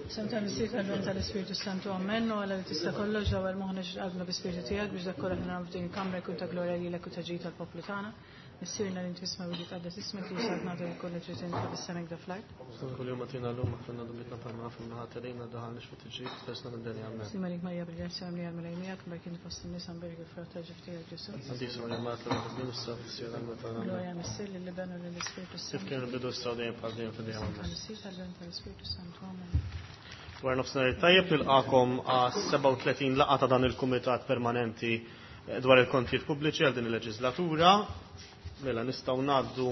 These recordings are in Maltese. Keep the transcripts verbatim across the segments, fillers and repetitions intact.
Sem tal-Missier tal-Bin tal-Ispirtu Santu Amen, u Alla li tista' kollox dawwal moħħna qalbna bi-Spirtu tiegħek biex dak kollha li nagħmlu f'din il-kamra jkun ta' glorja lilek u ta' ġid tal-poplu tagħna. Missierna li inti fis-smewwiet jitqaddes ismek li saltna jkollha trid inti fis-sema hekk fl-art. Kull jum agħtina llum aħfrilna dnubietna bħalma aħna ħaterina daħalniex fit-tiġrib ħlisna mid-deni amen. Sliem għalik Marija bil-grazzja mimlija l-Mulej miegħek, mbarkin fost in-nisa mberek il-frott tal-ġuf tiegħek Ġesù. Qaddisa Marija Mart l-Bnedmin issa fis-siegħa tal-mewt tagħna. Amen. Glorja Missier lill-Iben u lill-Ispirtu Kif Santu. kien il-bidu issa u dejjem bħal dejjem fid-dejjem amen. Tal-Missier tal-Bin tal-Ispirtu Santu Amen. Wara nofsinhar it-tajjeb nilqakom għas sebgħa u tletin laqgħa ta' dan il-Kumitat Permanenti dwar il-kontijiet pubbliċi għal din il-leġislatura. Mela nistgħu ngħaddu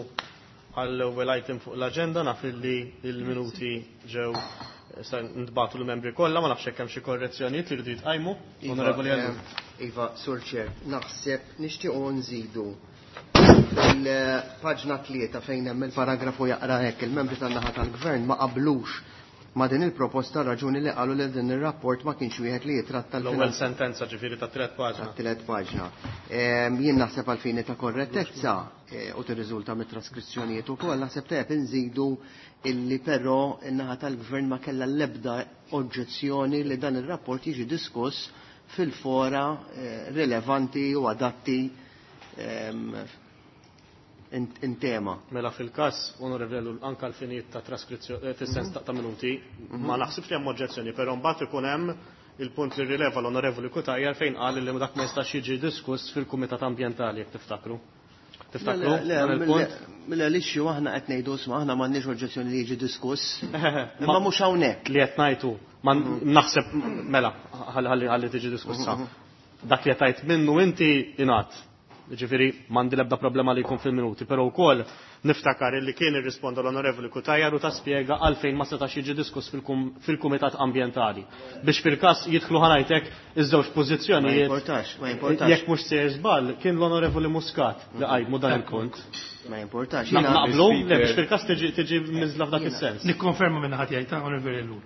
għall-ewwel item fuq l-aġenda, naf li l-minuti ġew sa ntbagħtu l-membri kollha, ma nafx hekk hemm xi korrezzjonijiet li jridu jitqajmu. Iva, Onorevoli Ellul. eh, Iva, Sur Chair, naħseb nixtiequ nżidu il-paġna tlieta fejn hemm il-paragrafu jaqra hekk, il-membri tan-naħa tal-Gvern ma qablux ma din il-proposta raġuni li qalu li din ir-rapport ma kienx wieħed li jitratta l-ewwel l-finanzi sentenza ġifieri ta' tliet paġna. Ta' tliet paġna. Ehm, jien naħseb għal fini ta' korrettezza, eh, u tirriżulta mit-traskrizzjonijiet ukoll, naħseb tajjeb inżidu illi però n-naħa tal-Gvern ma kellha l-ebda oġġezzjoni li dan ir-rapport jiġi diskuss fil-fora, eh, rilevanti u adatti, ehm, in, in tema. Mela fil-każ, onorevoli Ellul, anka l-finijiet ta' traskrizzjoni, eh, fis-sens ta' minuti, Mhm. ma naħsibx li hemm oġġezzjoni, però mbagħad ikun hemm il-punt li rileva l-onorevoli Cutajar fejn qal li dak ma jistax jiġi diskuss fil-Kumitat Ambjentali, jekk tiftakru. Tiftakru? Le, le, Dan il-punt? le, l-issue aħna qed ngħidu isma' aħna m'għandniex oġġezzjoni li jiġi diskuss. Ma Imma mhux hawnhekk. Li qed ngħidu, ma naħseb mela ħalli ħalli tiġi diskussa. Mhm. Dak li qed tgħid minnu inti ingħad. Ġifieri m'għandi l-ebda problema li jkun fil-minuti, però wkoll niftakar li kien irrisponda l-Onorevoli Cutajar u ta' spjega għalfejn ma setax jiġi diskuss fil-kum-, fil-Kumitat Ambjentali. Biex fil-każ jidħlu ħanajtek iż-żewġ pożizzjonijiet. Ma importax, ma importax. Jekk mhux sejjer żball, kien l-Onorevoli Muscat li qajmu dan il-punt. Ma importax. Na- Jiena Naqblu, Speaker. le biex fil-każ tiġi, tiġi miżla f'dak is-sens. Nikkonferma minn ħadd jgħid, Onorevoli Ellul.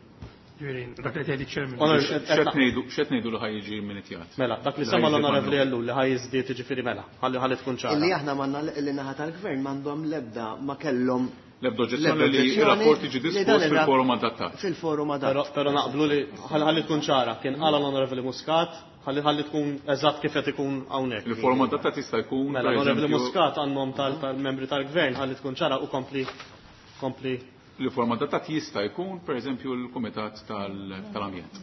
Ġifieri, dak li tgħid iċ-chairman. Onorevoli, X'qed ngħidu, x'qed ngħidu li ħaj jiġi minitjat? Mela, dak li Li sema ħaj jiżdied l-Onorevoli għandu. Ellul li ħaj jiżdied jiġifieri mela, ħalli ħalli tkun ċara. Illi aħna m'għandna li naħa tal-Gvern m'għandhom l-ebda ma kellhom L-ebda oġġezzjoni l-ebda li oġġezzjoni r-rapport jiġi li diskuss dan ir-rap- fil-forum adattat. Fil-forum adattat. Però, però naqblu li ħalli ħalli tkun ċara, kien qala l-Onorevoli Muscat, ħalli ħalli tkun eżatt kif qed ikun hawnhekk. Il-forum adattat jista' jkun, Mela, per l-Onorevoli eżempju, Muscat għandhom tal-, tal-membri tal-Gvern, ħalli tkun ċara u kompli, kompli. Il-forum adattat jista' jkun, per eżempju, l-Kumitat tal-, tal-Ambjent.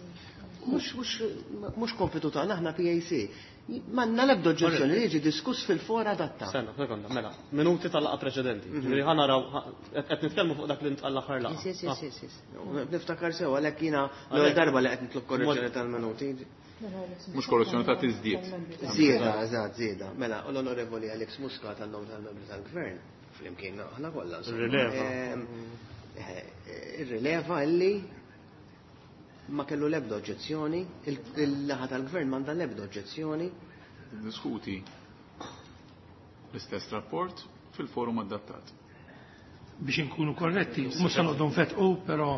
Mhux, mhux, mhux kompitu tagħna aħna P A C. M'għandna l-ebda oġġezzjoni li jiġi diskuss fil-fora adatta. Senna, sekonda, mela, minuti tal-laqgħa preċedenti. Mhm. Ġifieri ħa naraw, ħa-, qed, qed nitkellmu fuq dak li ntqal l-aħħar laqgħa. Yes, yes, Ah. yes, yes, yes. Niftakar sew għalhekk jiena l-ewwel Għalhekk. darba li qed nitlob korrezzjoni tal-minuti. Mhux korrezzjoni ta' tiżdied. Żieda, eżatt, żieda. Mela, u l-Onorevoli Alex Muscat għan-nom tal-membri tal-Gvern, flimkien aħna kollha, insomma. Rileva. Ehm, eh, irrileva illi ma kellu l-ebda oġġezzjoni, il-, il-laħa tal-Gvern m'għandha l-ebda oġġezzjoni. Diskuti l-istess rapport fil-forum adattat. Biex inkunu korretti, mhux se noqogħdu nfetqu, però,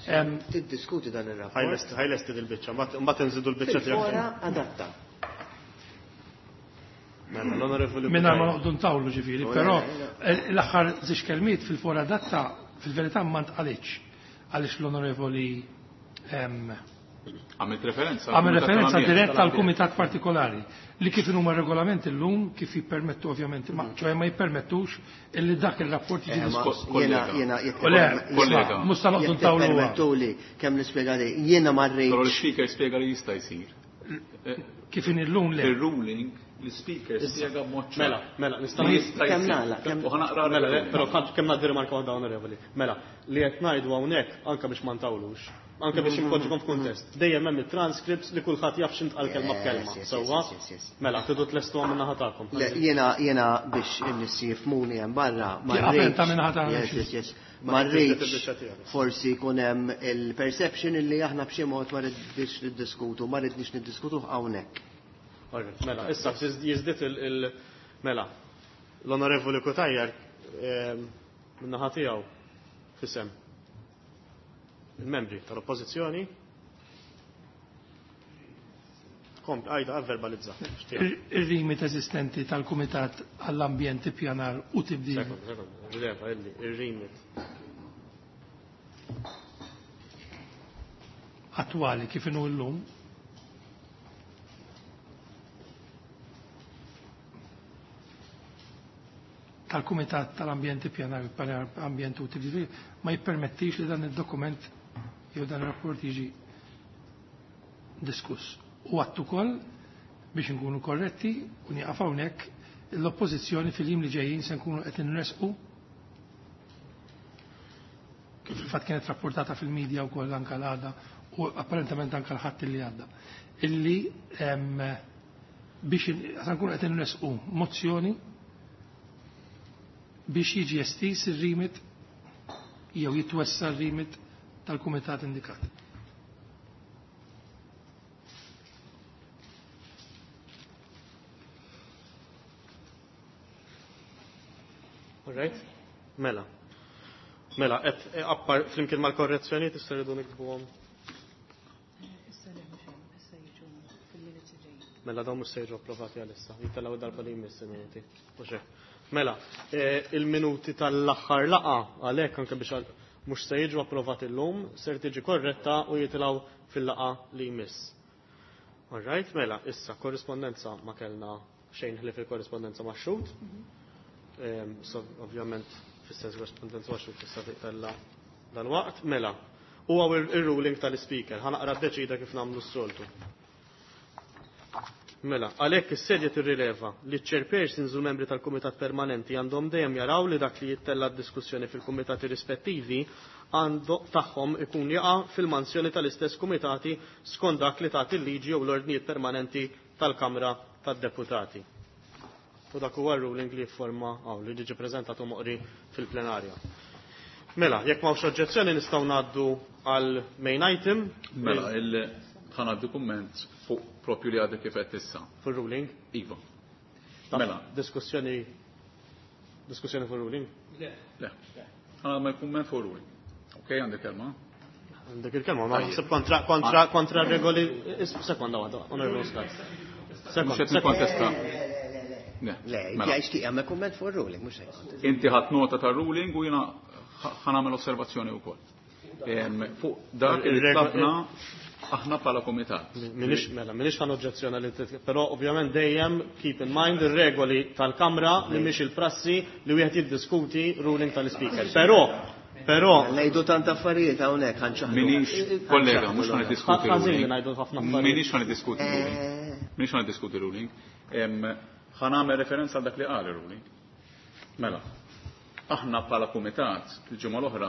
ehm, Tiddiskuti dan ir-rapport. Ħajlesti, ħajlesti dil-biċċa, mbagħad, mbagħad inżidu l-biċċa tiegħek. Fil-fora adatta. Mela, l-Onorevoli Mingħajr ma Cutajar. noqogħdu ntawlu ġifieri, Le, però le, le. l-aħħar żewġ kelmiet fil-fora adatta fil-verità ma ntqalitx għaliex l-Onorevoli, ehm, Għamilt referenza Għamil għal-Kumitat referenza tal-Ambjent. diretta għal kumitat partikolari li kif huma regolamenti llum kif jippermettu ovvjament, ma ċoħe ma jippermettux illi dak il-rapport jiġi Eh, ma diskuss. jiena, Kollega. jiena, jekk U le, tipperme- Kollega. isma', mhux se noqogħdu jekk ntawlu għal. tippermettuli kemm nispjega li jiena ma rridx. Però l-speaker spjega li jista' jsir. Eh, Kif in illum le. Fil-ruling l-speaker spjega b'mod ċar. Mela, mela, nista' Li jista' Kemm jsir. nagħlaq, kemm- U ħa naqra Mela, le, r-ruling. però kemm, kemm ngħaddi rimarka waħda onorevoli. Mela, li qed ngħidu hawnhekk anke biex ma ntawlux, anke biex inpoġġukom f'kuntest. Dejjem hemm it-transcripts li kulħadd jaf x'intqal kelma b'kelma. Yes, yes, Sewwa? yes, yes, yes. Mela, tridu tlestuha minn naħa tagħkom. Le, jiena, jiena biex in-nies jifhmuni hemm barra, ma Tieqaf rridx. inta minn naħa tagħna Yes, xi. yes, yes. Ma Ma rridx rridx il-biċċa tiegħek. forsi jkun hemm il-perception illi aħna b'xi mod ma rridx niddiskutu, ma rridniex niddiskutu hawnhekk. Alright, mela, issa jiżdied il-, il-, mela, l-Onorevoli Cutajar, ehm, min-naħa tiegħu fisem il-membri tal-Oppożizzjoni. Komp, għajda, verbalizza. Ir-rimit eżistenti tal-Kumitat għall-Ambjent, Ippjanar u Tibdil. Sekonda, sekonda, rileva, illi, ir-rimit. attwali kif inhu llum tal-Kumitat tal-Ambjent Ippjanar Ambjent u Tibdil ma jippermettix li dan id-dokument jew dan ir-rapport jiġi diskuss. U għadt ukoll biex nkunu korretti u nieqaf hawnhekk l-oppożizzjoni fil-jiem li ġejjin se nkunu qed inresqu kif il-fatt kienet rapportata fil-medja wkoll anke l-għada u apparentament anke l-ħadd li għadda. Illi biex se nkunu qed inresqu mozzjoni biex jiġi estis ir-rimit jew jitwessa r-rimit tal-kumitat indikat. All right? Mela. Mela, et appar flimkien mal-korrezzjoni tista' rridu niktbuhom. Issa le mhux hemm, issa jiġu fil-minuti ġejjin. Mela dawn mhux se jiġu approvati għalissa, jittellgħu darba li jmiss il-minuti. Mhux hekk. Mela, il-minuti tal-aħħar laqgħa għalhekk anke biex mhux se jiġu approvati llum, ser tiġi korretta u jitilgħu fil-laqgħa li jmiss. All right, mela, issa korrispondenza ma kellna xejn ħlief il-korrispondenza ma' xhud. So, ovvjament, fis-sens korrispondenza ma' xhud tista' titella dal-waqt. Mela, huwa ir-ruling tal-ispeaker, ħa naqra ddeċida kif nagħmlu s-soltu. Mela, għalhekk is-sedja tirrileva li ċ-chairpersons u l-membri tal-kumitat permanenti għandhom dejjem jaraw li dak li jittella d-diskussjoni fil-kumitati rispettivi għandu tagħhom ikun jaqa' fil-mansjoni tal-istess kumitati skont dak li tagħti l-liġi jew l-ordnijiet permanenti tal-Kamra tad-Deputati. U dak huwa r-ruling li jifforma hawn li ġie preżentat u moqri fil-plenarja. Mela, jekk m'hawnx oġġezzjoni nistgħu ngħaddu għal main item. Mela, il ħa ngħaddi kumment fuq propju li għadek kif qed issa. Fuq ruling? Iva. Mela. Diskussjoni diskussjoni fuq ruling? Le. Le. Ħa nagħmel kumment fuq ruling. Ok, għandek kelma? Għandek il-kelma, ma naħseb kontra kontra kontra regoli sekonda waħda, onorevoli Muscat. Mhux qed nikkontesta. Le, inti għax tagħmel kumment fuq ruling, mhux hekk. Inti ħadd nota tar-ruling u jiena ħa nagħmel osservazzjoni wkoll. Fuq dak li tlabna aħna bħala komitat. Minix, mela, minix ħan oġġezzjona li però ovvjament dejjem keep in mind ir-regoli tal-Kamra li mhix il-prassi li wieħed jiddiskuti ruling tal-ispeaker. Però, però ngħidu tant affarijiet hawnhekk ħanċaħdu. Minix kollega, mhux ħan niddiskuti ruling. Ngħidu ħafna affarijiet. Minix ħan niddiskuti ruling. Minix ħan niddiskuti ruling. Ħa nagħmel referenza għal dak li qal ir-ruling. Mela, aħna bħala kumitat il-ġimgħa l-oħra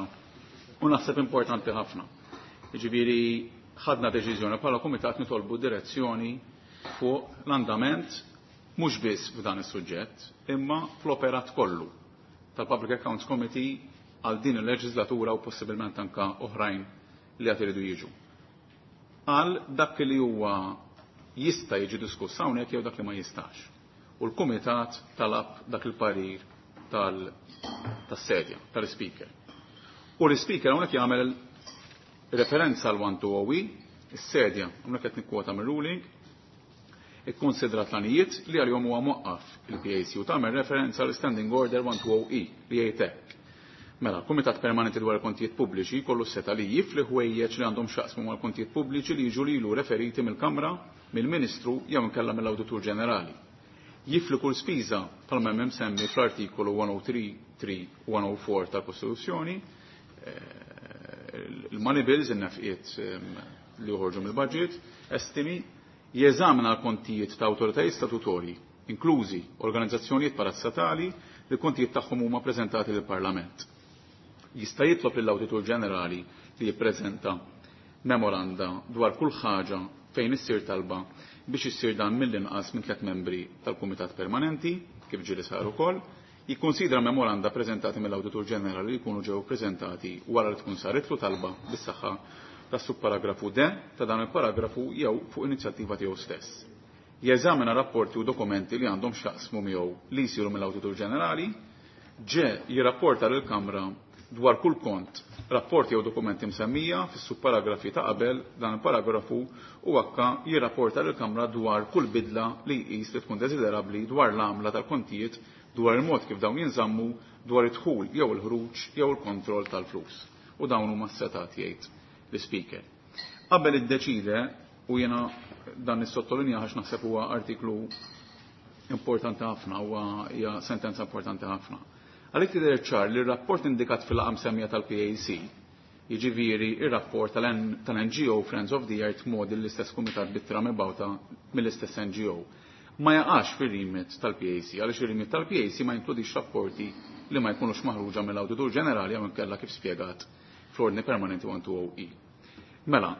u naħseb importanti ħafna. Jiġifieri ħadna deċiżjoni bħala kumitat nitolbu direzzjoni fuq l-andament mhux biss f'dan is-suġġett, imma fl-operat kollu tal-Public Accounts Committee għal din il-leġislatura u possibilment anka oħrajn li għad iridu jiġu. Għal dak li huwa jista' jiġi diskuss hawnhekk jew dak li ma jistax. U l-kumitat talab dak il-parir tas-sedja, tal-speaker. U l-speaker hawnhekk jagħmel referenza għal one two oh E, is-sedja, hawnhekk qed nikkwota mir-ruling, ikkonsidrat l-għanijiet li għal-jom huwa mwaqqaf il-P A C u tagħmel referenza għal Standing Order one two oh E li jgħid hekk. Mela, l-Kumitat Permanenti dwar il-Kontijiet Pubbliċi kollu seta li jifli ħwejjeġ li għandhom x'jaqsmu mal-kontijiet pubbliċi li jiġu lilu referiti mill-Kamra, mill-Ministru jew inkella mill-Awditur Ġenerali. Jifli kull spiża bħalma hemm semmi fl-artikolu one oh three three one oh four tal-Kostituzzjoni, il-money bills, in-nefqiet li joħorġu mill-budget, estimi, jeżamina l-kontijiet ta' awtoritajiet statutorji, inklużi organizzazzjonijiet parastatali li l-kontijiet tagħhom huma preżentati lill-Parlament. Jista' jitlob lill-Awditur Ġenerali li jippreżenta memoranda dwar kull ħaġa fejn issir talba biex issir dan mill-inqas minn tliet membri tal-Kumitat Permanenti, kif ġieli sar ukoll, jikkonsidra memoranda preżentati mill-Awditur Ġenerali li jkunu ġew preżentati wara li tkun saritlu talba bis-saħħa tas-subparagrafu D ta' dan il-paragrafu jew fuq inizjattiva tiegħu stess. Jeżamina rapporti u dokumenti li għandhom x'jaqsmu miegħu li jsiru mill-Awditur Ġenerali, ġe jirrapporta lill-Kamra dwar kull kont, rapporti jew dokumenti msemmija fis-subparagrafi ta' qabel dan il-paragrafu u akka jirrapporta lill-Kamra dwar kull bidla li jqis li tkun desiderabbli dwar l-għamla tal-kontijiet, dwar il-mod kif dawn jinżammu, dwar id-dħul jew il-ħruġ jew il-kontroll tal-flus. U dawn huma s-setat jgħid l-speaker. Qabel iddeċide, u jiena dan nissottolinja għax naħseb huwa artiklu importanti ħafna, huwa hija sentenza importanti ħafna. Għalhekk tidher ċar li r-rapport indikat fil-laqgħa msemmija tal-P A C, jiġifieri ir-rapport tal-N G O Friends of the Earth modi l-istess kumitat bit-tra mibgħuta mill-istess N G O, ma jaqax fir-remit tal-P A C, għaliex ir-remit tal-P A C ma jinkludix rapporti li ma jkunux maħruġa mill-Awditur Ġenerali jew inkella kif spjegat fl-Ordni Permanenti one two oh E. Mela,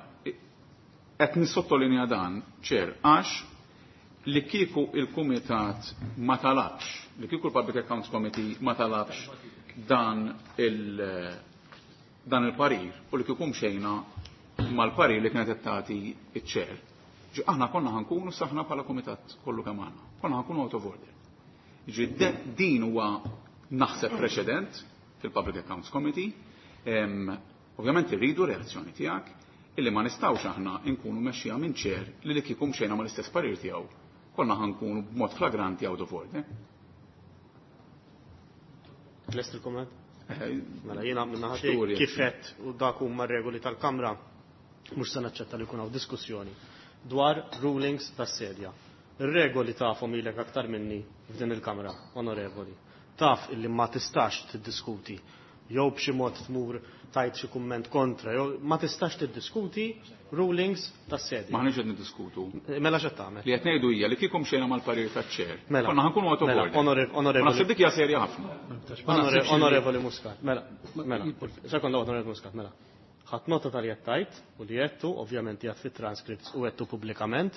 qed nissottolinja dan, ċer, għax li kieku il-Kumitat ma talabx, li kieku l-Public Accounts Committee ma talabx dan il- dan il-parir u li kieku mxejna mal-parir li kienet qed tagħti iċ-ċer. Ġi aħna konna ħankunu saħna bħala kumitat kollu kemm aħna. Konna ħankunu out of order. Ġi din huwa naħseb preċedent fil-Public Accounts Committee. Em, ovvjament irridu reazzjoni tiegħek illi ma nistgħux aħna nkunu mexxija minn ċer li li kieku mxejna mal-istess parir tiegħu. Konna ħankunu b'mod flagranti out of order. Lest il-komment? Eh, Mela jiena minn naħa Xturi, tiegħi kif qed u dak huma r-regoli tal-Kamra mhux se naċċetta li jkun hawn diskussjoni dwar rulings tas-sedja. Ir-regoli tafhom ilek aktar minni f'din il-Kamra, onorevoli. Taf illi ma tistax tiddiskuti jew b'xi mod tmur tajt xi kumment kontra, jew ma tistax tiddiskuti rulings tas-sedja. Maħniex qed niddiskutu. Mela x'qed tagħmel? Li qed ngħidu hija li kieku mxejna mal-parir taċ-ċer. Mela. Konna ħankunu out of Mela, order. onore-, onorevoli. Ma naħseb dik hija serja ħafna. Onore-, Onorevoli Muscat, mela, mela. Sekonda onorevoli Muscat, mela. Ħadd nota tal qed tajt u li għedtu, ovvjament jgħid fit-transcripts u għedtu pubblikament,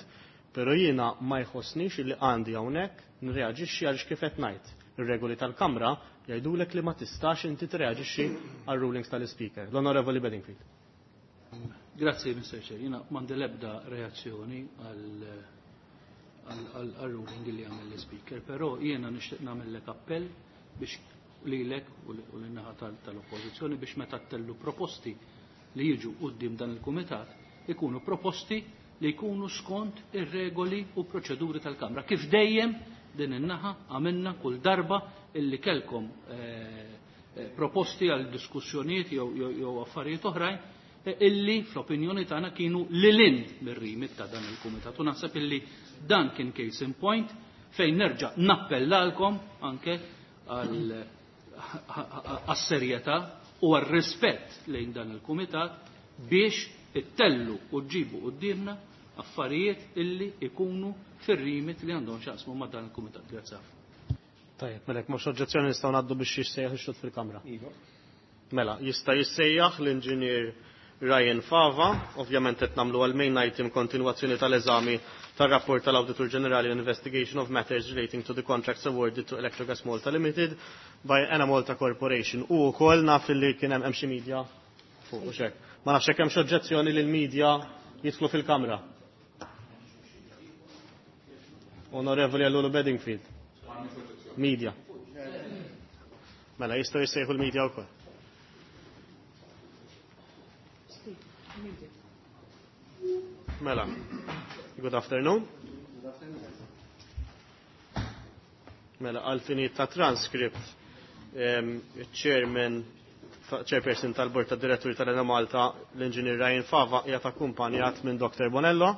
però jiena ma jħossnix li għandi hawnhekk nreaġixxi għaliex kif qed ngħid. Ir-regoli tal-Kamra jgħidulek li ma tistax inti treaġixxi għal rulings tal-Speaker. L-Onorevoli Bedingfield. Grazzi, Mister Chair. Jiena m'għandi l-ebda reazzjoni għal, għal, għal, għal ruling li għamel l-Speaker, però jiena nixtieq nagħmellek appell biex lilek u lin-naħa tal-, tal-Oppożizzjoni biex meta tellu proposti li jiġu quddiem dan il-Kumitat ikunu proposti li jkunu skont ir-regoli u proċeduri tal-Kamra. Kif dejjem din in-naħa għamilna kull darba illi kelkom, eh, eh, proposti għal diskussjonijiet jew, jew, jew affarijiet oħrajn, eh, illi fl-opinjoni tagħna kienu lilin mir-rimit ta' dan il-Kumitat. U naħseb illi dan kien case in point fejn nerġa' nappellalkom anke għal, għas-serjetà u għar-rispett lejn dan il-Kumitat biex ittellu u ġibu quddiemna affarijiet illi ikunu fir-rimit li għandhom x'jaqsmu ma' dan il-Kumitat. Grazzi ħafna. Tajjeb, mela jekk m'hawnx oġġezzjoni nistgħu ngħaddu biex jissejjaħ ix-xhud fil-Kamra. Iva. Mela, jista' jissejjaħ l-Inġinier Ryan Fava, ovvjament qed nagħmlu għal main item kontinwazzjoni tal-eżami tar-rapport tal-Awditur Ġenerali on Investigation of Matters Relating to the Contracts Awarded to Electrogas Malta Limited by Enemalta Corporation. U wkoll naf li kien hemm xi media fuq u xek. Ma nafx hekk hemm xi oġġezzjoni li l-media jidħlu fil-Kamra. Onorevoli Ellul Bedingfield. Media. Mela, jistgħu jissejħu l-media wkoll. Mela, good afternoon. Mela, għal-finit ta' transcript, em, chairman, chairperson tal-Bord ta' Diretturi tal-Enemalta, l-Inġinier Ryan Fava, qiegħed akkumpanjat minn Doktor Bonello.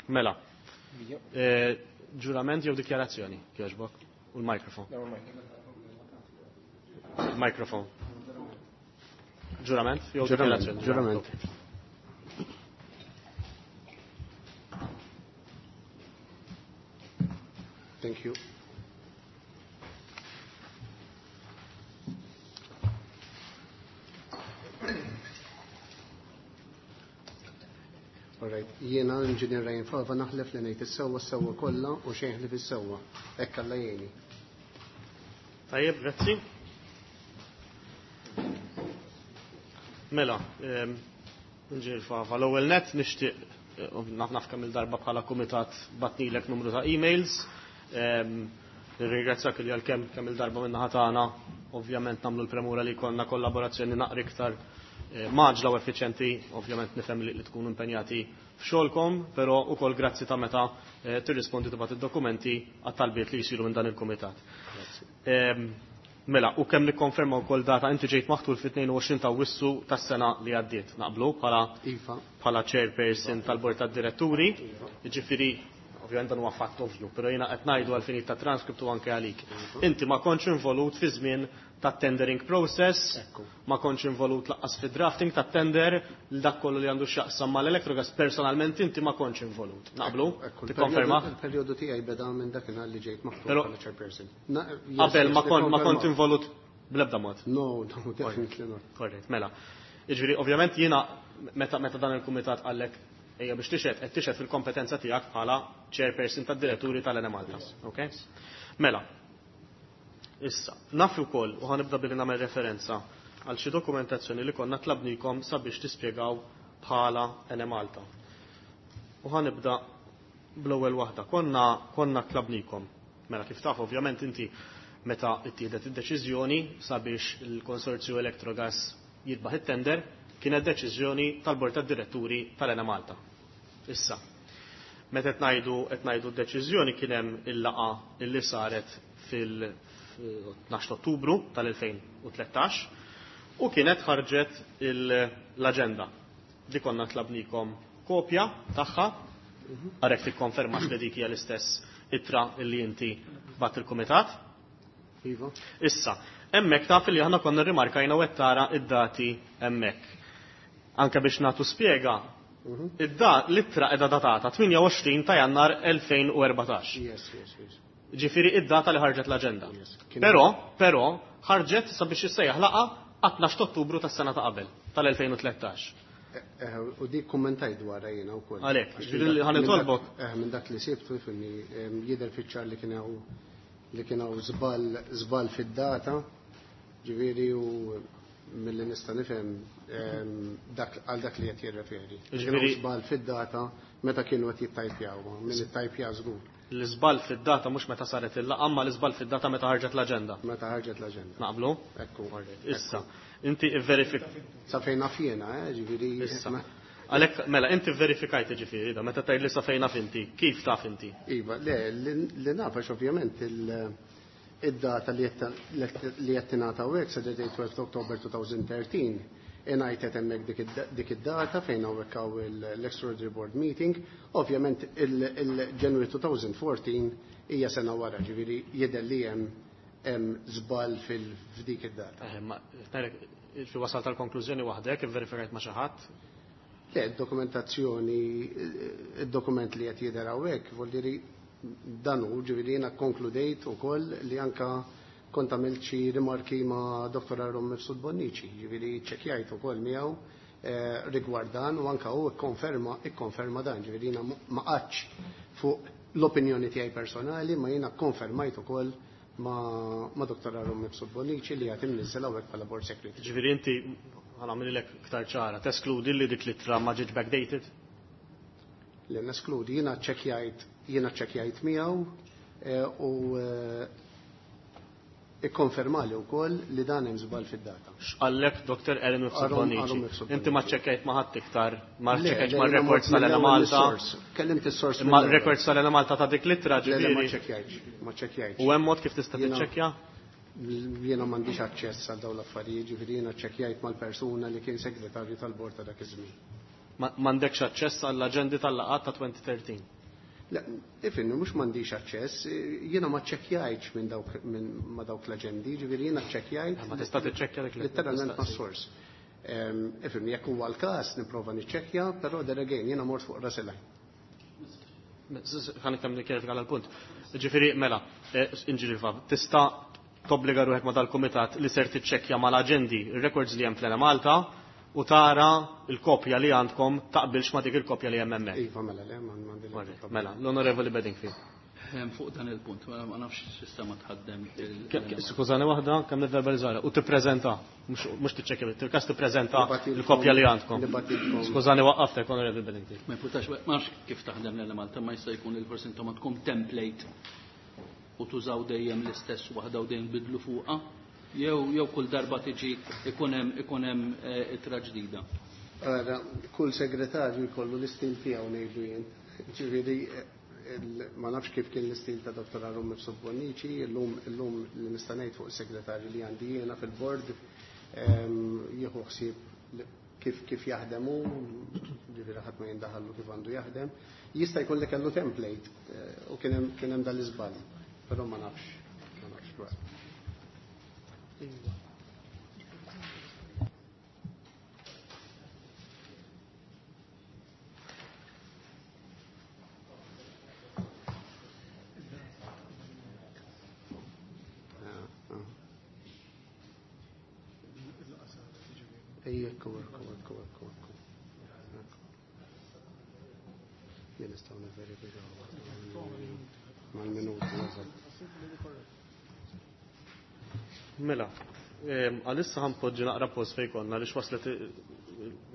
Mela, eh, ġurament jew dikjarazzjoni, kieġbok, u l-mikrofon. Mikrofon. Ġurament jew Ġurament, dikjarazzjoni? ġurament. Thank you. All right. Jiena l-Inġinier Ryan Fava naħlef li ngħid is-sewwa s-sewwa kollha u xejn ħlief is-sewwa. Hekk Alla jgħinni. Tajjeb, grazzi. Mela, ehm, Inġinier Fava, l-ewwel nett nixtieq, eh, naf naf kemm il-darba bħala kumitat batnilek numru ta' emails. Ehm, nirringrazzjak li għalkemm kemm il-darba minn naħa tagħna, ovvjament nagħmlu l-premura li jkollna kollaborazzjoni naqra iktar, eh, maġla u effiċjenti, ovvjament nifhem li, li tkunu impenjati f'xogħolkom, però ukoll grazzi ta' meta, eh, tirrispondi tibgħat id-dokumenti għat-talbiet li jsiru minn dan il-kumitat. Grazzi. Ehm, Mela, u kemm nikkonferma wkoll data inti ġejt maħtur fit-tnejn u għoxrin ta' Awwissu tas-sena li għaddiet. Naqblu bħala Iva. bħala chairperson tal-Bord tad-Diretturi. Iva. Jiġifieri, ovvjament dan huwa fatt ovvju, però jiena qed ngħidu għal finit ta' transkript u anke għalik. Inti ma kontx involut fi żmien ta' tendering process, Ekku. ma kontx involut laqqas fi drafting ta' tender, l dak kollu li għandu x'jaqsam mal-Electrogas, personalment inti ma kontx involut. Naqblu? Ekku, Tikkonferma? Il-perjodu tiegħi beda minn dakinhar li ġejt maħtur Però bħala chairperson. Na, yes, Qabel yes, ma kont, ma kont nikkonferma. involut bl-ebda mod. No, no, definitely not. Korrett, mela. Jiġifieri, ovvjament jiena meta, meta dan il-kumitat qallek ejja biex tixhed, qed tixhed fil-kompetenza tiegħek bħala chairperson tad-diretturi tal-Enemalta. Okay? Mela. Issa, naf ukoll u ħanibda billi nagħmel referenza għal xi dokumentazzjoni li konna tlabnikom sabiex tispjegaw bħala Enemalta. U ħanibda bl-ewwel waħda. Konna, konna tlabnikom. Mela kif taf ovvjament inti meta ttieħdet id-deċiżjoni sabiex il-konsorzju Electrogas jitbaħ it-tender, kienet deċiżjoni tal-Bord tad-Diretturi tal-Enemalta. Issa, meta qed ngħidu qed ngħidu d-deċiżjoni kien hemm il-laqgħa illi saret fil-tnax Ottubru tal-elfejn u tlettax u kienet ħarġet l-aġenda. Di konna tlabnikom kopja tagħha, għarek tikkonfermax li dik hija l-istess ittra illi inti bat il-kumitat. Iva. Issa, hemmhekk taf li aħna konna rrimarkajna u qed tara id-dati hemmhekk. Anke biex nagħtu spjega, Mhm. id-da l-ittra qiegħda datata tmienja u għoxrin ta' Jannar elfejn u erbatax. Yes, yes, yes. Ġifieri id-data li ħarġet l-aġenda. Yes. Kien Però, però ħarġet sabiex issejjaħ laqgħa għat-tnax ta' Ottubru tas-sena ta' qabel, tal-elfejn u tlettax. Eh, eh, u dik kummentaj dwarha jiena wkoll. Għalhekk, Għax ġifieri minn li dak- ħa nitolbok. minn dak, eh, minn dak li sibtu, fimni, em, jidher fiċ-ċar li kien hawn li kien hawn żball, żball fid-data, ġifieri u milli nista' nifhem, em, dak, għal dak li qed jirreferi. Kien hawn Ġifieri żball fid-data meta kienu qed jittajpjaw, minn ittajpja żgur. L-iżball fid-data mhux meta saret il-laqgħa, ma l-iżball fid-data meta ħarġet l-aġenda. Meta ħarġet l-aġenda. Naqblu? Ekku. Issa, inti verifik. Sa fejn naf jiena, eh, ġifieri. Issa. Għalhekk, mela, inti verifikajt ġifieri, da, meta tgħid li sa fejn naf inti, kif taf inti? Iva, le, li, li naf għax ovvjament il-, id-data li qed li qed tingħata hawnhekk sa date twelfth October two thousand thirteen, ingħajtet hemmhekk dik id-, dik id-data fejn hawnhekk hawn il-, l-Extraordinary Board Meeting. Ovvjament il-, il-January two thousand fourteen hija sena wara, ġifieri jidher li hemm, hemm żball fil-, f'dik id-data. Eh, ma ngħidlek, fi wasal tal-konklużjoni waħdek, ivverifikajt ma' xi ħadd? Le, id-dokumentazzjoni, id-dokument li qed jidher hawnhekk, vuol dire dan hu, ġifieri jiena konkludejt ukoll li anka kont għamilt xi rimarki ma' Doktor Aaron Mifsud Bonnici, ġifieri ċċekkjajt ukoll miegħu, eh, rigward dan u anka hu ikkonferma, ikkonferma dan, ġifieri jiena ma qgħadx fuq l-opinjoni tiegħi personali, ma jiena konfermajt ukoll ma', ma' Doktor Aaron Mifsud Bonnici li qed imniżżel hawnhekk bħala board secretary. Ġifieri inti ħanagħmilek iktar ċara, teskludi li dik l-ittra ma ġietx backdated? Li neskludi, jiena ċċekkjajt, jiena ċċekkjajt miegħu, eh, u, eh, ikkonfermali wkoll li dan hemm żball fid-data. X'qallek Doktor Aaron Mifsud Aaron- Bonnici? Aaron Mifsud Inti ma Bonnici. ċċekkjajt ma ħadd iktar, ma Le, ċċekkjajt le, ma jiena records mort tal-Ena mill-ewwel Malta. mis-source. Kellimt is-source Ma mill-ewwel. records tal-Ena Malta ta' dik l-ittra, Le, le, ma ġifieri. ċċekkjajtx, ma ċċekkjajtx. U hemm mod kif tista' Jiena tiċċekkja? Jiena m'għandix aċċess għal dawn l-affarijiet, ġifieri jiena ċċekkjajt mal-persuna li kien segretarju tal-bord ta' dak iż-żmien. Ma m'għandekx aċċess għall-aġendi tal-laqgħat ta' twenty thirteen. Le, ifimni, mhux m'għandix aċċess, jiena ma ċċekkjajtx minn dawk, minn ma dawk l-aġendi, ġifieri jiena ċċekkjajt Ma tista' tiċċekkja dik li letteralment tistaqsi. mas-sors. Ehm, ifimni, jekk huwa l-każ nipprova niċċekkja, però there again jiena mort fuq ras il-għajn. Ħa nikkem nikkjerifika għal punt. Ġifieri, mela, eh, inġirifa, tista' tobbliga ruħek ma dal-kumitat li ser tiċċekkja mal-aġendi ir-records li hemm fl-Ena Malta u tara il-kopja li għandkom taqbilx ma dik il-kopja li hemm hemmhekk. Iva, mela, le, ma m'għandi l-ebda Korrett. problema. Mela, l-Onorevoli Bedingfield. Ehm, fuq dan il-punt, ma ma nafx sistema tħaddem il- Ke-, ke-, Skużani waħda, kemm nivverbalizzara, u tippreżenta, mhux, mhux tiċċekkja, til-każ tippreżenta Nibatilkom- il-kopja li għandkom. nibatilkom. Skużani waqqaftek, Onorevoli Bedingfield. Ma jipportax, ma nafx kif taħdem l-Ena Malta, ma jista' jkun il-forsi intom għandkom template u tużaw dejjem l-istess waħda u dejjem bidlu fuqha, jew, jew kull darba tiġi ikun hemm, ikun hemm, eh, ittra ġdida. Ara, kull segretarju jkollu l-istil tiegħu ngħidu jien. Ġifieri, Ma nafx kif kien l-istil ta' Dottor Harun Mifsud Bonnici, illum illum li nista' ngħid fuq is-segretarju li għandi jiena fil-bord jieħu ħsieb kif kif jaħdem hu, ġifieri ħadd ma jindaħallu kif għandu jaħdem. Jista' jkun li kellu template u kien hemm kien hemm dal-iżball, però ma nafx, ma nafx dwar. Ekku, ekku, ekku, ekku, ekku. Jien nistgħu nivverifikaw mal-minuti eżatt. Mela, għalissa ħanpoġġi naqra post fejn konna għaliex waslet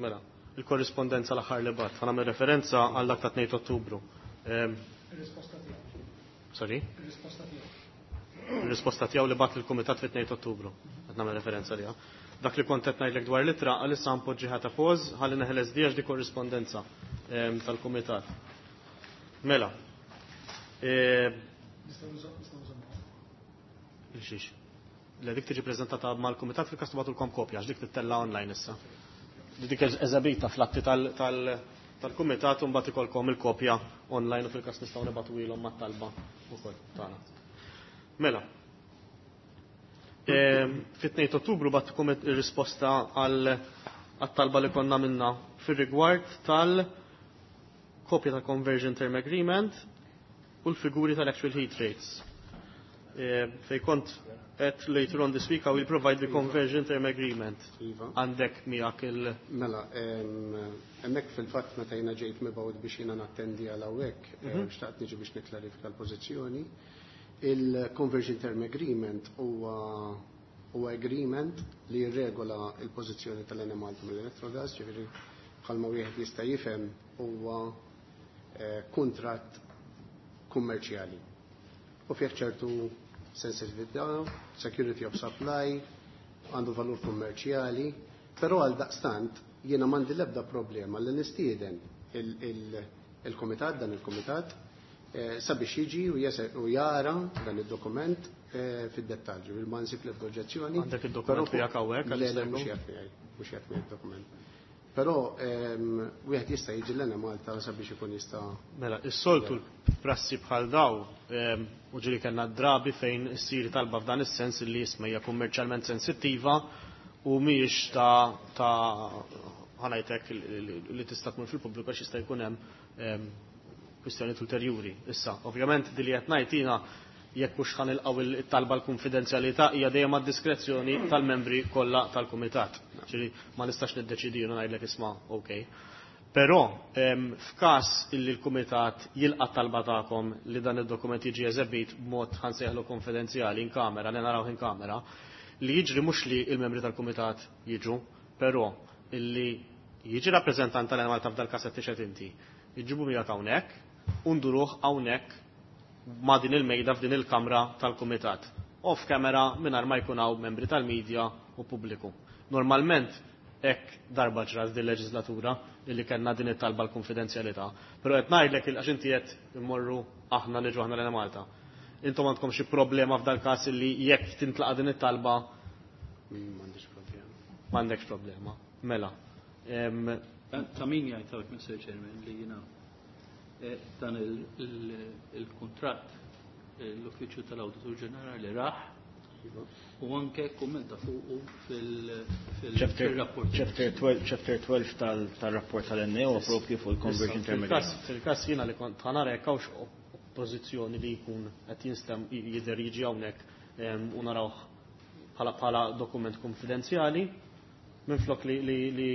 mela il-korrispondenza l-aħħar li bat. Ħa nagħmel referenza għal dak ta' tnejn Ottubru. Ir-risposta tiegħu. Sorry? Ir-risposta tiegħu. Ir-risposta tiegħu li bat lill-kumitat fit-tnejn Ottubru. Qed nagħmel referenza liha. Dak li kont qed ngħidlek dwar l-ittra għalissa npoġġi ħata poż ħalli neħles di għax di korrispondenza tal-kumitat. Mela. Il-xiex. Le dik tiġi preżentata mal-kumitat fil-każ tibgħatulkom kopja għax dik tittella online issa. Dik eżebita fl-atti tal-kumitat u mbagħad ikolkom il-kopja online u fil-każ nistgħu nibgħatu ilhom mat-talba wkoll tagħna. Mela. Fit-tnejn Ottubru batkom ir-risposta għal talba li konna minna fir-rigward tal-kopja ta' Conversion Term Agreement u l-figuri tal-actual heat rates. Fej kont at later on this week I will provide the Conversion Term Agreement. Għandek miegħek il- Mela, hemmhekk fil-fatt meta jiena ġejt mibgħut biex jiena nattendi għal hawnhekk, xtaqt niġi biex nikklarifika l-pożizzjoni. Il-Conversion Term Agreement huwa huwa agreement li jirregola il-pożizzjoni tal-Enemalta mill-Electrogas, ġifieri bħalma wieħed jista' jifhem huwa kuntratt kummerċjali. U fih ċertu sensitività, security of supply, għandu valur kummerċjali, però għal daqstant jiena m'għandi l-ebda problema li nistieden il-komitat, dan il-komitat, sabiex jiġi u jara dan id-dokument fid-dettalji. Ma nsib l-ebda oġġezzjoni. Għandek id-dokument tiegħek hawnhekk? Le, le, mhux qiegħed miegħi, mhux qiegħed miegħi id-dokument. Però wieħed jista' jiġi l-Enemalta sabiex ikun jista' Mela, is-soltu prassi bħal daw u ġieli kellna drabi fejn issir talba f'dan is-sens li jisma' hija kummerċjalment sensittiva u mhijiex ta' ta' ħanajtek li tista' tmur fil-pubbliku għax jista' jkun hemm kwistjonijiet ulterjuri. Issa, ovvjament din li qed ngħid jiena jekk mhux ħanilqgħu it-talba l-konfidenzjalità hija dejjem għad-diskrezzjoni tal-membri kollha tal-kumitat. Ġifieri ma nistax niddeċidi u ngħidlek isma' okej. Però f'każ illi l-kumitat jilqa' talba tagħkom li dan id-dokument jiġi eżebit b'mod ħansejħlu konfidenzjali in kamera, li narawh in kamera, li jiġri mhux li l-membri tal-kumitat jiġu, però illi jiġi rappreżentant tal-Enemalta f'dal każ qed tixhed inti, jiġibu miegħek hawnhekk u nduruh hawnhekk ma' din il-mejda f'din il-kamra tal-kumitat. Off camera mingħajr ma jkun hawn membri tal-medja u pubbliku. Normalment hekk darba ġrat din leġislatura illi kellna din it-talba l-konfidenzjalità, però qed ngħidlek għax inti qed immorru aħna niġu aħna lejn Malta. Intom għandkom xi problema f'dal każ illi jekk tintlaqa' din it-talba? M'għandix problema. M'għandekx problema. Mela. Ta' min jgħid hawnhekk, Mister Chairman, li jiena dan il-kuntratt l-Uffiċċju tal-Awditur Ġenerali raħ u anke kummenta fuqu fil-rapport. Chapter twelve, chapter twelve tal-rapport tal-N A O propju fuq il-Conversion Term Agreement. Fil-każ jiena li kont ħanara jekk hawnx oppożizzjoni li jkun qed jinstem jidher jiġi hawnhekk u narawh bħala bħala dokument konfidenzjali minflok li li li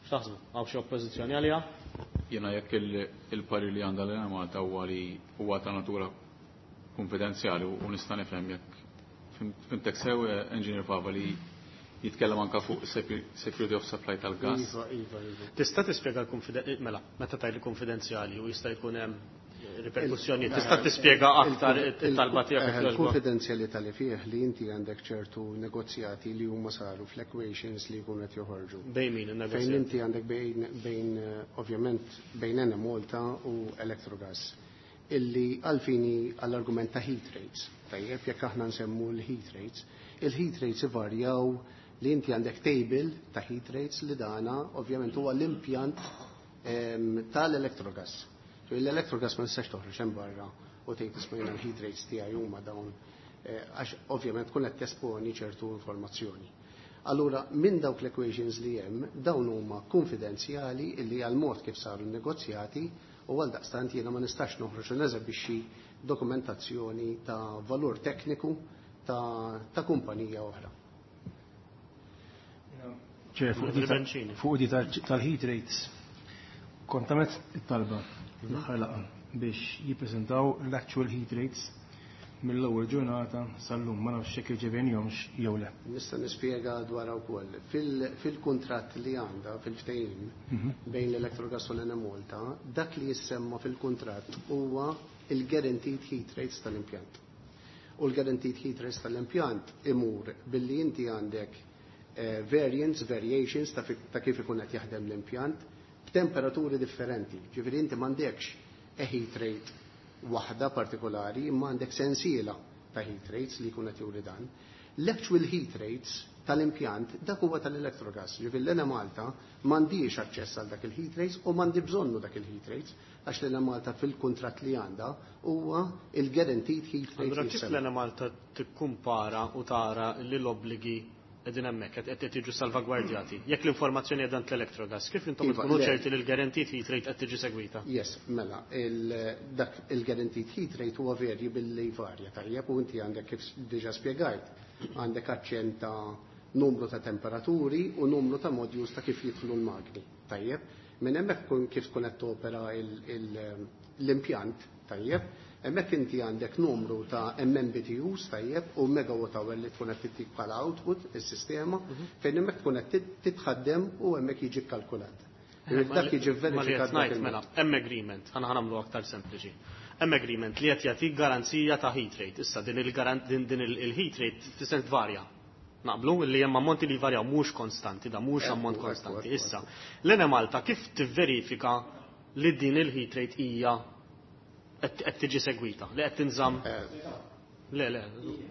x'taħsbu? Hawn xi oppożizzjoni għaliha? Jiena jekk il-parir li għandha l-Enemalta huwa li huwa ta' natura konfidenzjali u nista' nifhem jekk fimtek sew Engineer Fava li jitkellem anka fuq security of supply tal-gas. Iva, iva, iva. Tista' tispjega l-konfidenzjali, mela, meta tgħid konfidenzjali u jista' jkun hemm riperkussjonijiet. Tista' tispjega aktar it-talba tiegħek? Il-konfidenzjalità li fih li inti għandek ċertu negozjati li huma saru fl-equations li jkunu qed joħorġu. Bejn min in-negozjati? Fejn inti għandek bejn bejn ovvjament bejn Enemalta u Electrogas, illi għalfini għall-argument ta' heat rates. Tajjeb, jekk aħna nsemmu l-heat rates, il-heat rates ivarjaw li inti għandek table ta' heat rates li dana ovvjament huwa l-impjant tal-Electrogas. L-Electrogas ma nistax toħroġ hemm barra u tgħid, "Isma', jiena l-heat rates tiegħi huma dawn," għax ovvjament tkun qed tesponi ċertu informazzjoni. Allura, minn dawk l-equations li hemm, dawn huma konfidenzjali illi għal mod kif saru negozjati u għal daqstant jiena ma nistax noħroġ u neżebixxi dokumentazzjoni ta' valur tekniku ta', ta kumpanija oħra. Fuq di tal-heat rates, kont għamilt it-talba l-aħħar laqgħa biex jippreżentaw l-actual heat rates mill-ewwel ġurnata sal-lum. Ma nafx jekk irċevejnihomx jew le. Nista' nispjega dwar ukoll. Fil-kuntratt li għandha fil-ftehim bejn l-Electrogas u l-Enemalta, dak li jissemma fil-kuntratt huwa il-guaranteed heat rates tal-impjant. U l-guaranteed heat rates tal-impjant imur billi inti għandek eh, variants, variations ta' ta' kif ikun qed jaħdem l-impjant b'temperaturi differenti. Ġifieri inti m'għandekx a heat rate waħda partikolari, imma għandek sensiela ta' heat rates li jkun qed juri dan. L-actual heat rates tal-impjant dak huwa tal-Electrogas. Ġifieri l-Enemalta m'għandix aċċess għal dak il-heat rates u m'għandi bżonnu dak il-heat rates għax l-Enemalta fil-kuntratt li għandha huwa il-guaranteed heat rate. Allura kif l-Enemalta tikkumpara u tara li l-obbligi qegħdin hemmhekk qed jiġu salvagwardjati? Jekk l-informazzjoni qiegħda l-Electrogas, kif intom Iva, tkunu le. ċerti li l-guaranteed heat rate qed tiġi segwita? Yes, mela, il, dak il-guaranteed heat rate huwa verji billi varja, tajjeb, u inti għandek, kif diġa spjegajt, għandek aċċent ta' numru ta' temperaturi u numru ta' modules ta' kif jidħlu l-magni, tajjeb. Minn hemmhekk kun kif tkun qed topera il- il- l-impjant, tajjeb, hemmhekk inti għandek numru ta' M M B T Us, tajjeb, u megawatt hour li tkun qed tittik bħala output is-sistema, fejn hemmhekk tkun qed titħaddem u hemmhekk jiġi kkalkulat. Dak jiġi Ma li qed verifikat dak ngħid il-mod. mela, hemm agreement, ħana ħanamlu aktar sempliċi. Hemm agreement li qed jagħtik garanzija ta' heat rate. Issa din il-garan din din il-heat rate tista' tvarja. Naqblu li hemm ammonti li jvarjaw, mhux konstanti, da mhux Ekku, ammont ekku, konstanti. ekku, Issa, l-Enemalta kif tivverifika li din il-heat rate hija qed qed tiġi segwita, li qed tinżamm? Le, le.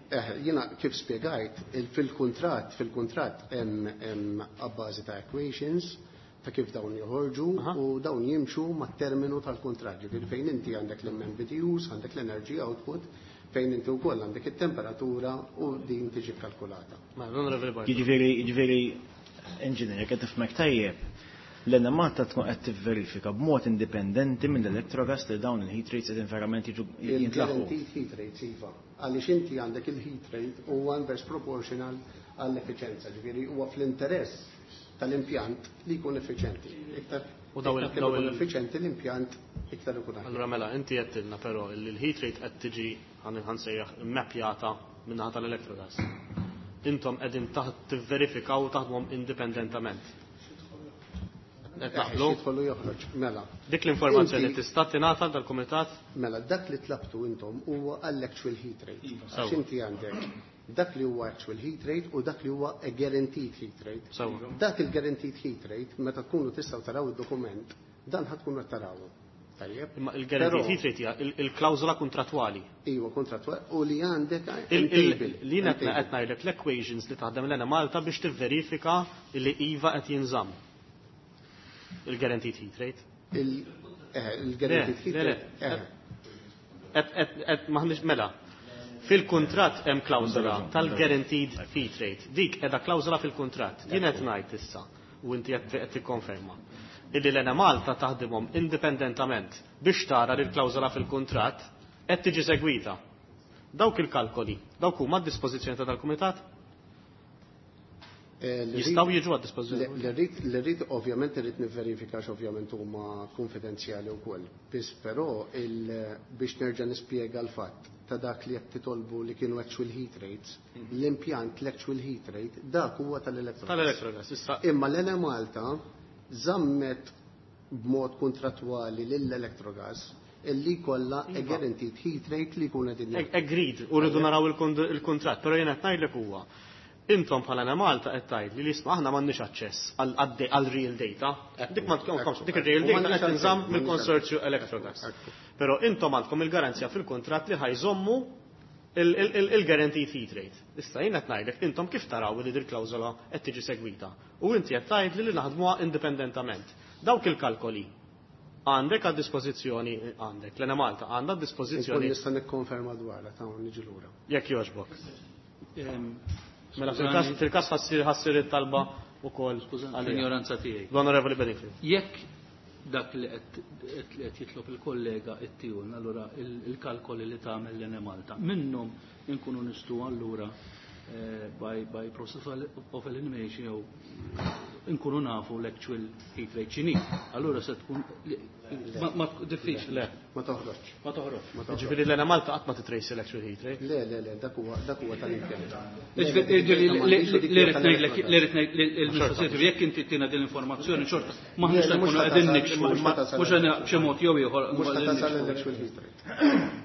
Eh, jiena kif spiegajt, il- fil-kontrat, fil-kontrat hemm hemm abbażi ta' equations ta' kif dawn joħorġu u dawn jimxu mat-terminu tal-kontrat. Ġifieri fejn inti għandek l-M M B T Us, għandek l-energy output, fejn inti wkoll għandek it-temperatura u din tiġi kalkulata. Ma, l-Onorevoli Bartolo. Jiġifieri, jiġifieri, engineer, qed tifhmek tajjeb, l-Enemalta tkun qed tivverifika b'mod indipendenti mill-Electrogas li dawn il-heat rates qegħdin verament jiġu jintlaħqu? Il-guaranteed heat rates, iva. Għaliex inti għandek il-heat rate huwa inverse proportional għall-effiċenza, ġifieri huwa fl-interess tal-impjant li jkun effiċenti. Iktar U daw il- iktar kemm daw ikun il- effiċenti l-impjant, iktar ikun aħjar. Allura mela, inti għedtilna però li l-heat rate qed tiġi, ħan ħansejjaħ, mappjata min-naħa tal-Electrogas. Intom qegħdin taħt tivverifikaw u taħdmhom indipendentament. Qed naqblu? Jidħol u joħroġ, mela. Dik l-informazzjoni Inti- tista' tingħata dal-kumitat? Mela, dak li tlabtu intom huwa għall-actual heat rate. Għax Sewwa. inti għandek dak li huwa actual heat rate u dak li huwa a guaranteed heat rate. Sewwa. Dak il-guaranteed heat rate, meta tkunu tistgħu taraw id-dokument, dan ħa tkunu qed tarawhu. Tajjeb? Imma il-guaranteed Però- heat rate hija il- il-klawżola kontrattwali. Iva, kontrattwali u li għandek Il- hemm il- table, Li hemm qed table. qed ngħidlek l-equations li taħdem l-Enemalta biex tivverifika li iva qed jinżamm il-guaranteed heat rate. Il- eh, Il-guaranteed heat Le, le, rate. eh, Et, et, et, maħniex mela. Fil-kuntratt hemm klawżola tal-guaranteed heat rate. Dik qiegħda klawżola fil-kuntratt. Jien qed ngħid issa u inti qed qed tikkonferma illi l-Enemalta taħdimhom indipendentament biex tara li l-klawżola fil-kuntratt qed tiġi segwita. Dawk il-kalkoli, dawk huma d-dispożizzjoni ta' dal-kumitat? eh, li Jistgħu rrid- jiġu għad-dispożizzjoni? Li rrid, li rrid ovvjament irrid nivverifika ovvjament huma konfidenzjali wkoll. Biss però il- biex nerġa' nispjega l-fatt ta' dak li qed titolbu li kienu actual heat rates, l-impjant l-actual heat rate dak huwa tal-Electrogas. Tal-Electrogas, issa. Imma l-Enemalta żammet b'mod kontrattwali lill-Electrogas illi kollha a guaranteed heat rate li jkun qegħdin. Agreed, u rridu naraw il-kuntratt, però jien qed ngħidlek huwa. Intom bħala Malta qed tgħid li isma' aħna m'għandniex aċċess għal real data. Dik ma tkomx, dik ir-real data qed tinżamm mill-konsorzju Electrogas. Però intom għandkom il-garanzja fil-kuntratt li ħa jżommu il-guaranteed heat rate. Issa jien qed ngħidlek intom kif taraw li dir klawżola qed tiġi segwita. U inti qed tgħid li naħdmuha indipendentament. Dawk il-kalkoli għandek għad dispożizzjoni għandek, l-Enemalta għandha dispożizzjoni. Nista' nikkonferma dwarha ta' niġi lura. Jekk jogħġbok. Mela fil-każ ħa ssir it-talba wkoll. L-ignoranza tiegħi. L-Onorevoli Bedingfield. Jekk dak li qed jitlob il-kollega it-tijun, allura il-kalkoli li tagħmel l-Enemalta, minnhom inkunu nistgħu allura by by process of elimination jew inkunu nafu l-actual heat rate x'inhi. Allura se tkun ma diffiċli. Le. Ma toħroġ. Ma toħroġ. Ġifieri l-Enemalta qatt ma titrace l-actual heat rate. Le, le, le, dak huwa dak huwa tal-impjant. Ġifieri li rrid ngħidlek li rrid ngħid il-mistoqsijiet jekk inti tina din l-informazzjoni xorta m'aħniex se nkunu qegħdin nikxfu mhux b'xi mod jew ieħor. Mhux tasal l-actual heat rate.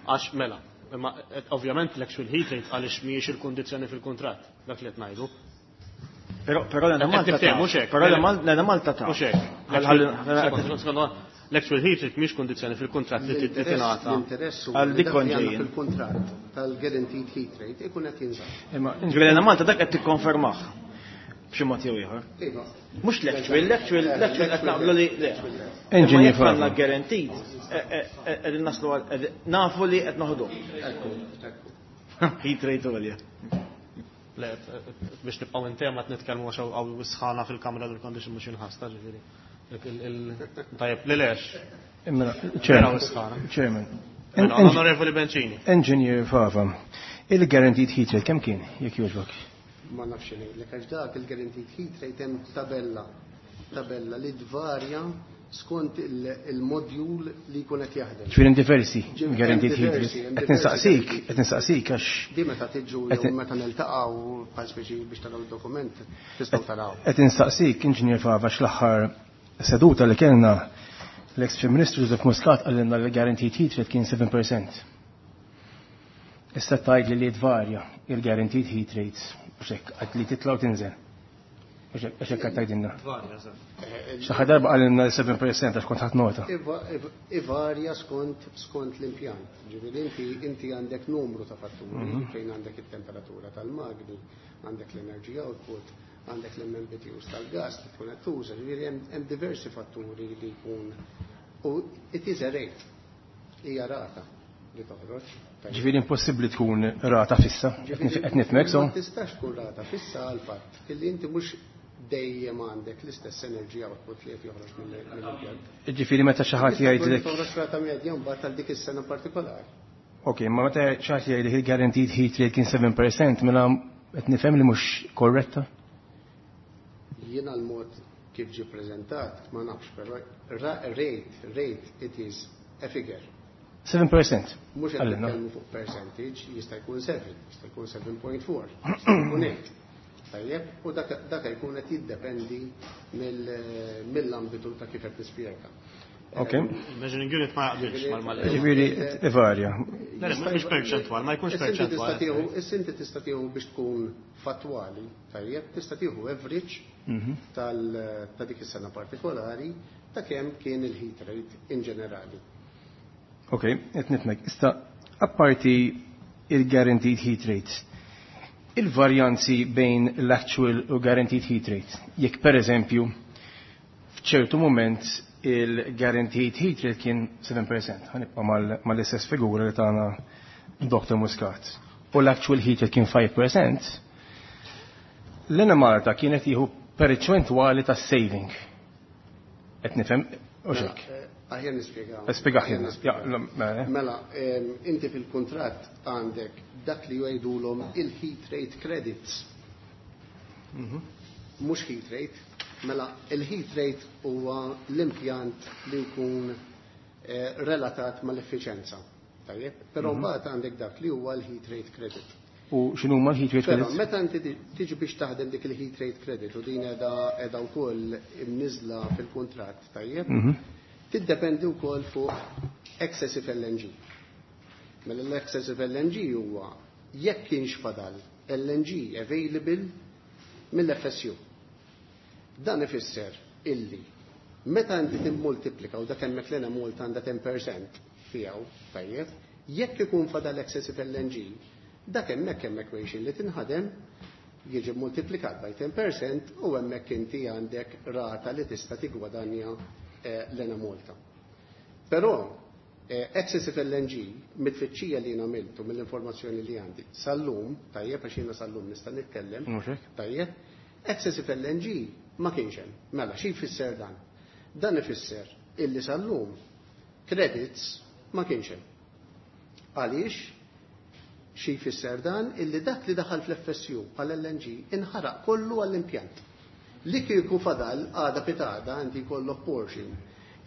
Għax mela, imma ovvjament l-actual heat rate għaliex mhijiex il-kundizzjoni fil-kuntratt, dak li qed ngħidu. Però però l-Enemalta ta' mhux hekk. Però l-Enemalta ta' Mhux hekk. L-actual heat rate mhix kundizzjoni fil-kuntratt li tingħata. L-interess huwa Għal li dik dak li għandna konġejjin. fil-kuntratt tal-guaranteed heat rate ikun qed jinżamm. Imma ġifieri l-Enemalta dak qed tikkonfermah b'xi mod jew ieħor. Iva. Mhux l-actual, l-actual, l-actual qed naqblu li le. Engineer Imma jekk għandna Fava. guaranteed, qegħdin naslu għal nafu li qed noħdu. Ekku, ekku. Heat rate għolja. Le, biex nibqgħu in tema qed nitkellmu għax hawn sħana fil-kamra l-condition mhux inħasta ġifieri. Tajjeb, li lex. Mela, Vera Chairman. sħana. Chairman. Mela, Onorevoli Bencini. Engineer Fava, il-guaranteed heat rate kemm kien jekk jogħġbok? Ma nafx ngħidlek għax dak il-guaranteed heat rate hemm tabella tabella li tvarja skont il-modjul li jkun qed jaħdem. Ġifieri diversi Ġifieri guaranteed hemm heat rate. diversi, hemm Qed diversi nistaqsik, guaranteed. qed nistaqsik għax Di meta tiġu Qed- jew meta niltaqgħu bħal speċi biex taraw id-dokument tistgħu taraw. qed nistaqsik Engineer Fava x'l-aħħar seduta li kellna l-ex Prim Ministru Joseph Muscat qalilna li guaranteed heat rate kien seven percent. Issa tgħid li li tvarja il-guaranteed heat rates mhux hekk għad li titla' u tinżel. Mhux hekk għax hekk qed tgħidilna. Tvarja, eżatt. Xi darba qalilna seven percent għax kont ħadt nota. Iva- iv- Ivarja skont skont l-impjant. Ġifieri inti inti għandek numru ta' fatturi fejn għandek it-temperatura tal-magni, għandek l-energy output, għandek l-M M B T Us tal-gas li tkun qed tuża, ġifieri hemm hemm diversi fatturi li jkun u it is a rate. Hija rata li toħroġ. Ġifieri impossibbli tkun rata fissa. Qed nifhmek so? Ma tistax tkun rata fissa għal fatt illi inti mhux dejjem għandek l-istess energy output li qed joħroġ mill- mill-impjant. Ġifieri meta xi ħadd jgħidlek Toħroġ rata medja mbagħad għal dik is-sena partikolari. Ok, ma meta xi ħadd jgħidlek il-guaranteed heat rate kien seven percent, mela qed nifhem li mhux korretta? Jiena l-mod kif ġi prezentat, ma nafx, però ra- rate, rate, it is a figure. seven percent. Mhux qed Qalilna. nitkellmu fuq percentage, jista' jkun seven, jista' jkun seven point four, jista' jkun eight. Tajjeb, u dak dak jkun qed jiddependi mill- mill-ambitu ta' kif qed nispjega. Ok. Measuring unit ma jaqbilx mal-mal. Ġifieri ivarja. Le, le, mhux perċentwal, ma jkunx Issa inti tista' perċentwal. tieħu- Issa inti tista' tieħu biex tkun fattwali, tajjeb, tista' tieħu average tal ta' dik is-sena partikolari ta' kemm kien il-heat rate in ġenerali. Ok, qed nifhmek. Issa apparti il-guaranteed heat rate, il-varjanzi bejn l-actual u guaranteed heat rate. Jekk per eżempju f'ċertu moment il-guaranteed heat rate kien seven percent, ħa nibqa' mal-istess figura li tana Doctor Muscat, u l-actual heat rate kien five percent, l-Enemalta kienet jieħu perċentwali ta' saving. Qed nifhem, u Mela, xek. eh, Aħjar nispjega. Spiega Aħjar ħin. nispjega. Ja, mela. Mela, em, inti fil-kuntratt għandek dak li jgħidulhom il-heat rate credits. Mhux heat rate, mela il-heat rate huwa l-impjant li jkun eh, relatat mal-effiċenza. Tajjeb, però mbagħad għandek dak li huwa l-heat rate credit. U x'inhu huma l-heat rate Però credits? meta inti tiġi biex taħdem dik il-heat rate credit u din qiegħda qiegħda wkoll imniżla fil-kuntratt, tajjeb, tiddependi wkoll fuq excessive L N G. Mela l-excessive L N G huwa jekk kienx fadal L N G available mill-F S U. Dan ifisser illi meta inti timmultiplika u dak hemmhekk l Malta għandha ten percent tiegħu, tajjeb, jekk ikun fadal excessive L N G, dak hemmhekk hemm equation li tinħadem, jiġi multiplikat by ten percent u hemmhekk inti għandek rata li tista' tigwadanja eh, l-Enemalta. Però eh, excessive L N G, mit-tfittxija li għamiltu mill-informazzjoni li għandi sal-lum, tajjeb, għax jiena sal-lum nista' nitkellem, tajjeb, excessive L N G ma kienx hemm. Mela, xi jfisser dan? Dan ifisser illi sal-lum credits ma kienx hemm. Għaliex? Xi jfisser dan? Illi dak li daħal fl-F S U għal L N G inħaraq kollu għall-impjant. Li kieku fadal għada pitgħada inti jkollok portion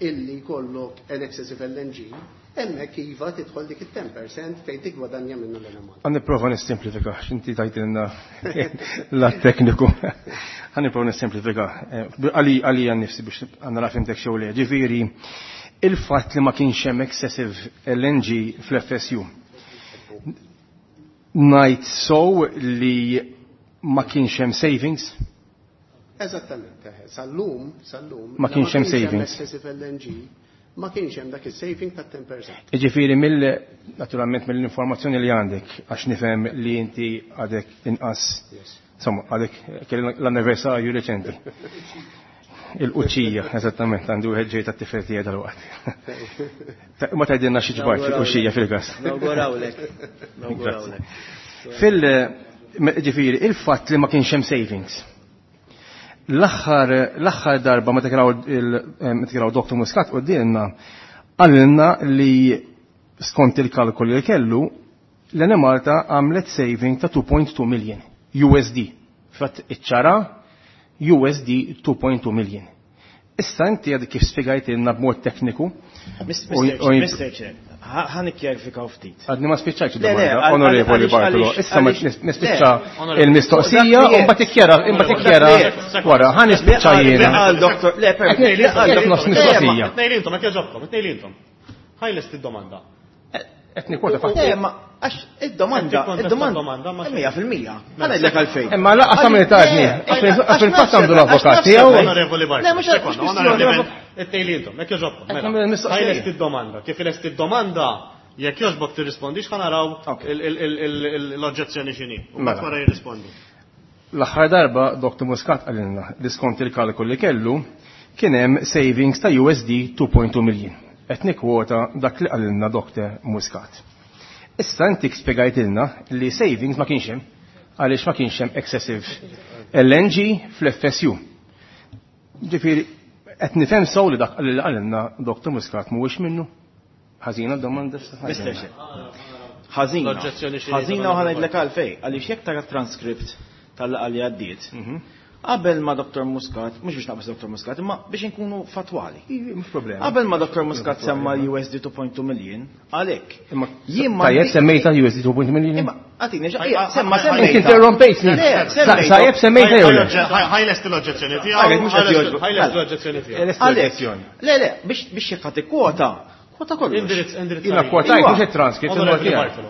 illi jkollok an excessive L N G, hemmhekk iva tidħol dik it-ten percent fejn tigwadanja minnu l-Enemalta. Ħa nipprova nissimplifika, x'inti tajtilna la tekniku. Ħa nipprova nissimplifika. Għali għalija nnifsi biex għandna nafhimtek xew le. Ġifieri, il-fatt li ma kienx hemm excessive L N G fl-F S U. Ngħid so li ma kienx hemm savings? Eżattament, eh, sal-lum, sal-lum, Ma kienx hemm savings. Excessive L N G, ma kienx hemm dak il-saving ta' ten percent. Ġifieri mill naturalment mill-informazzjoni li għandek, għax nifhem li inti għadek inqas, insomma, għadek kelli l-anniversarju reċenti. Il-quċċija, eżattament, għandu wieħed ġej tat-tifel tiegħi dal-waqt. Ma tgħidilna xi ġbart fil-quċċija fil-gas. Nawgurawlek. Nawgurawlek. Fil ġifieri, il-fatt li ma kienx hemm savings. L-aħħar l-aħħar darba meta kien meta kien Doktor Muscat quddiemna qalilna li skont il-kalkoli li kellu l-Enemalta għamlet saving ta' two point two million U S D. Fatt iċċara U S D two point two million. Issa inti għadek kif spjegajtilna b'mod tekniku. Mister Chair, ħa nikkjarifikaw ftit. Għadni ma spiċċajtx domanda, Onorevoli Bartolo. Issa ma nispiċċa il-mistoqsija u mbagħad tikkjara imbagħad tikkjara wara, ħa nispiċċa jiena. Le, nofs mistoqsija. Tnejn intom, jekk jogħġobkom, tnejn intom. Ħa jlesti d-domanda. Qed nikkwota fatt. Le, ma għax id-domanda, id-domanda, mija fil-mija. Ħa ngħidlek għalfejn. Imma laqas għamil taġni, għax fil-fatt għandu l-avukat tiegħu. Onorevoli Bartolo. Le, mhux It-tnejn intom, jekk jogħġobkom. Mela, ħa jlesti d-domanda. Kif ilesti d-domanda, jekk jogħġbok tirrispondix, ħa naraw l-oġġezzjoni x'inhi. U mbagħad wara jirrispondi. L-aħħar darba Doktor Muscat qalilna li skont il-kalkol li kellu kien hemm savings ta' U S D two point two million. Qed nikkwota dak li qalilna Doktor Muscat. Issa inti spjegajtilna li savings ma kienx hemm għaliex ma kienx hemm excessive L N G fl-F S U. Ġifieri qed nifhem sew li dak li qalilna Doktor Muscat mhuwiex minnu? Ħażina domanda. Mister Chair. Ħażina. Ħażina u ħa ngħidlek għalfejn, għaliex jekk tara transcript tal-laqgħa li għaddiet, qabel ma Doktor Muscat, mhux biex naqbes Doktor Muscat, imma biex inkunu fatwali. Mhux problema. Qabel ma Doktor Muscat semma U S D two point two million, għalhekk. Jien ma Tajjeb semmejta U S D two point two million? Imma għatini, semma semmejta. Inti interrompejtni. Tajjeb semmejta jew le? Ħa jlesti l-oġġezzjoni tiegħu. Ħa jlesti l-oġġezzjoni tiegħu. Għalhekk. Le, le, biex biex jekk ħadd kwota, kwota kollox. Indirizz, indirizz. Jiena kwotajt mhux it-transcript.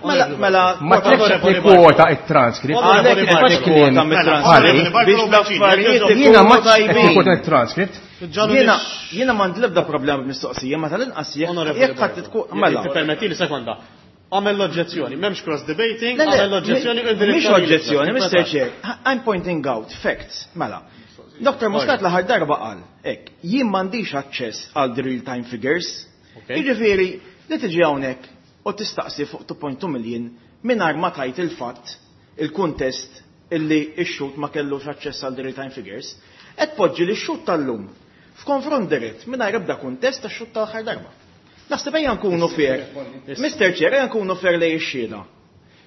Mela, mela. Ma tlekx nikkwota it-transcript. Għalhekk kwota mit-transcript. Biex l-affarijiet Jiena ma nikkwota it-transcript. Jiena jiena m'għandi l-ebda problema b'mistoqsija, ma tal-inqas jekk jekk ħadd tkun mela. Permetti li sekonda. Għamel l-oġġezzjoni, m'hemmx cross debating, għamel l-oġġezzjoni. Mhix oġġezzjoni, Mister Chair. I'm pointing out facts, mela. Doktor Muscat l-aħħar darba qal, hekk, jien m'għandix aċċess għal the real time figures. Jiġifieri li tiġi hawnhekk u tistaqsi fuq two point two million mingħajr ma tajt il-fatt, il-kuntest illi x-xhud ma kellux aċċess għal the real time figures, qed poġġi li x-xhud tal-lum f'konfront dirett mingħajr ebda kuntest tax-xhud tal-aħħar darba. Naħseb ejja nkunu fair. Mister Chair, ejja nkunu fair lejn ix-xhieda.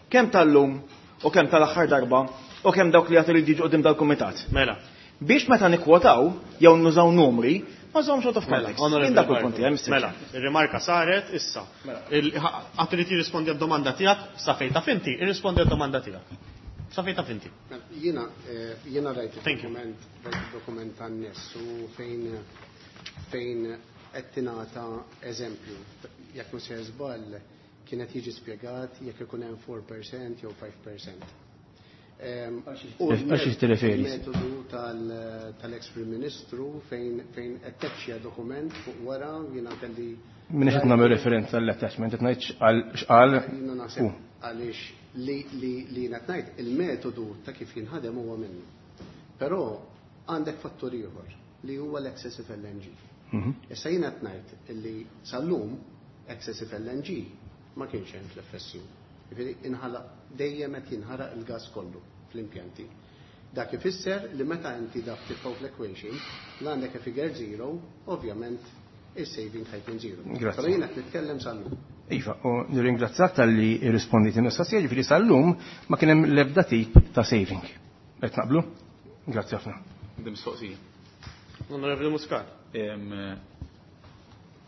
Kemm tal-lum u kemm tal-aħħar darba u kemm dawk li għad iridu jiġu quddiem dal-kumitat. Mela. Biex meta nikwotaw jew nużaw numri, ma żomx out of context. Mela, Jien dak il-punti, Mister Mela, il-rimarka saret, issa. Għad irid jirrispondi għad-domanda tiegħek, sa fejn taf inti, irrispondi għad-domanda tiegħek. Sa fejn taf inti. Jiena jiena rajt il-dokument, rajt il-dokument tan-nies u fejn fejn qed tingħata eżempju. Jekk mhux sejjer żball, kienet jiġi spjegat jekk ikun hemm four percent jew five percent. Em, u Għal xiex tirreferi? Il-metodu tal- tal-ex Prim Ministru fejn fejn attaċċja dokument fuq wara, jiena kelli Minix qed nagħmel referenza għall-attachment, qed ngħid x'qal x'qal Jiena hu. Naħseb għaliex li li li jiena ngħid il-metodu ta' kif jinħadem huwa minnu. Però għandek fattur ieħor li huwa l-excessive L N G. Mhm. Issa jiena qed ngħid li sal-lum excessive L N G ma kienx hemm fl-F S U. Jiġifieri inħalaq dejjem qed jinħaraq il-gas kollu fl-impjanti. Dak ifisser li meta inti dak titfgħu fl-equation, l għandek a figure zero, ovvjament il-saving ħa jkun zero. Grazzi. Però jiena qed nitkellem sal-lum. Iva, u nirringrazzjak talli rrispondit il-mistoqsija, ġifieri sal-lum ma kien hemm l-ebda tip ta' saving. Qed naqblu? Grazzi ħafna. Għandi mistoqsija. Onorevoli Muscat. Em,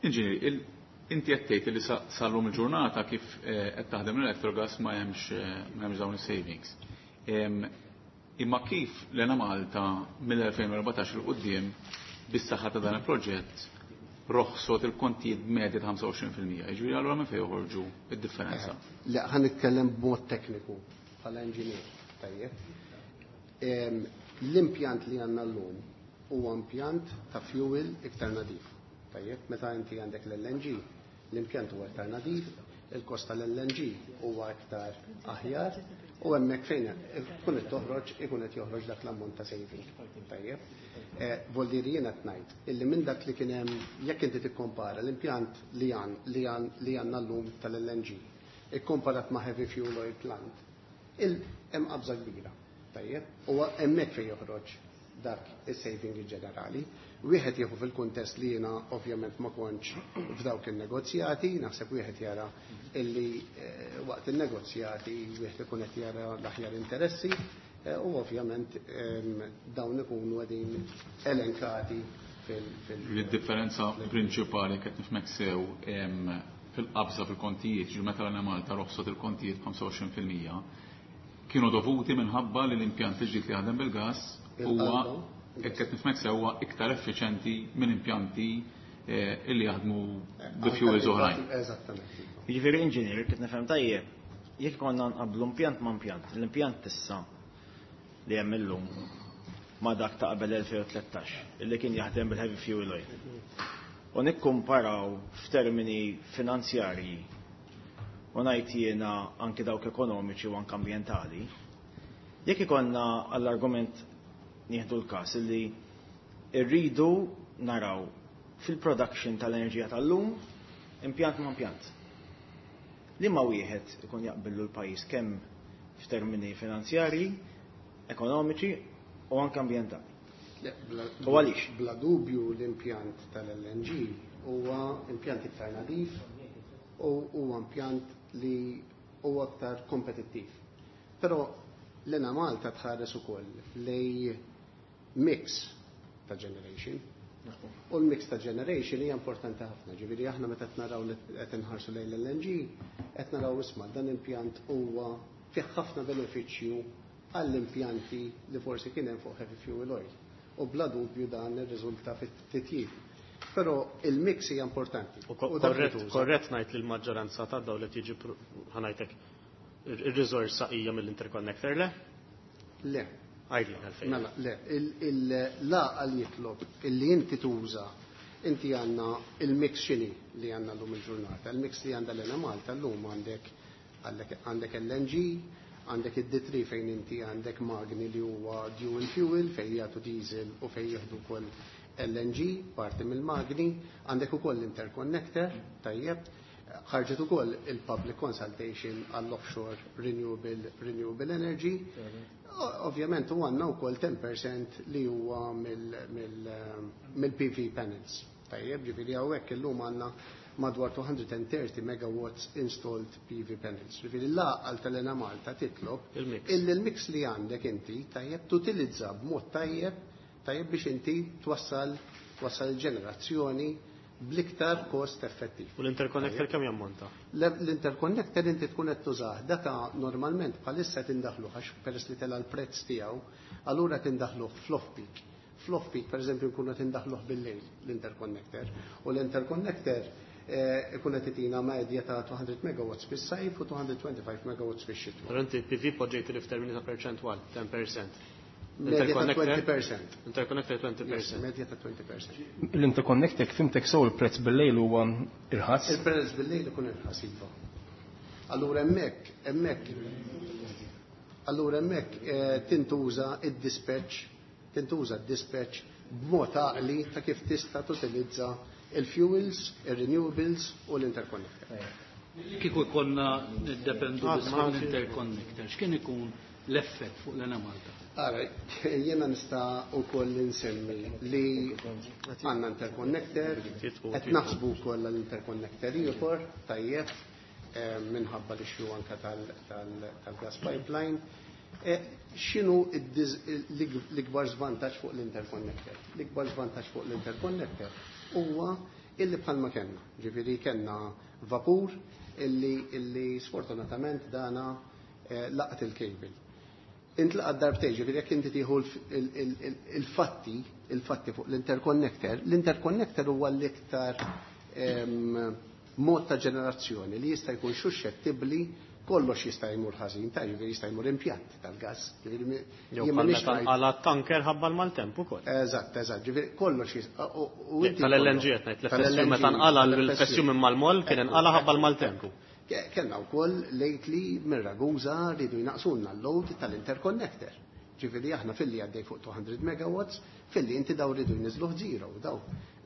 Inġinier, il- inti qed tgħid li sa- sal-lum il-ġurnata kif eh, qed taħdem l-Electrogas ma hemmx eh, ma hemmx dawn is-savings. Em, Imma kif l-Enemalta mill-elfejn u erbatax 'il quddiem bis-saħħa ta' dan il-proġett roħsot il-kontijiet b'medja ta' ħamsa u għoxrin fil-mija? Jiġifieri allura minn fejn joħorġu id-differenza? Le, ħa nitkellem b'mod tekniku bħala engineer, tajjeb. Em, L-impjant li għandna llum huwa impjant ta' fuel iktar nadif. Tajjeb, meta inti għandek l-L N G, l-impjant huwa iktar nadif, il-kost tal-L N G huwa iktar aħjar u hemmhekk fejn tkun qed toħroġ ikun qed joħroġ dak l-ammont ta' saving. Tajjeb. Eh, Vuol dire jiena qed ngħid illi minn dak li kien hemm, jekk inti tikkompara l-impjant li għan li għan li għandna llum tal-L N G ikkomparat ma' heavy fuel oil plant, il hemm qabża kbira. Tajjeb, u hemmhekk fejn joħroġ dak is-saving ġenerali. Wieħed jieħu fil-kuntest li jiena ovvjament ma kontx f'dawk il-negozjati, naħseb wieħed jara illi eh, waqt il-negozjati wieħed ikun qed jara l-aħjar interessi eh, u ovvjament em, dawn ikunu qegħdin elenkati fil- fil- Il-differenza prinċipali qed nifhmek sew em, fil-qabża fil-kontijiet, ġi meta l-Enemalta roħsot il-kontijiet b'ħamsa u għoxrin fil-mija, kienu dovuti minħabba li l-impjant il-ġdid li jaħdem bil-gas huwa, hekk qed nifhmek sew, huwa iktar effiċenti minn impjanti eh, illi jaħdmu bi fuels oħrajn. Eżattament. Jiġifieri inġinier, kif nifhem tajjeb, jekk konna nqablu impjant ma' impjant, l-impjant issa li hemm illum ma' dak ta' qabel elfejn u tlettax illi kien jaħdem bil-heavy fuel oil. U nikkumparaw f'termini finanzjarji u ngħid jiena anki dawk ekonomiċi u anke ambjentali, jekk ikollna għall-argument nieħdu l-każ illi rridu naraw fil-production tal-enerġija tal-lum impjant ma' impjant. Li ma wieħed ikun jaqbillu l-pajjiż kemm f'termini finanzjarji, ekonomiċi u anke ambjentali? Le, bla- U għaliex? Bla dubju l-impjant tal-L N G huwa impjant iktar nadif u huwa impjant li huwa aktar kompetittiv. Però l-Enemalta tħares ukoll lej mix ta' generation. U l-mix ta' generation hija importanti ħafna. Ġifieri aħna meta qed naraw li qed inħarsu lejn l-L N G, qed naraw, isma', dan impjant huwa fih ħafna benefiċċju għall-impjanti li forsi kien hemm fuq heavy fuel oil. U bla dubju dan irriżulta fit-titjib. Però il-mix hija importanti. U ko- U dak li korrett, tuża. korrett ngħid li l-maġġoranza ta' dawn li tiġi pr- ħa ngħidlek ir-riżorsa hija mill-interconnector, le? Le. Għidli għalfejn. Mela, le, il-laqal jitlob illi inti tuża, inti għandna il-mix xini li għandna llum il-ġurnata. Il-mix li għandha l-Enemalta llum għandek għandek L N G, għandek id-D three fejn inti għandek magni li huwa dual fuel fejn jagħtu diesel u fejn jieħdu wkoll L N G, parti mill-magni, għandek ukoll l-interconnector, tajjeb, ħarġet ukoll il-public consultation għall-offshore renewable, renewable energy. O- Ovvjament u għandna wkoll ten percent li huwa mill-P V panels. Tajjeb, ġifieri hawnhekk illum għandna madwar two hundred thirty megawatts installed P V panels. Ġifieri l-għaqal tal-Enemalta titlob Il-mix. illi l-mix li għandek inti tajjeb tutilizza b'mod tajjeb tajjeb biex inti twassal twassal il-ġenerazzjoni bl-iktar kost effettiv. U l-interconnector kemm jammonta? L-interconnector inti tkun qed tużah data normalment bħalissa tindaħlu għax peress li tela l-prezz tiegħu, allura tindaħluh fl-off peak. Fl-off peak, pereżempju, nkunu tindaħluh bil-lejl l-interconnector. U l-interconnector eh, ikun qed itina medja ta' two hundred megawatts fis-sajf u two hundred twenty-five megawatts fix-xitwa. Però inti P V poġġejt li f'termini ta' perċentwal, ten percent. Medja ta' twenty percent. Interconnector twenty percent. Yes, medja ta' twenty percent. L-interconnector, fhimtek sew, il-prezz bil-lejl huwa irħas? Il-prezz bil-lejl ikun irħas, iva. Allura hemmhekk, hemmhekk, allura hemmhekk eh, tintuża id-dispatch, tintuża d-dispatch b'mod għaqli ta' kif tista' tutilizza il-fuels, il-renewables u l-interconnector. Kieku konna niddependu Ah, biss ma- fuq l-interconnector, x'kien ikun l-effett fuq l-Enemalta? Ara, jena nista' ukoll insemmi li għandna interconnector, qed naħsbu wkoll l-interconnector ieħor, tajjeb, eh, minħabba li xju anka tal-gas pipeline. Eh, X'inhu id-diż- l-ikbar żvantaġġ fuq l-interconnector? L-ikbar żvantaġġ fuq l-interconnector huwa illi bħalma kellna, ġifieri kellna vapur illi, illi sfortunatament dana eh, laqat il-cable. Intlaqat darbtejn, ġifieri jekk inti tieħu il-fatti, il-fatti fuq l-interconnector, l-interconnector huwa l-iktar em, mod ta' ġenerazzjoni li jista' jkun suscettibbli, kollox jista' jmur ħażin, ta' ġifieri jista' jmur impjant tal-gas. Ġifieri mi- Jew jien bħal m'iniex meta ngħid- nqala tanker ħabba l-maltemp ukoll. Eżatt, eżatt, ġifieri kollox jista' u- u inti Tal-L N G kollok- qed ngħid, l-F S U meta nqala l-F S U minn mal-moll kien inqala ħabba l-maltemp. Ke- Kellna wkoll lately minn Ragusa rridu jnaqsulna l-load tal-interconnector. Ġifieri aħna filli għaddej fuq two hundred megawatts, filli inti daw rridu jniżluh zero daw.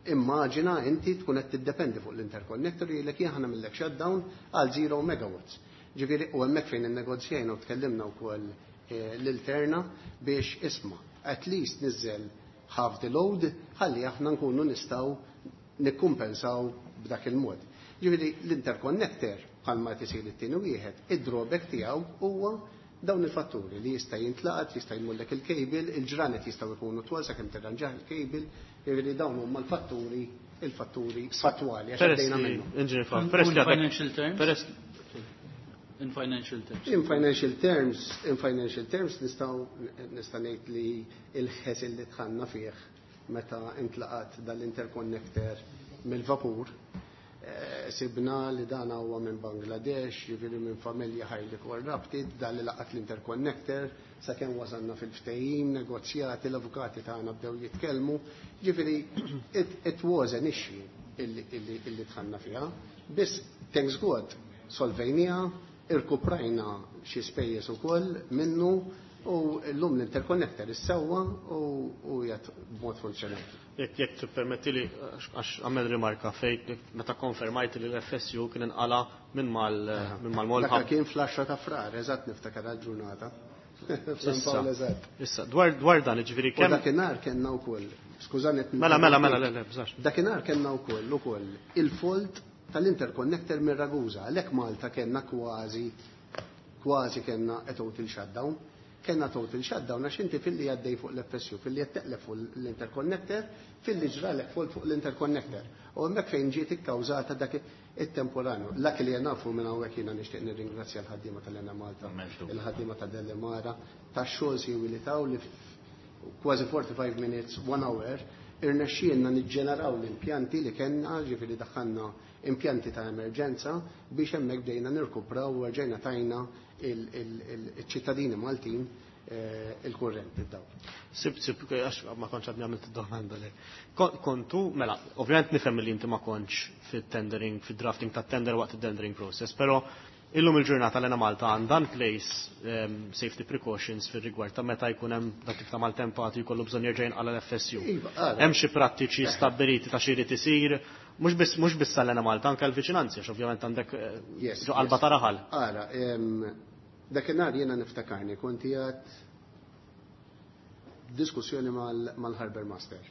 Immaġina inti tkun qed tiddependi fuq l-interconnector jgħidlek jien nagħmillek shutdown għal zero megawatts. Ġifieri u hemmhekk fejn innegozjajna u tkellimna wkoll eh, l-Terna biex isma' at least niżel half the load ħalli aħna nkunu nistgħu nikkumpensaw b'dak il-mod. Ġifieri l-interconnector bħalma tisir it-tieni wieħed, id-drawback tiegħu huwa dawn il-fatturi li jista' jintlaqat, jista' jmullek il-cable, il-ġranet jistgħu jkunu twal sakemm tirranġah il-cable, ġifieri dawn huma l-fatturi il-fatturi fattwali għax Peress għaddejna li, minnhom. Engineer Fab, In peress li għadek. financial terms? Peress In financial terms. In financial terms, in financial terms nistgħu nista' ngħid li il-ħes li dħalna fih meta intlaqat dal-interconnector mill-vapur, eh, sibna li dan huwa minn Bangladesh, ġifieri minn familja highly corrupted, dan li laqat l-interconnector, sakemm wasalna fil-ftehim, negozjati, l-avukati tagħna bdew jitkellmu, ġifieri it, it was an issue illi, illi, illi dħalna fiha. Biss thanks God solvejnieha, irkuprajna xi spejjeż ukoll minnu u llum l-interconnector issewwa u u jgħat b'mod funzjonali. Jekk jekk tippermetti li, għax għamel rimarka fejn meta konfermajt li l-F S U kien inqala minn mal minn mal-moll. Dak kien fl-għaxra ta' Frar, eżatt, niftakar għal-ġurnata. F'San Issa, Pawl, eżatt. Issa, dwar dwar dan, ġifieri U kemm dakinhar kellna wkoll, skużani qed Mela, mela, mela, le, le, bżax. Dakinhar kellna wkoll ukoll il-fault tal-interconnector minn Ragusa. Għalhekk Malta kellna kważi kważi kellna a total shutdown. Kellna total shutdown għax inti filli għaddej fuq l-F S U, filli qed teqleb fuq l-interconnector, filli ġralek fault fuq l-interconnector. U hemmhekk fejn ġiet ikkawżata dak it-temporanju. Dak li nafu minn hawnhekk, jiena nixtieq nirringrazzja l-ħaddiema tal-Enemalta, il-ħaddiema ta' Delimara, tax-xogħol siwi li taw li kważi forty-five minutes, one hour, irnexxielna niġġeneraw l-impjanti li kellna, ġifieri daħħalna impjanti ta' emerġenza biex hemmhekk bdejna nirkupraw u rġejna tajna il-ċittadini Maltin eh, il-kurrent id-dawl. Sib, sib, għax ma kontx għadni għamilt id-domanda li. Kontu, mela, ovvjament nifhem li inti ma kontx fit-tendering, fit-drafting ta' tender waqt il-tendering process, pero illum il-ġurnata l-Enemalta għandha in place um, safety precautions fil-rigward ta' meta jkun hemm dak tip ta' maltempati jkollu bżonn jerġa' jinqala l-F S U. Iva, ara. Hemm xi prattiċi stabbiliti ta' xi jrid isir, mhux biss mhux biss tal-Enemalta, anke l-viċinanzi, għax ovvjament għandek eh, Yes, ġo qalba yes. ta' raħal. Ara, em, dakinhar jiena niftakarni kont qiegħed diskussjoni mal- mal-Harbour Master.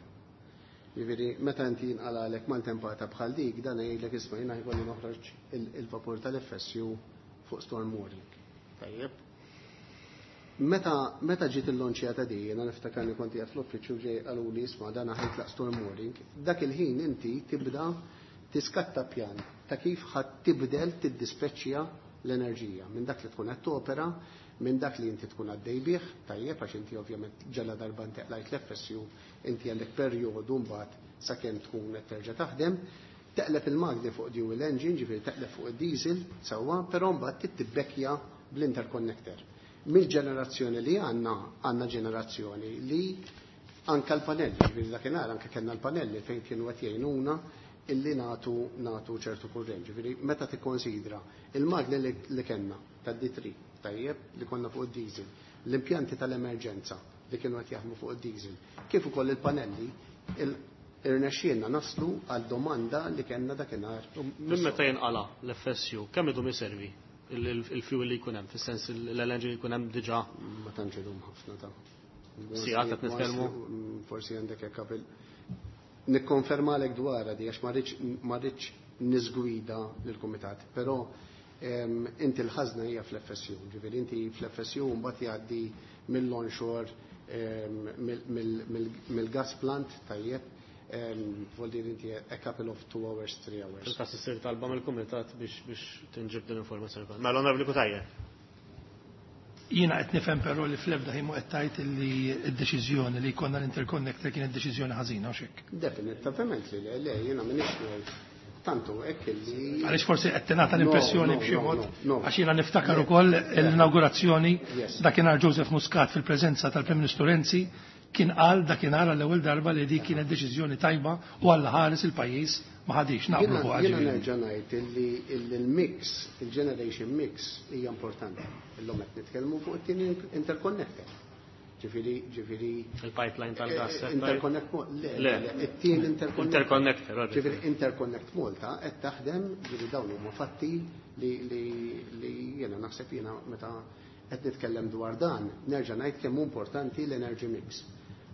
Ġifieri, meta inti jinqalalek maltempata bħal dik, dan jgħidlek, isma', jiena jkolli noħroġ il- il-vapur tal-F S U fuq storm warning. Tajjeb. Meta, meta ġiet il-lonċjata di, jiena niftakarni kont qiegħed fl-uffiċċju, ġej qaluli, isma', dan ħa jitlaq storm warning, dak il-ħin inti tibda tiskatta pjan ta' kif ħadd tibdel tiddispeċċja l-enerġija minn dak li tkun qed topera, minn dak li inti tkun għaddej bih, tajjeb, għax inti ovvjament ġalla darba inti qlajt l-F S U, inti għandek perjodu mbagħad sakemm tkun qed terġa' taħdem. Teqleb il-magni fuq dual engine, ġifieri teqleb fuq id-diesel, sewwa, però mbagħad tittibbekja bl-interconnector. Mill-ġenerazzjoni li għandna, għandna ġenerazzjoni li anka l-panelli, ġifieri dakinhar anke kellna l-panelli fejn kienu qed jgħinuna illi natu natu ċertu kurrent. Ġifieri meta tikkonsidra il-magni li, li kellna tad-D three, tajjeb, li konna fuq id-diesel, l-impjanti tal-emerġenza li kienu qed jaħdmu fuq id-diesel, kif ukoll il-panelli, il irnexxielna naslu għal domanda li kellna dakinhar. Minn meta jinqala l-F S U, kemm idum iservi il-fuel li jkun hemm, fis-sens l-L N G li jkun hemm diġà? Ma tantx idum ħafna ta' Sigħat qed nitkellmu? Forsi għandek hekk qabel. Nikkonfermalek dwarha di għax ma rridx niżgwida lill-kumitat, però inti l-ħażna hija fl-F S U, ġifieri inti fl-F S U mbagħad jgħaddi mill-onshore, mill-gas plant, tajjeb, vuol dire inti a couple of two hours, three hours. Fil-każ issir talba mill-kumitat biex, biex tinġib din l-informazzjoni kollha. Mela, Onorevoli Cutajar. Jiena qed nifhem però li fl-ebda ħin qed tgħid li d-deċiżjoni li jkollna l-interconnector kienet deċiżjoni ħażina, u x'hekk? Definitivament li le, le, jiena m'iniex ngħid tantu hekk li Għaliex forsi qed tingħata l-impressjoni No, no, b'xi no, mod, no, no. għax jiena niftakar ukoll l-inaugurazzjoni Yes. dakinhar Joseph Muscat fil-preżenza tal-Prim Ministru Renzi kien qal dakinhar għall-ewwel darba li dik kienet deċiżjoni tajba u Alla ħares il-pajjiż ma ħadix naqblu Jiena- fuq Jiena ġifieri. nerġa' ngħid illi il-mix, il-generation mix hija importanti. Illum qed nitkellmu fuq it-tieni interconnector. Ġifieri, ġifieri Il-pipeline tal-gas, Eh, eh, Interconnect Mo-, le, Le. le, it-tieni interconnector. Interconnector, għaddi. Ġifieri Interconnect Malta qed taħdem, ġifieri dawn huma fatti li, li, li jiena naħseb jiena meta qed nitkellem dwar dan, nerġa' ngħid kemm hu importanti l-energy mix.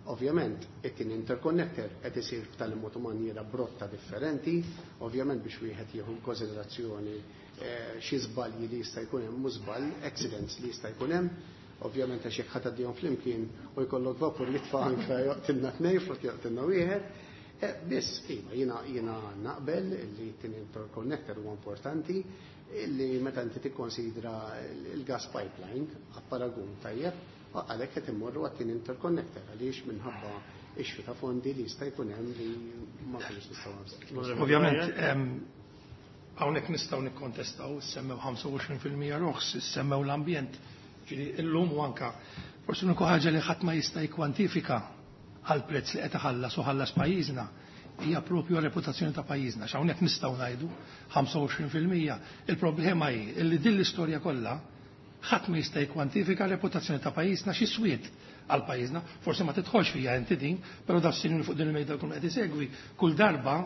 Ovvjament, it-tieni interconnector qed isir b'tali mod u maniera brotta differenti, ovvjament biex wieħed jieħu konsiderazzjoni, eh, xi żbalji li jista' jkun hemm, mhux żball, accidents li jista' jkun hemm. Ovvjament għax jekk ħadd għaddihom flimkien u jkollok vapur jitfa' anke joqtilna tnejn flok joqtilna wieħed. Eh, biss, iva, jiena, jiena naqbel li t-tieni interconnector huwa importanti, li meta inti tikkonsidra il-gas pipeline għal paragun tajjeb, għalhekk qed immorru għat-tieni interconnector għaliex minħabba issue ta' fondi li jista' jkun hemm li ma kinux nistgħu nagħmlu. Ovvjament, ehm, hawnhekk nistgħu nikkontestaw, semmew ħamsa u għoxrin fil-mija roħs, semmew l-ambjent. Ġifieri illum u anka forsi l-uniku ħaġa li ħadd ma jista' jikkwantifika għal prezz li qed iħallas u ħallas pajjiżna hija propju reputazzjoni ta' pajjiżna. X'hawnhekk nistgħu ngħidu ħamsa u għoxrin fil-mija. Il-problema hi li din l-istorja kollha ħadd ma jista' jikkwantifika reputazzjoni ta' pajjiżna xi swiet għal pajjiżna. Forsi ma tidħolx fija inti din, però dawn is-sinjuri fuq din il-mejda jkunu qed isegwi kull darba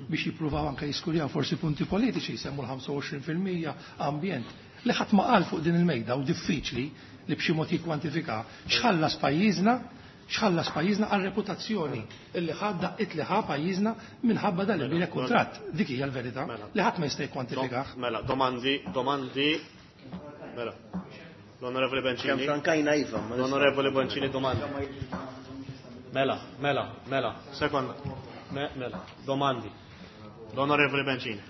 biex jippruvaw anke jiskurjaw forsi punti politiċi jsemmu l-ħamsa u għoxrin fil-mija ambjent li ħadd ma qal fuq din il-mejda u diffiċli li b'xi mod jikkwantifika x'ħallas pajjiżna, x'ħallas pajjiżna għal reputazzjoni illi ħadda it li ħa pajjiżna minħabba dan il-bini kuntratt. Dik hija l-verità Mela. li ħadd ma jista' jikkwantifikah. Mela, domandi, domandi. Mela. L-Onorevoli Bencini. Kemm frankajna iva, ma nistax. L-Onorevoli Bencini domandi. Mela, mela, mela, sekonda. Me, mela, domandi. L-Onorevoli Bencini.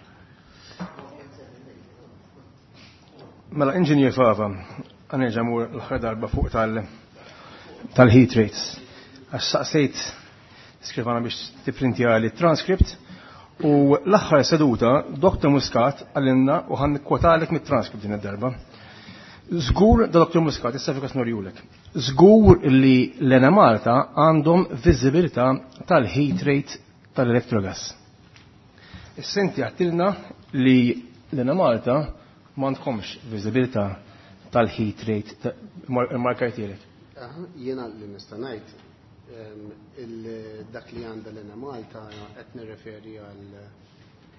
Mela, Inġinier Fava, għanerġa' mur l-aħħar darba fuq tal-, tal-heat rates. Għax saqsejt skrivana biex tipprintja li transcript u l-aħħar seduta Doktor Muscat għalinna u ħan nikkwotalek mit-transcript din id-darba. Żgur da Doktor Muscat, issa fikas norjulek. Żgur li l-Enemalta għandhom viżibilità tal-heat rate tal-electrogas. Issa inti għattilna li l-Enemalta m'għandkomx viżibilità tal-heat rate ta-, mar-, markajtielek. Aha, jiena li nista' ngħid, ehm, il-, dak li għandha l-Enemalta qed nirreferi għal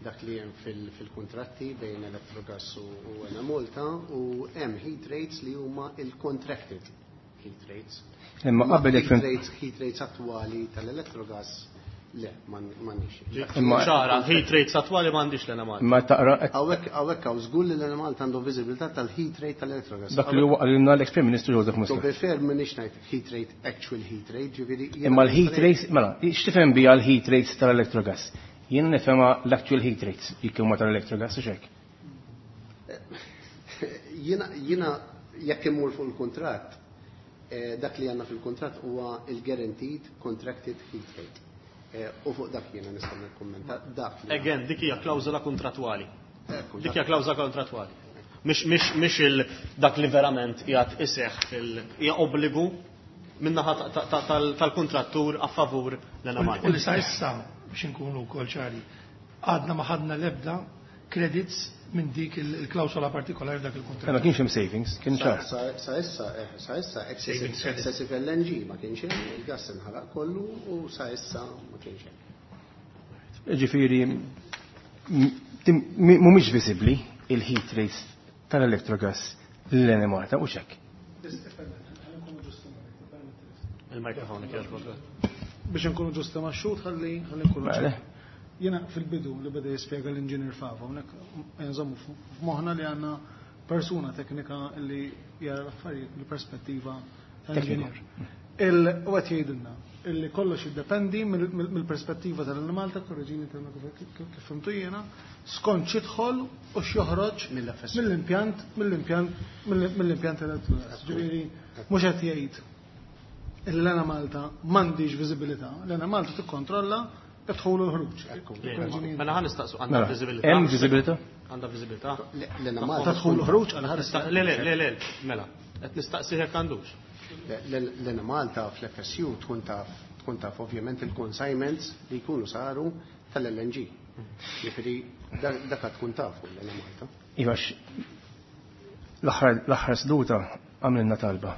dak li hemm fil-, fil-kontratti bejn Electrogas u, u Enemalta u hemm heat rates li huma il-contracted heat rates. Imma qabel jekk Heat fim- rates, heat rates attwali tal-Electrogas le, m'għandix. Imma ċara, heat rates attwali m'għandix l-Enemalta. Imma taqra qed Hawnhekk, hawnhekk hawn żgur li l-Enemalta għandhom viżibilità tal-heat rate tal-Electrogas. Dak li huwa qalilna l-ex-Prim Ministru Joseph Muscat. To be fair, m'iniex ngħid heat rate, actual heat rate, ġifieri jiena Imma l-heat nifhem rates, mela, x'tifhem biha l-heat rates tal-Electrogas? Jien nifhemha l-actual heat rates jekk huma tal-Electrogas u x'hekk. Jiena, jiena jekk immur fuq il-kuntratt, eh, dak li għandna fil-kuntratt huwa il-guaranteed contracted heat rate. U fuq dak jiena nista' nikkummenta dak. Again, dik hija klawżola kontrattwali. Dik hija klawżola kontrattwali. Mhix il dak li verament qiegħed iseħħ fil hija obbligu min-naħa tal-kontrattur a favur l-Enemalta. U li sa issa biex inkunu wkoll ċari, għadna ma ħadna l-ebda credits minn dik il-klawsola partikolari dak il-kuntratt. Ma kienx hemm savings, kien ċar. Sa issa, sa issa excessive L N G ma kienx hemm, il-gas inħaraq kollu u sa issa ma kienx hemm. Ġifieri mhumiex viżibbli il-heat rates tal-Electrogas l-Enemalta u xek. Il-mikrofon Biex nkunu ġusti ma' xhud ħalli ħalli nkunu ċari. Jiena fil-bidu li beda jispjega l-inġinier Fava, hawnhekk nżommu f'moħħna li għandna persuna teknika li jara l-affarijiet mill-perspettiva tal-inġinier. Il-qed jgħidilna illi kollox jiddependi mill-perspettiva tal-Enemalta, korreġini kif fimtu jiena, skont x'idħol u x'joħroġ mill-impjant mill-impjant mill-impjant elettriku. Ġifieri mhux qed jgħid l-Enemalta m'għandix viżibilità, l-Enemalta tikkontrolla id-dħul u l-ħruġ. Mela ħa nistaqsu għandha viżibilità. Hemm viżibilità? Għandha viżibilità? L-Enemalta Tadħul u ħruġ għal ħares. Le, le, le, le, mela, qed nistaqsi jekk għandux. L-Enemalta fl-F S U tkun taf, tkun taf ovvjament il-consignments li jkunu saru tal-L N G. Jiġifieri dak tkun tafu l-Enemalta. Iva, l-aħħar seduta għamilna talba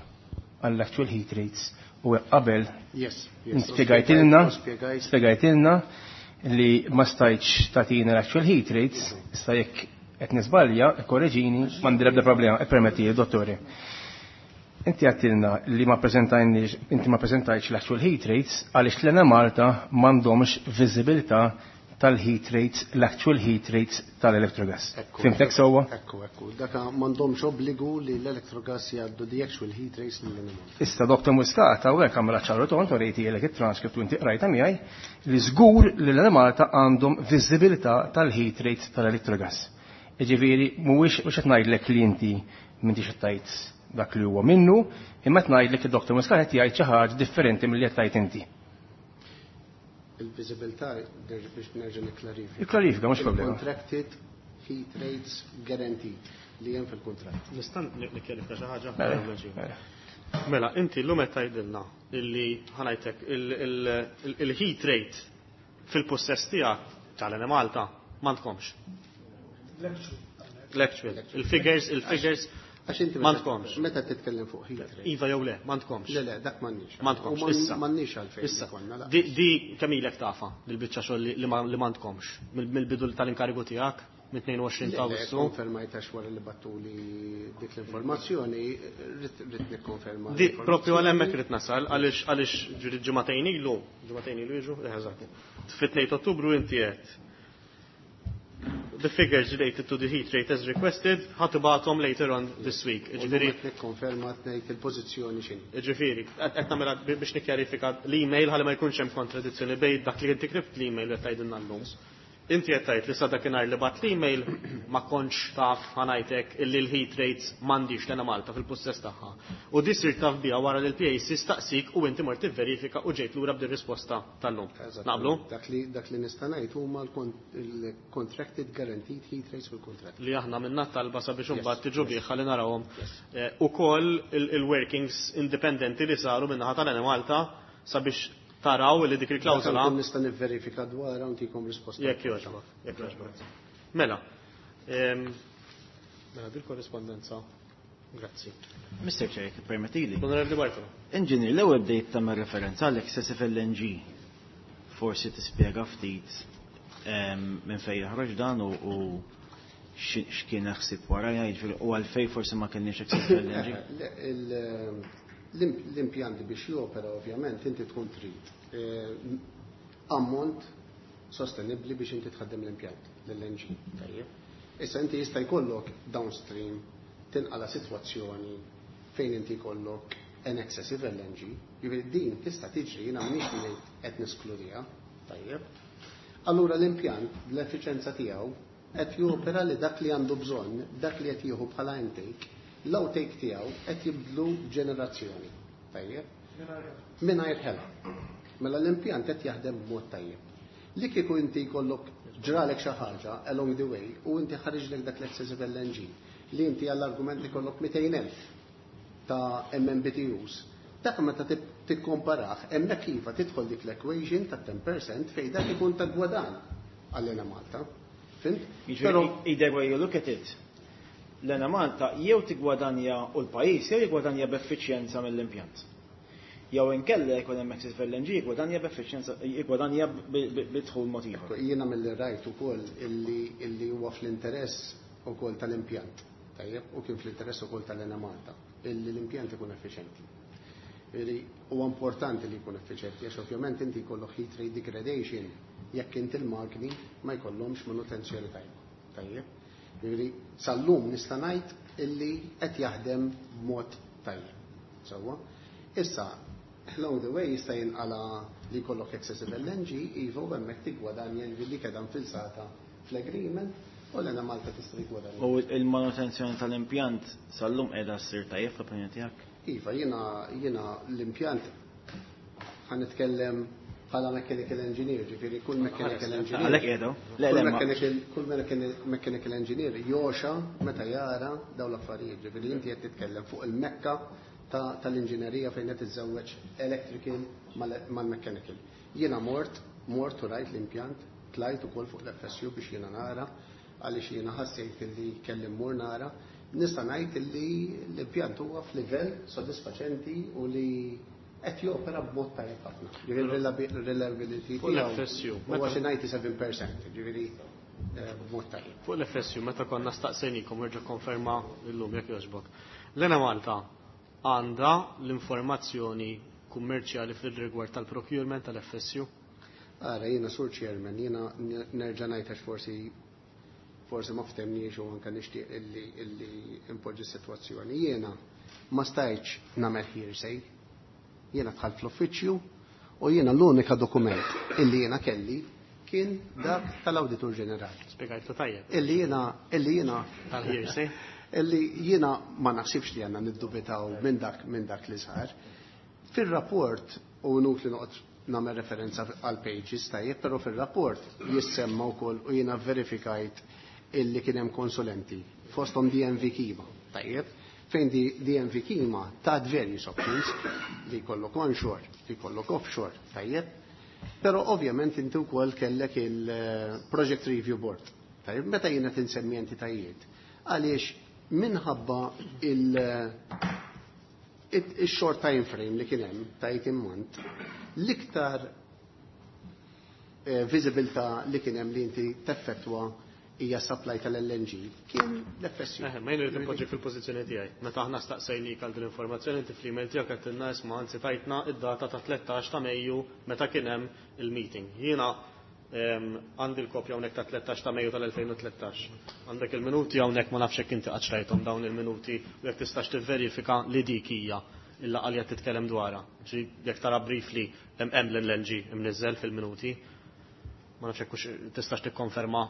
għall-actual heat rates u qabel Yes, yes. spjegajtilna, Spjegajt. spjegajtilna li ma stajtx tagħtina l-actual heat rates, issa jekk qed nisbalja, korreġini, m'għandi l-ebda problema, ippermetti, dottore. Inti għattilna li ma preżentajniex, inti ma preżentajtx l-actual heat rates għaliex l-Enemalta m'għandhomx viżibilità tal-heat rates, l-actual heat rates tal-Electrogas. Ekku. Fimtek sewwa? Ekku, ekku. Daka m'għandhomx obbligu li l-Electrogas jgħaddu the actual heat rates lill-Enemalta. Issa Doktor Muscat hawnhekk għamela ċaru tont u rejtielek it-transcript u inti qrajta miegħi li żgur li l-Enemalta għandhom viżibilità tal-heat rates tal-Electrogas. Jiġifieri mhuwiex mhux qed ngħidlek li inti m'intix qed tgħid dak li huwa minnu, imma qed ngħidlek li Doktor Muscat qed jgħid xi ħaġa differenti milli qed tgħid inti. Il-viżibilità biex nerġa' nikklarifika. Ikklarifika, mhux problema. Il-contracted heat rates guaranteed li hemm fil-kuntratt. Nista' nikkjarifika xi ħaġa? Mela, mela. Mela, inti llum qed tgħidilna illi ħanajtek il-heat rate fil-possess tiegħek tal-Enemalta m'għandkomx. L-actual. Il-figures, il-figures Għax inti m'għandkomx. meta titkellem fuq heat rate. Iva jew le, m'għandkomx. Le, le, dak m'għandniex. M'għandkomx, U issa. m'għandniex għalfejn Issa. ikollna, la. Di, di kemm ilek tafa dil-biċċa xogħol li, li ma, li m'għandkomx mill-bidu tal-inkarigu tiegħek mit-tnejn u għoxrin ta' Le, le, Awwissu. konfermajt għax wara li battuli dik l-informazzjoni, rrid, rrid nikkonferma Di l-informazzjoni. propju għal hemmhekk rid nasal għaliex, għaliex ġuri ġimagħtejn ilu, ġimagħtejn ilu jiġu, eh, eżatt. Fit-tnejn ta' Ottubru inti qed the figures related to the heat rate as requested, ħatibatom later on this week. U Ġifieri, qed nikkonferma ngħid il-pożizzjoni x'inhi. Ġifieri, qed nagħmilha biex nikkjarifika l-email ħalli ma jkunx hemm kontradizzjoni bejn dak li inti ktibt l-email u qed tgħidilna llum. Inti qed tgħid li sa dakinhar li bat l-email ma kontx taf ħanajtek illi l-heat rates m'għandix l-Enemalta fil-possess tagħha. U di sir taf biha wara li l-P A C staqsik u inti mort tivverifika u ġejt lura b'din risposta tal-lum. Eżatt. Naqblu? Dak li, dak li nista' ngħid huma l-contracted guaranteed heat rates fil-kuntratt. Li aħna minna talba sabiex Yes, imbagħad tiġu yes. bih ħalli narawhom. Yes. Eh, ukoll il-, il-workings indipendenti li saru min-naħa tal-Enemalta sabiex taraw li dik il-klawżola. Dak nista' nivverifika dwar hawn tikom risposta. Jekk jogħġbok, jekk jogħġbok. Mela, ehm, mela dil-korrispondenza. Grazzi. Mister Chair, jekk permettili. Onorevoli Bartolo. Engineer, l-ewwel bdejt tagħmel referenza għal excessive L N G. Forsi tispjega ftit, ehm, minn fejn joħroġ dan u, u xi-, x'kien ħsieb wara, jiġifieri, u għalfejn forsi ma kenniex excessive L N G. Le, il-, l-imp-, l-impjanti biex jopera ovvjament inti tkun trid, eh, ammont sostenibbli biex inti tħaddem l-impjant, l-L N G. Tajjeb. Issa inti jista' jkollok downstream tinqala sitwazzjoni fejn inti jkollok an excessive L N G, jiġifieri din tista' tiġri, jiena m'iniex ngħid qed neskludiha, tajjeb. Allura l-impjant bl-effiċenza tiegħu qed jopera li dak li għandu bżonn, dak li qed jieħu bħala intake, l-outtake tiegħu qed jibdlu ġenerazzjoni, tajjeb? Mingħajr ħela. Mela l-impjant qed jaħdem b'mod tajjeb. Li kieku inti jkollok ġralek xi ħaġa along the way u inti ħariġlek dak l-excessive L N G li inti għall-argument ikollok mitejn elf ta' M M B T Us. Dak meta tikkomparah, hemmhekk iva tidħol dik l-equation ta' ten percent fejn dak ikun ta' gwadan għall-Enemalta. Fhimt? Però either way you look at it, l-Enemalta jew tigwadanja u l-pajjiż jew jigwadanja b'effiċjenza mill-impjant. Jew inkella jkun hemm excess L N G jigwadanja b'effiċjenza, jigwadanja bidħul mod ieħor. Jiena milli rajt ukoll illi illi huwa fl-interess ukoll tal-impjant. Tajjeb, u kien fl-interess ukoll tal-Enemalta illi l-impjant ikun effiċjenti. Huwa importanti li jkun effiċjenti għax ovvjament inti jkollok heat rate degradation jekk inti l-magni ma jkollhomx manutenzjoni tajba. Tajjeb. Jiġifieri sal-lum nista' ngħid illi qed jaħdem b'mod tajjeb. Sewwa. Issa, along the way jista' jinqala li jkollok excessive L N G, iva, u hemmhekk tiggwadanja li kedha infilsata fl-agreement u l-Enemalta tista' tiggwadanja. U il-manutenzjoni tal-impjant sal-lum qiegħda ssir tajjeb fl-opinjoni tiegħek? Iva, jiena jiena l-impjant, ħa nitkellem bħala mechanical engineer, ġifieri kull mechanical engineer. Għalhekk qiegħdu. Le, Kull le, ma- mechanical, kull mechanical, mechanical engineer joxa meta jara dawn l-affarijiet, ġifieri inti qed titkellem fuq il-mekka ta' tal-inġinerija fejn qed tiżżewweġ electrical mal-mechanical. Jiena mort, mort u rajt l-impjant, tlajt ukoll fuq l-F S U biex jiena nara, għaliex jiena ħassejt li kelli mmur nara. Nista' ngħid li l-impjant huwa f'livell sodisfaċenti u li qed jopera b'mod tajjeb ħafna. Ġifieri reliability Fuq l-F S U, huwa xi disgħa u sebgħin percent, ġifieri eh, b'mod tajjeb. Fuq l-F S U, meta konna staqsejnikom, erġa' konferma illum jekk jogħġbok. L-Enemalta għandha l-informazzjoni kummerċjali fil-rigward tal-procurement tal-F S U? Ara, jiena, Sur Chairman, jiena nerġa' ngħid għax forsi forsi ma ftemniex u anke nixtieq illi illi impoġġi s-sitwazzjoni. Jiena ma stajtx nagħmel hearsay. Jiena dħalt fl-uffiċċju u jiena l-unika dokument illi jiena kelli kien dak tal-Awditur Ġenerali. Spjegajtu tajjeb. Illi jiena illi jiena Tal-hearsay. Illi jiena ma naħsibx li għandna niddubitaw minn dak minn dak li sar. Fil-rapport, u nut li noqgħod nagħmel referenza għal pages, tajjeb, però fil-rapport jissemma wkoll u jiena verifikajt illi kien hemm konsulenti fosthom D N V Kima, tajjeb, fejn di D N V Kima tat various options li jkollok onshore, li jkollok offshore, tajjeb. Però ovvjament inti wkoll kellek il-Project Review Board. Tajjeb, meta jiena tinsemmi entitajiet, għaliex minħabba il- il-short time frame li kien hemm ta' eighteen month, l-iktar eh, visibilità li kien hemm li inti teffettwa hija supply tal-L N G kien l-F S U. Eh, ma jien irid inpoġġi fil-pożizzjoni tiegħi. Meta aħna staqsejnik għal din l-informazzjoni, inti fl-email tiegħek qed tilna, isma', anzi tajtna id-data ta' tlettax ta' Mejju meta kien hemm il-meeting. Jiena em, għandi l-kopja hawnhekk ta' tlettax ta' Mejju tal-elfejn u tlettax. Għandek il-minuti hawnhekk, ma nafx jekk inti qatt rajthom dawn il-minuti u jekk tistax tivverifika li dik hija il-laqgħa li qed titkellem dwarha. Ġi jekk tara briefly hemm hemm l-L N G imniżżel fil-minuti. Ma nafx jekk hux tistax tikkonferma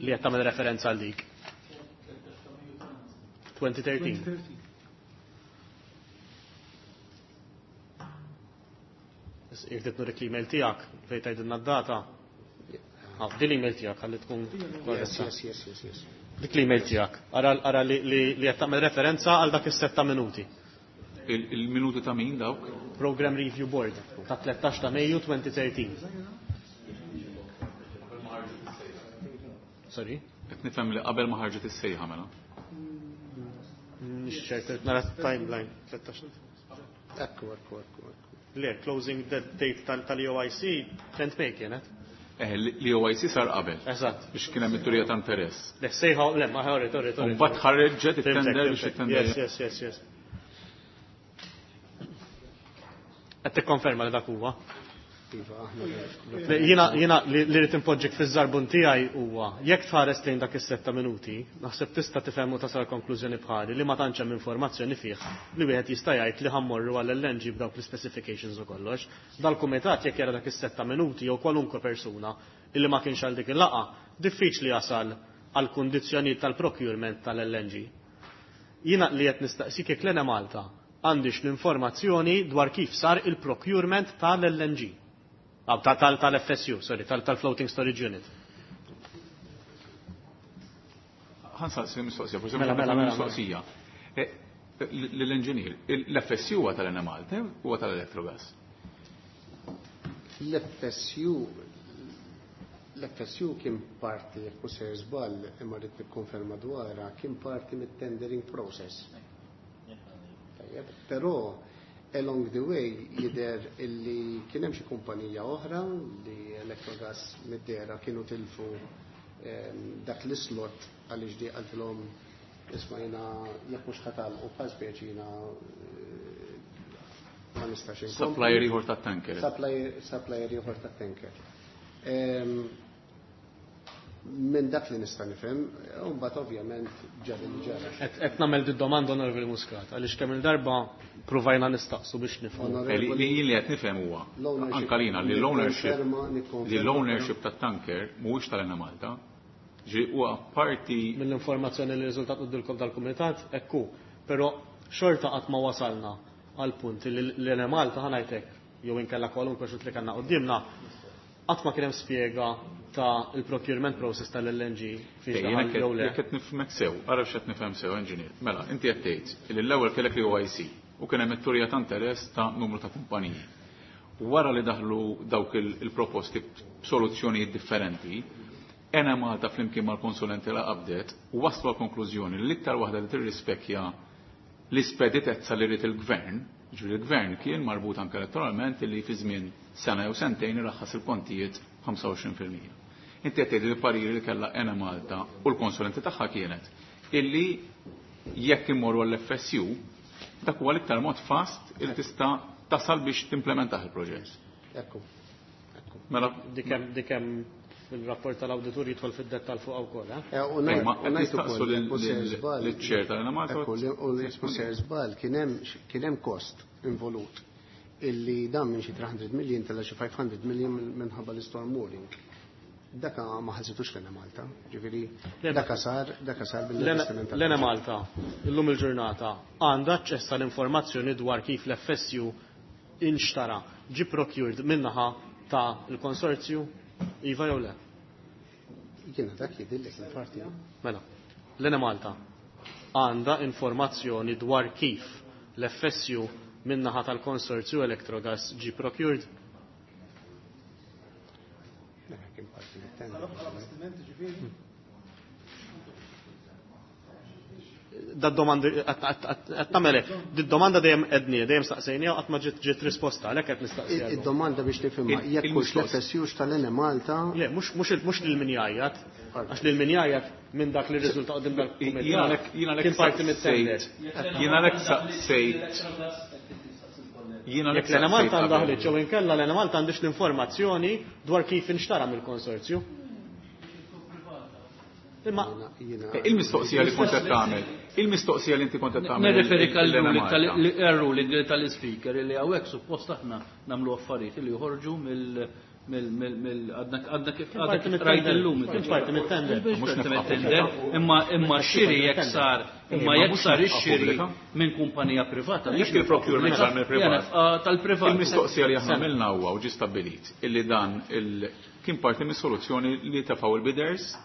li qed tagħmel referenza għal dik. twenty thirteen. Jekk trid nurik l-email tiegħek fejn tgħidilna d-data. Ah, din l-email tiegħek ħalli tkun Yes, korretta. yes, yes, yes, yes. Dik l-email tiegħek. Ara ara li li li qed tagħmel referenza għal dak is-setta minuti. Il- Il-minuti ta' min dawk? Program Review Board ta' tlettax ta' Mejju elfejn u tlettax. Sorry? Qed nifhem li qabel ma ħarġet is-sejħa mela. Mhix ċert, nara timeline. tlettax. Ekku, ekku, ekku, ekku. Le, closing date tal-E O I C tenth May kienet. Eh, l-E O I C sar qabel. Eżatt. Biex kien hemm it-turija ta' interess. Le, sejħa, le, ma ħorri, torri, torri. U mbagħad ħarġet it-tender biex it-tender. Yes, yes, yes, yes. Qed tikkonferma li dak huwa. Iva, aħna. Le, Jiena jiena li li rrid inpoġġik fiż-żarbun tiegħi huwa jekk tħares lejn dak is-setta minuti, naħseb tista' tifhem u tasal konklużjoni bħali li ma tantx hemm informazzjoni fih li wieħed jista' jgħid li ħa mmorru għall L N G b'dawk l-specifications u kollox. Dal-kumitat jekk jara dak is-setta minuti jew kwalunkwe persuna illi ma kienx għal dik il-laqgħa, diffiċli jasal għal kundizzjonijiet tal-procurement tal-L N G. Jiena li qed nistaqsik jekk l Malta għandix l-informazzjoni dwar kif sar il-procurement tal-L N G. Ah, tal-F S U, sorry, tal-Floating Storage Unit. Ħa nsaqsi mistoqsija, forsi Mela, mela, mela, mistoqsija. Eh, L-engineer, l-F S U huwa tal-Enemalta huwa tal-Electrogas? L-F S U l-F S U kien parti, jekk mhux sejjer żball, imma rrid nikkonferma dwarha, kien parti mit-tendering process. Tajjeb, però along the way jidher illi kien hemm xi kumpanija oħra li Electrogas mid-dehra kienu tilfu ehm, dak l-slot għaliex di qaltilhom, "Isma', jiena jekk mhux ħa tagħlqu bħal speċi jiena eh, ma nistax inkompli." Supplier ieħor tat-tanker. Supplier, supplier ieħor tat-tanker. Ehm, Minn dak li nista' nifhem, u mbagħad ovvjament ġara li ġara. Qed nagħmel di domanda, Onorevoli Muscat, għaliex kemm il-darba provajna nistaqsu biex nifhmu. Eh, Li li jien li qed nifhem huwa L-ownership- anka lina li l-ownership Nikkonferma- nikkonferma- li l-ownership tat-tanker mhuwiex tal-Enemalta. Ġi huwa parti Mill-informazzjoni li riżultat qudiemkom tal-kumitat, ekku, però xorta qatt ma wasalna għal punt li l-Enemalta, ħa ngħidlek, jew inkella kwalunkwe xut li kellna quddiemna, qatt ma kien hemm spjega ta' il-procurement process tal-L N G fiex Jiena daħal jew le. jekk qed nifhmek sew, ara x'qed nifhem sew, engineer. Mela, inti qed tgħid li l-ewwel kellek li O I C u kien hemm it-turija ta' interess ta' numru ta' kumpaniji. Wara li daħlu dawk il- il-proposti b'soluzzjonijiet differenti, Enemalta flimkien mal-konsulenti la qabdet u waslu għal konklużjoni li l-iktar waħda li tirrispekja l-ispeditezza li rrid il-gvern, ġifieri il-gvern kien marbut anke elettoralment li fi żmien sena jew sentejn iraħħas il-kontijiet ħamsa u għoxrin fil-mija. Inti qed tgħid li l-pariri li kellha Enemalta u l-konsulenti tagħha kienet illi jekk immorru għall-F S U dak huwa l-iktar mod fast il tista' tasal biex timplementah il-proġett. Ekku. Mela, Dik hemm dik hemm fil-rapport tal-awditur jidħol fid-dettal fuq wkoll, eh? Eh, U Eh, ma ngħid- u ngħid nistaqsu ukoll, lil- jekk mhux sejjer lil- żball- lill-chair tal-Enemalta. Ekku, li- u jekk mhux sejjer żball, kien hemm kien hemm cost involut illi dan minn xi tliet mitt million tela xi ħames mija million minħabba l-storm mooring. Daka ma ħallsitux l-Enemalta, ġifieri daka sar daka sar bil-investiment tal- L-Enemalta, illum il-ġurnata, għandha aċċess tal-informazzjoni dwar kif l-F S U inxtara, ġi procured minnaħa ta' il-konsorzju, iva jew le? Jiena dak jidhirlek il-parti. Mela, l-Enemalta għandha informazzjoni dwar kif l-F S U minnaħa tal-konsorzju Electrogas ġi procured? Daka kien parti mit-tender. Ġifieri. Da domandi qed tagħmel di domanda dejjem edni, dejjem staqsejnija u qatt ma ġiet ġiet risposta, għalhekk qed nistaqsija. Id-domanda biex nifhimha, Il- jekk hux il-mistoqs- l-F S U tal-Enemalta. Le, mhux mhux mhux lil min jgħajjat, għax lil min jgħajjat minn dak li riżulta qudiem Jiena dal lek jiena lek kien parti mit-tender. Jiena lek saqsejt Jiena lek Jekk l-Enemalta saqsejt għandha qabel. ħliġ jew inkella l-Enemalta għandix l-informazzjoni dwar kif inxtara mill-konsorzju. Imma Jiena Il-mistoqsija li kont qed tagħmel, il-mistoqsija li inti kont qed tagħmel. Nirreferi l-Enemalta. għal-ruling tal-speaker li hawnhekk suppost aħna nagħmlu affarijiet li joħorġu mill mill mill mill għadna għadna kif għadna parti kif mit-tender. rajt illum. Kien parti mit-tender. Mhux Mhux parti nefqa mit-tender, imma imma xiri jekk sar imma Imma jekk mhux sar nefqa ix-xiri pubblika. minn kumpanija privata. Jekk il-procurement sar mill-privat. Tal-privat. Il-mistoqsija li aħna għamilna huwa u ġi stabbilit illi dan il kien parti mis-soluzzjoni li tefgħu il-bidders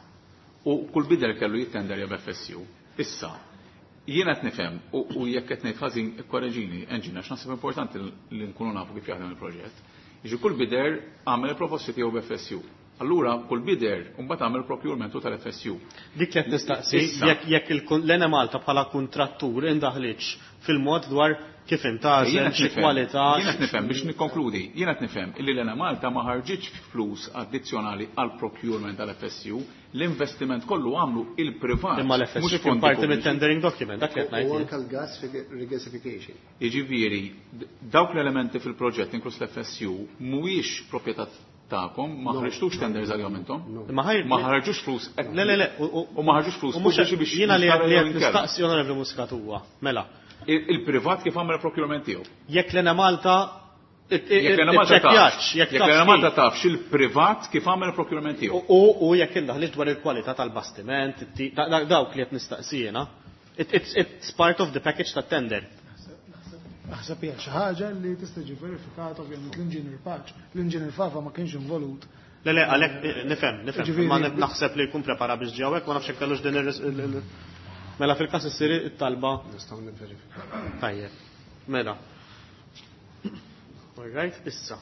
u kull bidder kellu jittender jab F S U. Issa, jiena qed nifhem u u jekk qed ngħid ħażin ikkoreġini, engineer, għax naħseb importanti li nkunu nafu kif jaħdem il-proġett. Jiġi kull bidder għamel il-proposti tiegħu b'F S U. Allura kull bidder mbagħad għamel procurementu tal-F S U. Dik li qed nistaqsi Issa. jekk jekk il- l-Enemalta bħala kuntrattur indaħliċ fil-mod dwar kif intgħażel, Jiena qed xi nifhem- kwalità. Jiena qed nifhem biex nikkonkludi, jiena qed nifhem illi l-Enemalta ma ħarġitx flus addizzjonali għal procurement tal-F S U, l-investiment kollu għamlu il-privat. Imma l-F S U mhux kien fondi parti pubbliċi. mit-tendering document, dak li qed U ngħid. anka l-gas regasification. Jiġifieri, d- dawk l-elementi fil-proġett inkluż l-F S U mhuwiex proprjetà tagħkom, ma No. ħarġtux tenders għalihom intom. Imma ħajr Ma ħarġux flus. Le, le, le, u- u U ma ħarġux flus u mhux pubbliċi biex jiena li jinxtara li jew qed inkella. nistaqsi, Onorevoli Muscat, huwa. Mela, Il- Il-privat kif għamel procurement tiegħu? Jekk l-Enemalta Jekk l-Enemalta tafx, jekk jekk taf l-Enemalta kif. tafx il-privat kif għamel procurement tiegħu. U u jekk indaħliġ dwar il-kwalità tal-bastiment, it- da- da- dawk li qed nistaqsi jiena. It- It's it's part of the package ta' tender. Naħseb Naħseb hija xi ħaġa li tista' tiġi verifikata ovvjament l-Inġinier Pace. L-Inġinier Fava ma kienx involut. Le le, għalhekk nifhem, nifhem, ma naħseb li jkun prepara biex ġie hawnhekk, ma nafx hekk kellux din ir Mela fil-każ issir it-talba. Nistgħu nivverifika. Tajjeb. Mela. All right, issa.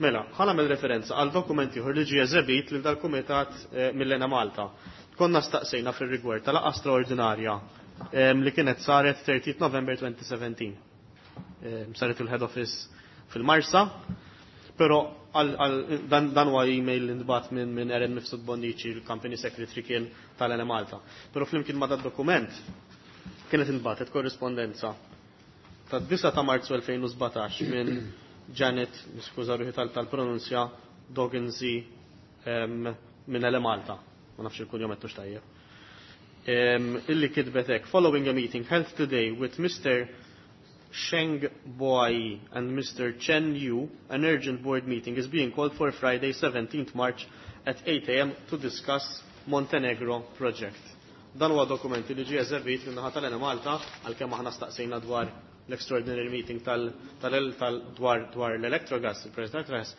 Mela, ħa nagħmel referenza għal dokument ieħor li ġie eżebit lil dal-kumitat mill-Enemalta. Konna staqsejna fir-rigward tal-laqgħa straordinarja li kienet saret thirtieth November twenty seventeen. Saret il-head office fil-Marsa, però dan dan huwa email li ntbagħat minn minn Aaron Mifsud Bonnici, il-company secretary kien tal-Enemalta. Però flimkien ma' dad-dokument kienet intbagħtet korrispondenza tad-disgħa ta' Marzu elfejn u sbatax minn Janet, niskuża ruħi tal-pronunzja, Doggensi minn Enemalta. Ma nafx il-kunjom qed tajjeb. Illi kitbet hekk, following a meeting held today with Mister Sheng Boai and Mister Chen Yu, an urgent board meeting is being called for Friday seventeenth March at eight A M to discuss Montenegro project. Dan huwa dokumenti li ġie eżebit minn naħa tal-Enemalta għalkemm aħna staqsejna dwar l-extraordinary meeting tal, tal, tal, dwar, dwar l-Electrogas, il-President Electrogas.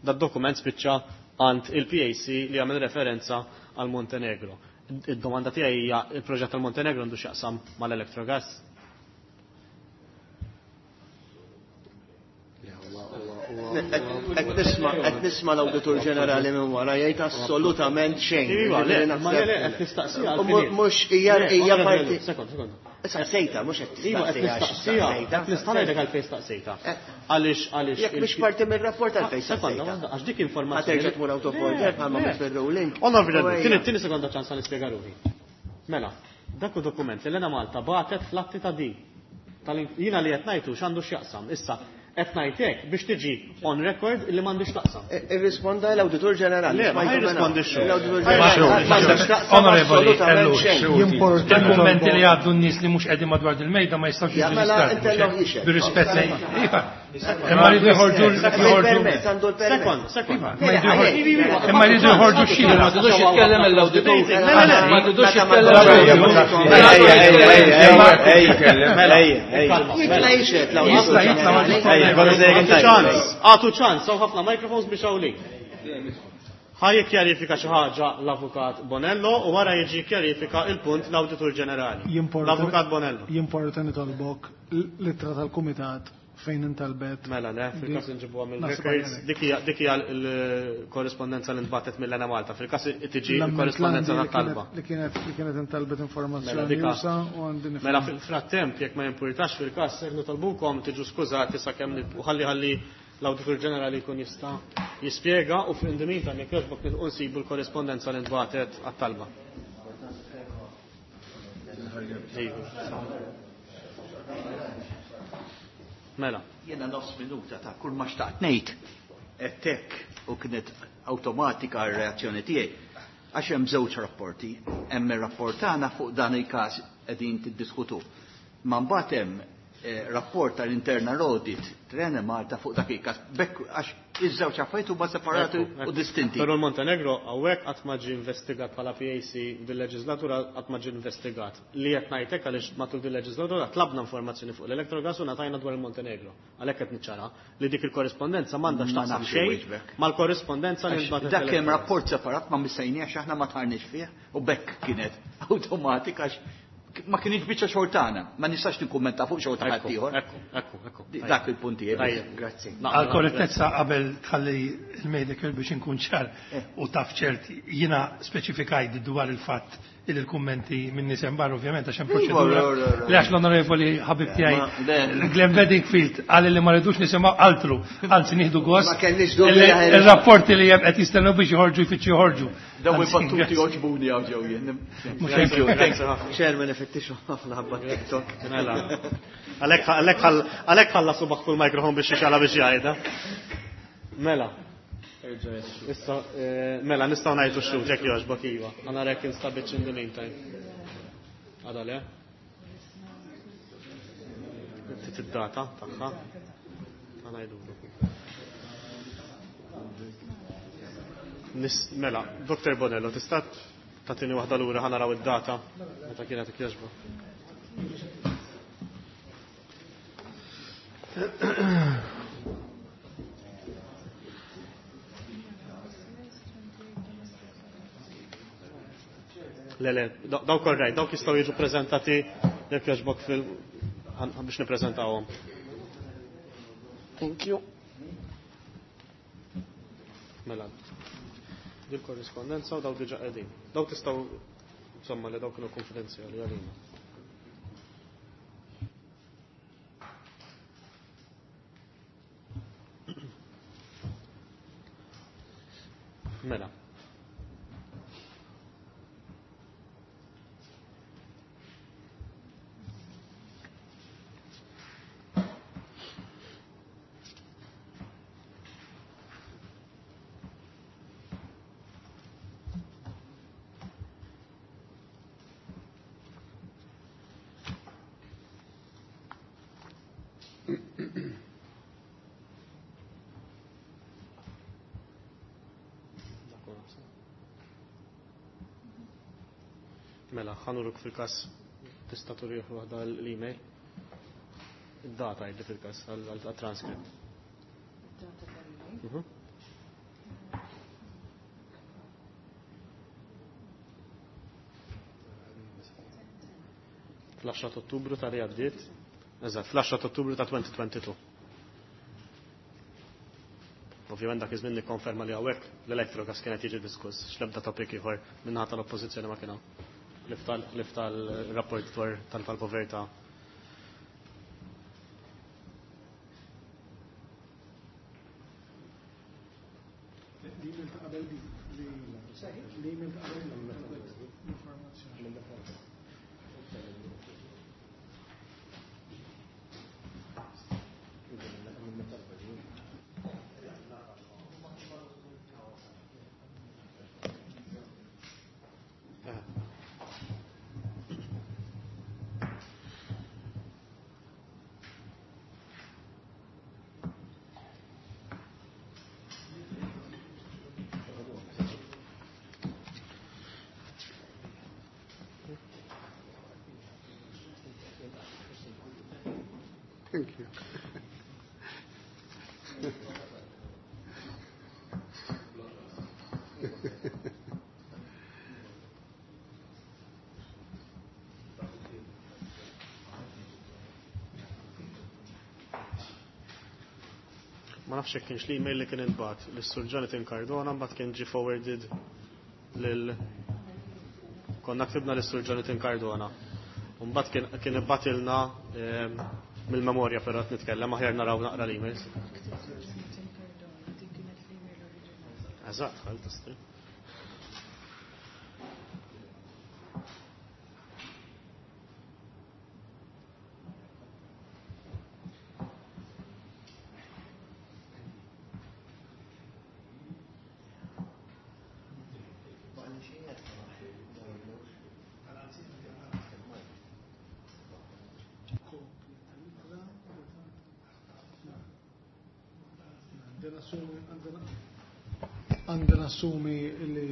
Dat dokument spiċċa għand il-P A C li għamel referenza għal Montenegro. Id-domanda tiegħi hija il-proġett tal-Montenegro għandu x'jaqsam mal-Electrogas? Qed nisma', qed nisma' l-Awditur Ġenerali minn wara jgħid assolutament xejn. Iva, le, ma le, le, qed nistaqsija għal Mhux fini. Mhux hija Le, hija onorevoli, parti. Sekond, sekond. Staqsejta, mhux qed Iva, qed tistaqsija, nistaqsija. staqsejta. Qed nista' ngħidlek għalfejn staqsejta. Eh. Għaliex, għaliex Jekk mhix il- parti mir-rapport għalfejn Sekonda, staqsejta. waħda, għax dik informazzjoni. Ħa terġa' tmur out of Le, order bħalma le. mhux fir-ruling. Onorevoli, U ejja. tieni, tieni sekonda ċans għal nispjega ruħi. Mela, dak hu dokument li l-Enemalta bagħtet fl-atti ta' din. Jiena li qed ngħidu x'għandu x'jaqsam. Issa, qed ngħid hekk biex tiġi on record li m'għandix taqsam. E, irrisponda l-Awditur Ġenerali. Le, ma Smajtu jirrispondix mela. xu. L-Awditur Ħaj Ġenerali. xu. M'għandux taqsam Onorevoli, assolutament ellu, xejn. xu. Jimporta Il-kummenti nitolbu. li għaddu n-nies li mhux qegħdin madwar il-mejda ma jistgħux Ja, jiġu mela, reġistrati, intellhom mhux hekk? jixed. Bir-rispett lejn. Iva. Imma jridu jħorġu Għandu l-permess, għandu l-permess. Sekond, sekond. Iva, ma jridu jħorġu- imma jridu jħorġu xhieda. Ma tidux jitkellem l-awditur. Le, le, le. Ma tidux Meta ma jitkellem l-awditur. l-awditur. Mela, Kalma, Jitla mela. jixed l-awditur Jista' jitla' ma ġenerali. Għatu ċans, għatu ċans, hawn ħafna microphones biex hawnlik. Ħa jikkjarifika xi ħaġa l-Avukat Bonello u wara jiġi jikkjarifika il-punt l-Awditur Ġenerali. Jimporta- L-Avukat Bonello. Jimporta nitolbok l-ittra tal-Kumitat fejn intalbet. Mela, le, fil-każ inġibuha Naħseb mill-records. għalhekk. Dik hija, dik hija l-korrispondenza li ntbagħtet mill-Enemalta. Fil-każ tiġi L-amment l-korrispondenza l-għandi li tat-talba. kienet- Li kienet li kienet intalbet informazzjoni Mela, dika- usa u għandi nifhem. Mela fil-frattemp jekk ma jimpurtax fil-każ ser nitolbukom tiġu skużati sakemm nib-, u ħalli ħalli l-Awditur Ġenerali jkun jista' jispjega u in the meantime jekk jogħġbok nilqu nsibu l-korrispondenza li ntbagħtet għat-talba. Mela. Jiena nofs minuta ta' kull ma xtaqt ngħid hekk u kienet awtomatika r-reazzjoni tiegħi. Għax hemm żewġ rapporti, hemm ir-rapport tagħna fuq dan il-każ qegħdin tiddiskutu. Ma mbagħad hemm, eh, rapport tal-internal audit tal-Enemalta fuq dak il-każ. Bekk għax iż-żewġ affarijiet huma separati Ekku, ekku. u distinti. Però l-Montenegro hawnhekk qatt ma ġie investigat bħala P A C dil-leġislatura qatt ma ġie investigat. Li qed ngħidlek għaliex matul dil-leġislatura tlabna informazzjoni fuq l-Electrogas u ngħatajna dwar il-Montenegro. Għalhekk qed niċċara li dik il-korrispondenza m'għandha Ma x'taqsam nafx xejn iwieġbek. mal-korrispondenza li Għax ntbagħtet Dak hemm l-Electrogas. rapport separat ma missejniex aħna ma tħarniex fih u bekk kienet awtomatika għax ma kienx biċċa xogħol tagħna, ma nistax nikkummenta fuq xogħol ta' Ekku, ħaddieħor. ekku, ekku, ekku. Dak il-punt tiegħi. Tajjeb. Grazzi. Naqbel, Għal korrettezza qabel tħalli il-Medicare biex inkun ċar Eh. u taf ċert, jiena speċifikajt dwar il-fatt il il-kummenti minn nies hemm barra ovvjament għax hemm Iva, proċedura ro, ro, ro. li għax l-onorevoli ħabib tiegħi Ma, le. Glenn Bedingfield qal li ma rridux nisimgħu altru, anzi nieħdu gost. Ma kellix dubju Il- li ħajr- Il-rapporti li hemm qed jistennew biex joħorġu jfittxu joħorġu. Dawn Anzi, il-battuti grazzi. joġbuni għaw ġew jien. Mhux Thank you, hekk. thanks ħafna. Chairman, ifittixu ħafna ħabba TikTok. Mela. Għalhekk, għalhekk ħall-, għalhekk ħallasu baħ kull mikrofon biex jixgħala biex jgħidha. Mela. Issa, eh, mela, nistgħu ngħidu x-xhud jekk jogħġbok iva. Għana rek instabitx in the meantime. Għada le? Ftit id-data tagħha. Ħa ngħidu. Nis-, mela, Doktor Bonello, tista' tagħtini waħda lura ħa naraw id-data meta kienet jogħġbok. Le, le, dawk all right, dawk jistgħu jiġu preżentati jekk jogħġbok fil biex nippreżentawhom. Thank you. Mela. Dil korrispondenza u dawk diġà qegħdin. Dawk tistgħu insomma li dawk kienu konfidenzjali għalina. Mela. Mela, ħanuruk fil-kas tista' turih waħda l-email. Id-data jiddi fil-kas għal-transcript. Id-data tal-email? Fl-għaxra ta' Ottubru ta' li għaddiet. Eżatt, fl-għaxra ta' Ottubru ta' twenty twenty-two. Ovvjament dak iż-żmien nikkonferma li hawnhekk l-electrogas kienet jiġi diskuss, x'l-ebda topic ieħor min-naħa tal-Oppożizzjoni ma kien hawn. Lif tal-rapport dwar tal-povertà. L-email ta' qabel di, l-email ta' qabel l-informazzjoni. Thank you. Ma nafx jekk kienx l-email li kien intbagħat lis-Sur Jonathan Cardona, mbagħad kien ġie forwarded lil konna ktibna lis-Sur Jonathan Cardona. U mbagħad kien, kien ibbatilna, ehm, mill-memorja però qed nitkellem, aħjar naraw naqra l-emails. Eżatt, ħal tistri. Għandna nassumi li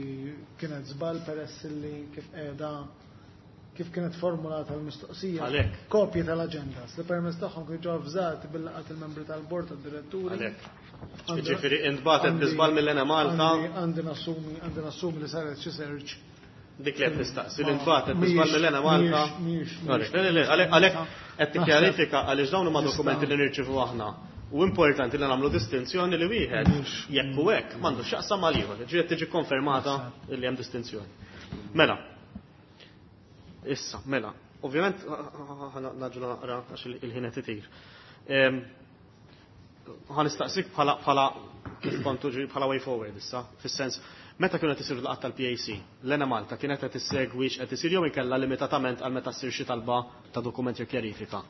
kienet żball peress li kif qiegħda kif kienet formulata l-mistoqsija. Għalhekk. Kopji tal-agendas li permezz tagħhom kienu ġew avżati bil-laqgħat il-membri tal-bord tad-diretturi. Għalhekk. Għandi- Jiġifieri intbagħtet għandi- bi żball mill-Enemalta. għandi-, għandi nassumi, għandi nassumi li saret xi search. Dik li qed nistaqsi li Ma- intbagħtet bi żball mhijiex- mill-Enemalta. mhijiex- mhijiex- Għalhekk, le, le, le, għalhekk, għalhekk qed tikkjarifika għaliex dawn huma Nista' dokumenti li nirċievu aħna. U importanti li nagħmlu distinzjoni li wieħed jekk u hekk m'għandux x'jaqsam mal ieħor. Ġifieri tiġi konfermata li hemm distinzjoni. Mela. Issa, mela. Ovvjament naġlu naqra għax il-ħin qed itir. Ehm, ħa nistaqsik bħala, bħala kif kontu ġi, bħala way forward issa, fis-sens meta kienu qed isiru l-laqgħat tal-P A C, l-Enemalta kienet qed issegwi x'qed isir jew inkella limitatament għal meta ssir xi talba ta' dokument jew kjarifika.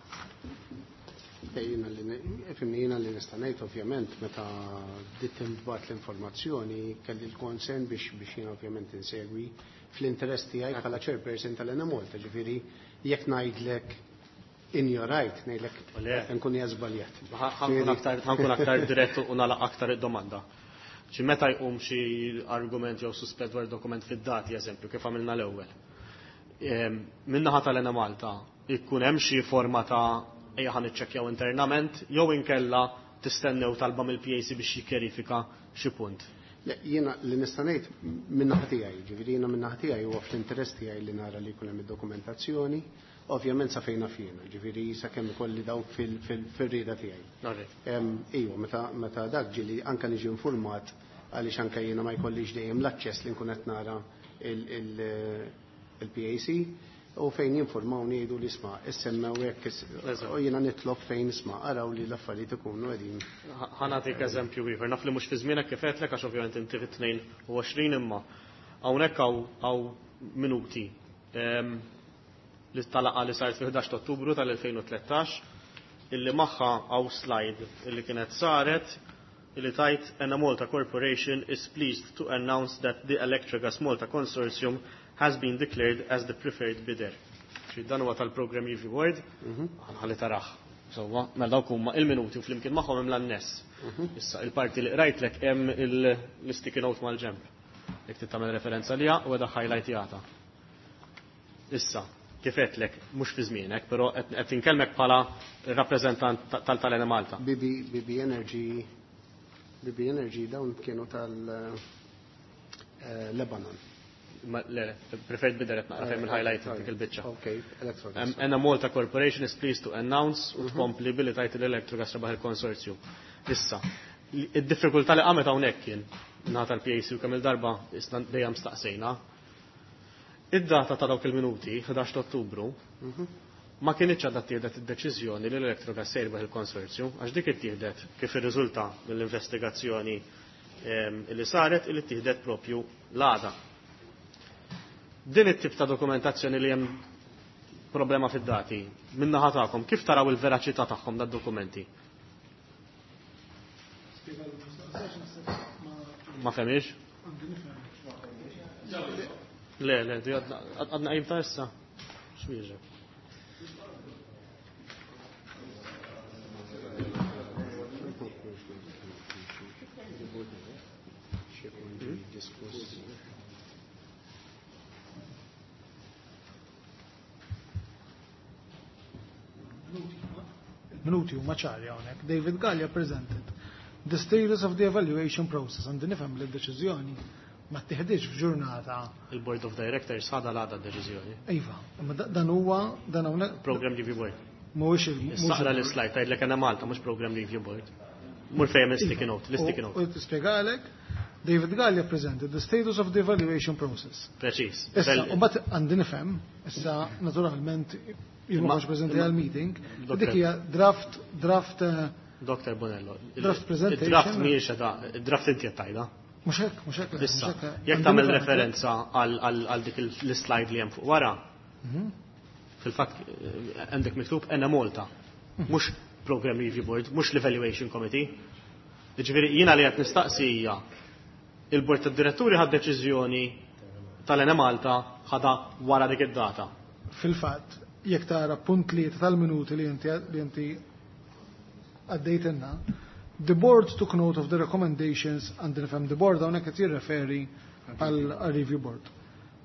Jiena li ne-, fimni, jiena li nista' ngħid ovvjament meta bdiet tinbagħat l-informazzjoni kelli l-konsent biex, biex jiena ovvjament insegwi fl-interess tiegħi bħala chairperson tal-Enemalta, ġifieri jekk ngħidlek injorajt, ngħidlek Le. nkun hija żbaljat. Ħa-, ħankun aktar, ħankun aktar dirett u nagħlaq aktar id-domanda. Xi meta jqum xi argument jew suspett dwar dokument fid-dati, eżempju, kif għamilna l-ewwel. Ehm, min-naħa tal-Enemalta ikun hemm xi forma ta' ejja ħa niċċekkjaw internament, jew inkella tistennew talba mill-P A C biex jikkjerifika xi punt. Le, jiena li nista' ngħid min-naħa tiegħi, ġifieri jiena min-naħa tiegħi huwa fl-interess tiegħi li nara li jkun hemm id-dokumentazzjoni, ovvjament sa fejn naf jiena, ġifieri sakemm ikolli dawk fil-, fil-, fir-rieda tiegħi. Alright. Em, iva, meta, meta dak ġieli anke niġi informat għaliex anke jiena ma jkollix dejjem l-aċċess li nkun qed nara il-, il-, il-P A C u fejn jinformawni jgħidu li isma' issemmew hekk is-, Eżatt. u jiena nitlob fejn isma' araw li l-affarijiet ikunu qegħdin. Ħa-, ħa nagħtik eżempju ieħor, naf li mhux fi żmienek kif għedtlek għax ovvjament inti fit-tnejn u għoxrin imma hawnhekk hawn, hawn minuti, ehm, li talaqa li saret fil-ħdax ta' Ottubru tal-elfejn u tlettax illi magħha hawn slide illi kienet saret illi tajt Enemalta Corporation is pleased to announce that the Electrogas Malta Consortium has been declared as the preferred bidder. Ġi dan huwa tal-Program Review Board, Mhm. ħalli taraħ. Sewwa, mela dawk huma il-minuti u flimkien magħhom hemm l-anness. Mhm. Issa il-parti li qrajtlek hemm il-, l-sticky note mal-ġemp. Jekk trid tagħmel referenza liha u qiegħda highlightjata. Issa, kif għedtlek, mhux fi żmienek, però qed, qed inkellmek bħala rappreżentant ta-, tal-, tal-Enemalta. B B, B B Energy, B B Energy dawn kienu tal, eh, Lebanon. Ma, le, le, preferred bidder qed naqra fejn il-highlight dik il-biċċa. Ok, Electrogas. Em, Enemalta Corporation is pleased to announce u Mhm. tkompli billi tajt l-Electrogas rebaħ il-konsorzju. Issa, id-diffikultà li qamet hawnhekk kien ngħata l-P A C u kemm il-darba issa dejjem staqsejna. Id-data ta' dawk il-minuti, ħdax ta' Ottubru, Mhm. ma kienitx għadha ttieħdet id-deċiżjoni li l-Electrogas se jirbaħ il-konsorzju, għax dik ittieħdet kif irriżulta mill-investigazzjoni, ehm, li saret li ttieħdet propju l-għada. Din it-tip ta' dokumentazzjoni li hemm problema fid-dati, min-naħa tagħkom, kif taraw il-veraċità tagħhom dad-dokumenti? Ma fehmix? Le, le, di għadna, għadna qajm ta' issa. X'wieġeb? Minuti huma ċari hawnhekk. David Galea presented the status of the evaluation process and nifhem li d-deċiżjoni ma ttieħditx f'ġurnata. Il-Board of Directors ħadha l-għada d-deċiżjoni. Iva, imma da-, dan huwa dan hawnhekk Program Review Board. Mhuwiex il-, mhuwiex Issa aqra il- l-slide tgħidlek Enemalta mhux Program Review Board. Mur fejn hemm sticky note, l-sticky U- note. U tispjegalek David Galea presented the status of the evaluation process. Preċiż. Issa, Bell- u mbagħad għandi nifhem, issa naturalment jien ma Imma- kontx preżenti imma- għall-meeting, Doctor dik hija draft, draft, eh, Doctor Bonello, il- draft presentation. Il-draft mhijiex qed, il-draft inti qed tgħidha. Mhux hekk, mhux hekk, mhux Issa, hekk, jekk għandi tagħmel nifhem. referenza għal, għal, għal dik il-, l-slide li hemm fuq wara, Mhm. fil-fatt, eh, għandek miktub Enemalta, Mhm. mhux Program Review Board, mhux l-Evaluation Committee. Jiġifieri jiena li qed nistaqsi hija il-Bord tad-Diretturi ħad deċiżjoni tal-Enemalta ħadha wara dik id-data. Fil-fatt, jekk tara punt tlieta tal-minuti li inti, li inti għaddejtilna, the board took note of the recommendations and nifhem the board hawnhekk qed jirreferi għal review board.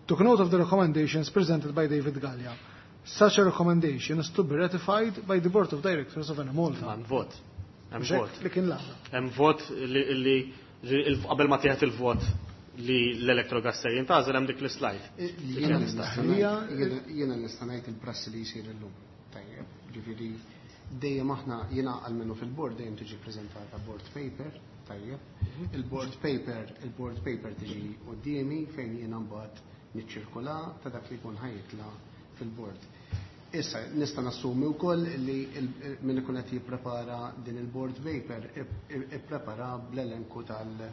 Took note of the recommendations presented by David Galea. Such a recommendation is to be ratified by the Board of Directors of Enemalta. Hemm vot. Hemm Mhux hekk vot. li kien l-għada. Hemm vot li, li qabel ma tieħed il-vot li l-Electrogas se jintgħażel hemm dik l-slide. Jiena nista' ngħid, jiena nista' ngħid il-prassi li jsir illum. Tajjeb, ġifieri dejjem aħna jiena għalmenu fil-board dejjem tiġi preżentata board paper, tajjeb. Il-board paper, il-board paper tiġi quddiemi fejn jiena mbagħad niċċirkula ta' dak li jkun ħajjitla fil-board. Issa nista' nassumi wkoll li il-, min ikun qed jipprepara din il-board paper ip-, ip-, ipprepara bl-elenku tal-,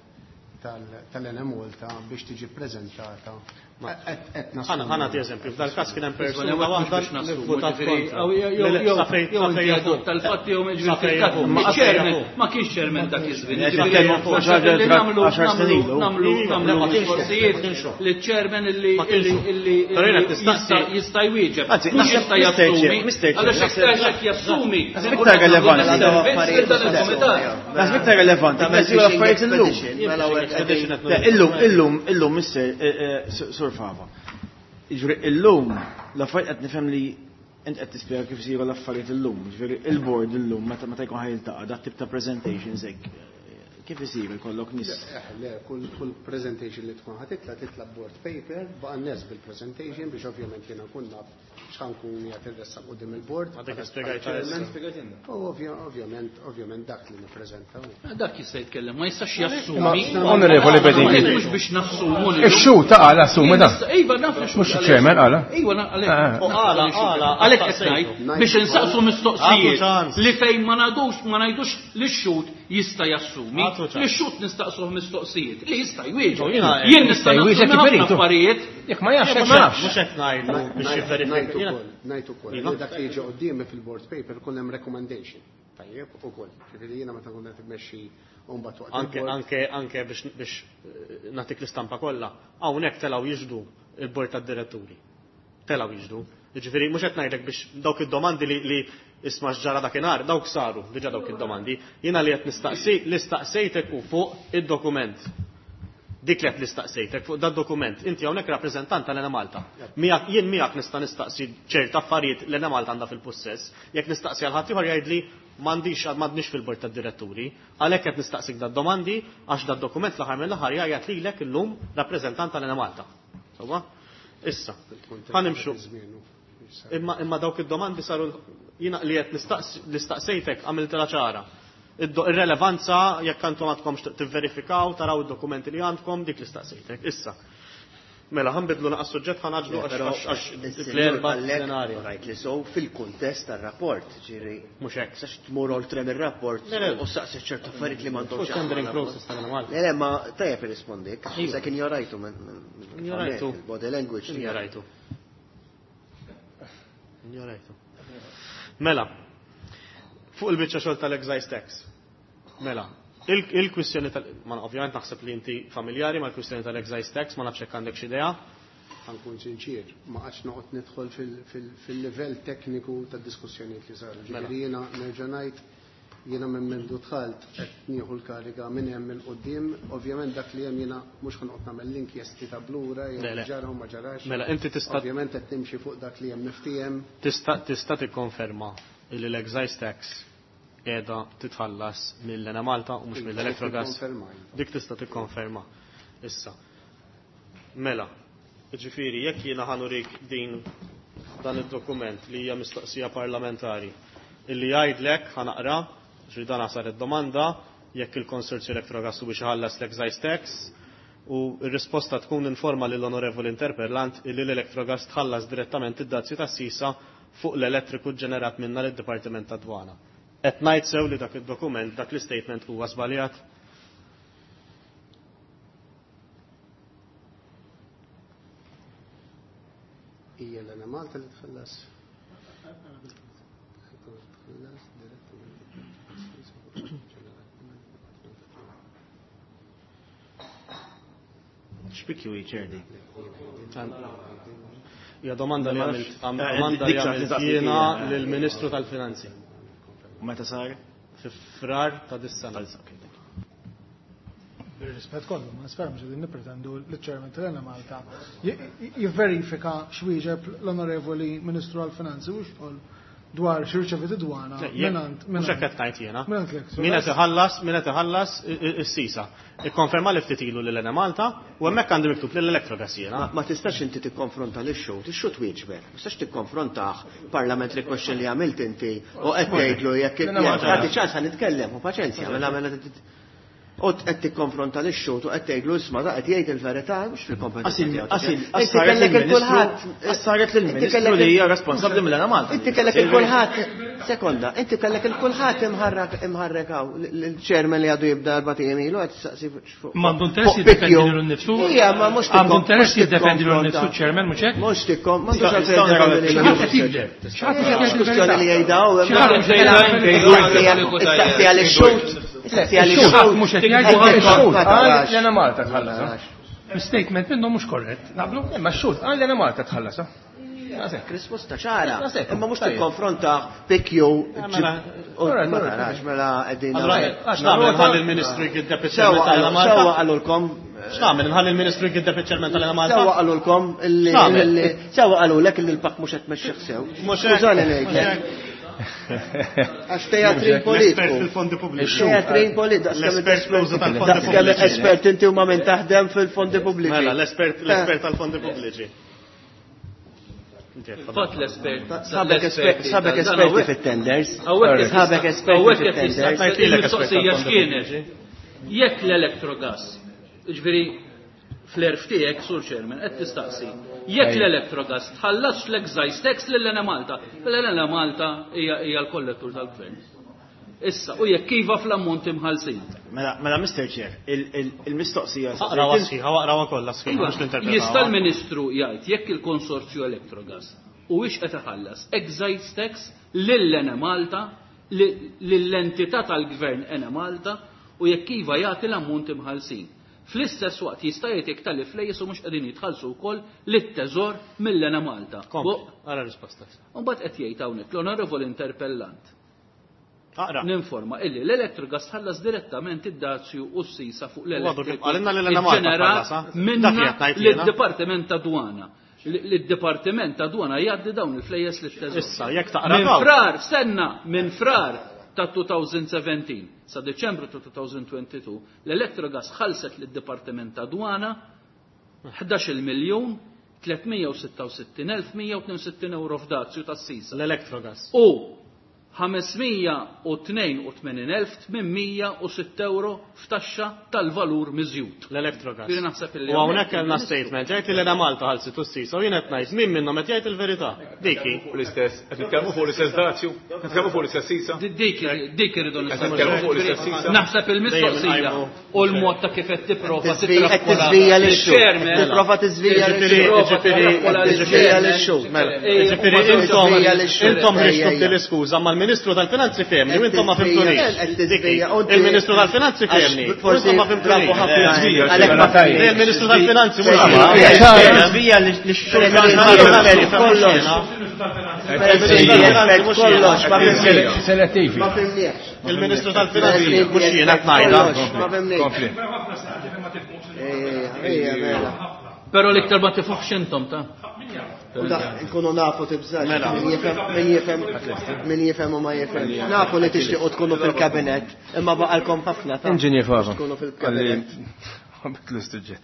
tal-, tal-Enemalta biex tiġi ppreżentata. Ma- Qed-, qed Ħana, nassumi. ħana ti eżempju, f'dal-każ kien hemm persuna Isma' waħda biex li nassumu, votat ġifieri, kontra. aw, jew, jew, Le, le, jew, sa fejn- jew sa fejn inti jafu. għaddu tal-fatti jew ġifieri Sa fejn fil-każ. jafu. Ma Ma chairman, jafu. ma kienx chairman dak iż-żmien. Sa Ġifieri, fejn jafu. naħseb li nagħmlu, Għaxar snin nagħmlu, ilu. nagħmlu, Iva, nagħmlu le, ma kienx mistoqsijiet ma kienx hu. li chairman illi, Ma kienx illi, hu. illi, Però jiena illi tistaqsi- jista' jista' jwieġeb. Anzi, Mhux naħseb jista' Mister jassumi. Chair, Mister Chair, Għaliex naħseb- jekk jekk jassumi, Naħseb ikun iktar qed nagħmlu relevanti. servizz lil dan il-kumitat. Naħseb iktar relevanti, Tagħmel mezzi u l-affarijiet fishing illum. expedition, mela u hekk qegħdin- Le, illum, illum, illum, Mister, eh, eh, Sur Fava. Jiġifieri, illum, l-affarijiet qed nifhem li Int qed tispjega kif isiru l-affarijiet illum, ġifieri il-board illum meta meta jkun ħajltaqa' dat tip ta' presentations hekk kif isir ikollok nies? Le, kull kull presentation li tkun ħa titla' titla' board paper baqa' nies bil-presentation biex ovvjament jiena nkun naf x'ħankun qiegħed irressaq quddiem il-board. Għadek spjegajt. U ovvjament ovvjament dak li nippreżentaw. Dak jista' jitkellem, ma jistax jassumi. Onorevoli Bedinghi. Mhux biex nassumu. Ix-xhud ta' qala assumi dan. Iva naf li Mhux iċ-chairman qala. Iva għalhekk. Qala, qala, għalhekk qed ngħid biex insaqsu mistoqsijiet li fejn ma ngħidux ma ngħidux li x-xhud jista' jassumi. Li x-xhud nistaqsuh mistoqsijiet li jista' jwieġeb. Jien nista' jwieġeb kif irid. Affarijiet. Jekk ma jafx hekk ma nafx. Mhux qed ngħidlu biex jivverifika. Ngħid ukoll li dak li jiġi quddiemi fil-board paper ikun hemm recommendation. Tajjeb ukoll. Ġifieri jiena meta nkun qed immexxi u mbagħad waqt Anke anke anke biex biex nagħtik l-istampa kollha, hawnhekk telgħu jiġdu il-bord tad-diretturi. Telgħu jiġdu. Ġifieri mhux qed ngħidlek biex dawk id-domandi li li isma' x'ġara dakinhar, dawk saru, diġà dawk id-domandi. Jiena li qed nistaqsi li staqsejtek u fuq id-dokument. Dik li qed nistaqsejtek fuq dad-dokument. Inti hawnhekk rappreżentant tal-Enemalta. Miegħek jien miegħek nista' nistaqsi ċerta affarijiet l-Enemalta għandha fil-pussess. Jekk nistaqsi għal ħadd ieħor jgħidli m'għandix m'għandniex fil-bord tad-diretturi. Għalhekk qed nistaqsik dad-domandi għax dad-dokument l-aħħar mill-aħħar jgħid lilek illum rappreżentant tal-Enemalta. Sewwa? Issa, ħanimxu. Imma imma dawk id-domandi saru jiena li qed nistaqsejtek għamiltilha ċara. Ir-relevanza jekk għandkom għandkom tivverifikaw, taraw id-dokumenti li għandkom, dik li staqsejtek. Issa. Mela ħanbidlu naqas suġġett ħanaġlu għax fl-erba' plenarja. Rajt li sow fil-kuntest tar-rapport, ġieri. Mhux hekk. Sax tmur oltre mir-rapport u saqsi ċertu affarijiet li m'għandhomx. Tendering process tal-Malta. Le, le, ma tajjeb irrispondik. Sa kien jorajtu minn Jorajtu. Body language. Jorajtu. Jorajtu. Mela, fuq il-biċċa xogħol tal-excise tax. Mela, il-kwistjoni tal ma ovvjament naħseb li inti familjari mal-kwistjoni tal-excise tax, ma nafx hekk għandek xi idea. Ħankun sinċir, ma qatx noqgħod nidħol fil-livell tekniku tad-diskussjonijiet li saru. Ġifieri jiena nerġa' ngħid jiena minn mindu dħalt qed nieħu l-kariga minn hemm il quddiem, ovvjament dak li hemm jiena mhux ħanqod nagħmel l-inkjesti ta' blura jew ġara u ma ġarax. Mela inti tista' ovvjament qed nimxi fuq dak li hemm miftiehem. Tista' tista' tikkonferma li l-excise tax qiegħda titħallas mill-Enemalta u mhux mill-Electrogas. Dik tista' tikkonferma. Issa. Mela, ġifieri jekk jiena ħanurik din dan id-dokument li hija mistoqsija parlamentari illi jgħidlek ħanaqra ġri dan sar id-domanda jekk il-Konsorzju Electrogas u biex iħallas l-excise tax u r-risposta tkun informa lill-onorevoli interpellant illi l-Electrogas tħallas direttament id-dazju tas-sisa fuq l-elettriku ġenerat minna lid-Dipartiment tad-Dwana. Qed ngħid sew li dak id-dokument, dak l-istatement huwa żbaljat? Hija l-Enemalta li tħallas. Tħallas direttament. X'pikju ċerdi? Hija domanda li għamilt domanda li għamilt jiena lill-Ministru tal-Finanzi. U meta sar? Fi Frar ta' dis-sena. Bir-rispett kollu, ma nispera mhux qegħdin nippretendu li ċ-Chairman tal-Enemalta jivverifika x'wieġeb l-Onorevoli Ministru għall-Finanzi u xogħol dwar x'irċevit id-dwana mingħand mhux hekk qed ngħid jiena. Min qed iħallas, min qed iħallas is-sisa. Ikkonferma li ftit ilu lil Enemalta u hemmhekk għandi miktub lil Electrogas jiena. Ma tistax inti tikkonfronta lix-xhud, ix-xhud wieġbek. Ma tistax tikkonfrontah parliamentary question li għamilt inti u qed tgħidlu jekk tagħti ċans ħa nitkellem u paċenzja mela mela U qed tikkonfronta lix-xhud u qed tgħidlu isma' da qed jgħid il-verità mhux fil-kompetenza tiegħu. Inti kellek il-kulħadd. Saret lill-Ministru li hija responsabbli mill-Enemalta. Inti kellek il-kulħadd. Sekonda, inti kellek il-kulħadd imħarrak imħarrek hawn il-chairman li għadu jibda erba' ijiem ilu qed tistaqsi fuq. M'għandu interess jiddefendi lilu nnifsu. Ija, ma mhux għandu interess jiddefendi lilu nnifsu chairman mhux hekk? Mhux tikkom, m'għandux għalfejn jiddefendi lilu li jgħidaw. Istaqsi għal ix-xhud. Istaqsi għal ix-xhud. Mhux qed jgħidu Qal l-Enemalta tħallas. Statement minnhom mhux korrett. Naqblu? Imma x-xhud qal l-Enemalta tħallas. Risposta ċara. Imma mhux tikkonfronta pikju ma tarax mela qegħdin. Għax nagħmel ħalli l-Ministru jgiddeb is-sena Sewwa qalulkom. X'nagħmel nħalli l-Ministru jgiddeb iċ-Chairman tal-Enemalta? Sewwa qalulkom illi sewwa qalulek illi l-P A C mhux qed tmexxih sew. Skużani ngħidlek. Għax teatrin politiku. L-espert fil-fondi pubbliċi. Teatrin politiku. L-espert fl-użu tal-fondi pubbliċi. Espert inti huma minn taħdem fil-fondi pubbliċi. Mela, l-espert l-espert tal-fondi pubbliċi. Fatt l-espert. Sabek sabek esperti fit-tenders. Sabek esperti fit-tenders. Il-mistoqsija x'kienet? Jekk l-Electrogas, ġifieri fl-erf tiegħek, Sur Chairman, qed tistaqsi, jekk l-Electrogas tħallasx l-excise tax lil Enemalta, l-Enemalta hija l-kollettur tal-gvern. Issa, u jekk iva fl-ammont imħallsin. Mela, mela Mister Chair, il-mistoqsija. Aqraw sħiħa, aqraw kollha sħiħa, mhux ninterpretaw. Jista' l-Ministru jgħid jekk il-konsorzju Electrogas huwiex qed iħallas excise tax lil Enemalta, lill-entità tal-gvern Enemalta, u jekk iva jagħti l-ammont imħallsin. Fl-istess waqt jista' jgħid jekk tal flejjes u mhux qegħdin jitħallsu wkoll lit-teżor mill-Enemalta. Ara risposta. U mbagħad qed jgħid hawnhekk l-onorevoli interpellant. Aqra. Ninforma illi l-Electrogas ħallas direttament id-dazju u s-sisa fuq l-elettriku. Għalinna li l-Enemalta minna lid-Dipartiment ta' Dwana. Lid-Dipartiment ta' Dwana jgħaddi dawn il-flejjes lit-teżor. Issa, jekk taqra minn frar, stenna, minn frar ta' twenty seventeen sa' Deċembru ta' twenty twenty-two, l-Electrogas ħallset lid-Dipartiment ta' Dwana ħdax-il miljun tlietmija u sitta u sittin elf mija u tnejn u sittin euro f'dazju tas-sisa. L-Electrogas. U ħamesmija u tnejn u tmenin elf tmienmija u sitt euro f'taxxa tal-valur miżjud. L-Electrogas. Ġifieri naħseb illi U hawnhekk kellna statement, jgħid li l-Enemalta ħallset u s-sisa u jien qed ngħid min minnhom qed jgħid il-verità. Diki. L-istess, qed nitkellmu fuq l-istess dazju, qed nitkellmu fuq l-istess sisa. Dik dik irridu Qed nitkellmu fuq l-istess sisa. Naħseb il-mistoqsija u l-mod ta' kif qed tipprova titrappola. Tipprova tiżvija lix-xhur. Ġifieri intom intom ħriġtu b'din l-iskuża mal-Ministru tal-Finanzi fehmni u intom ma fimtunix. Il-Ministru tal-Finanzi fehmni u intom ma fimtunix. Il-Ministru tal-Finanzi mhux Tiżvija lix-xhur. Selettivi. Il-Ministru tal-Finanzi mhux jiena qed ngħidha. Kompli. Però l-iktar ma tifħux intom ta' Nkunu nafu tibżax, min jifhem min jifhem min jifhem u ma jifhem. Nafu li tixtiequ tkunu fil-kabinett, imma baqalkom ħafna ta' Inġinier Fava. Tkunu fil-kabinett. Bitlu s-suġġett.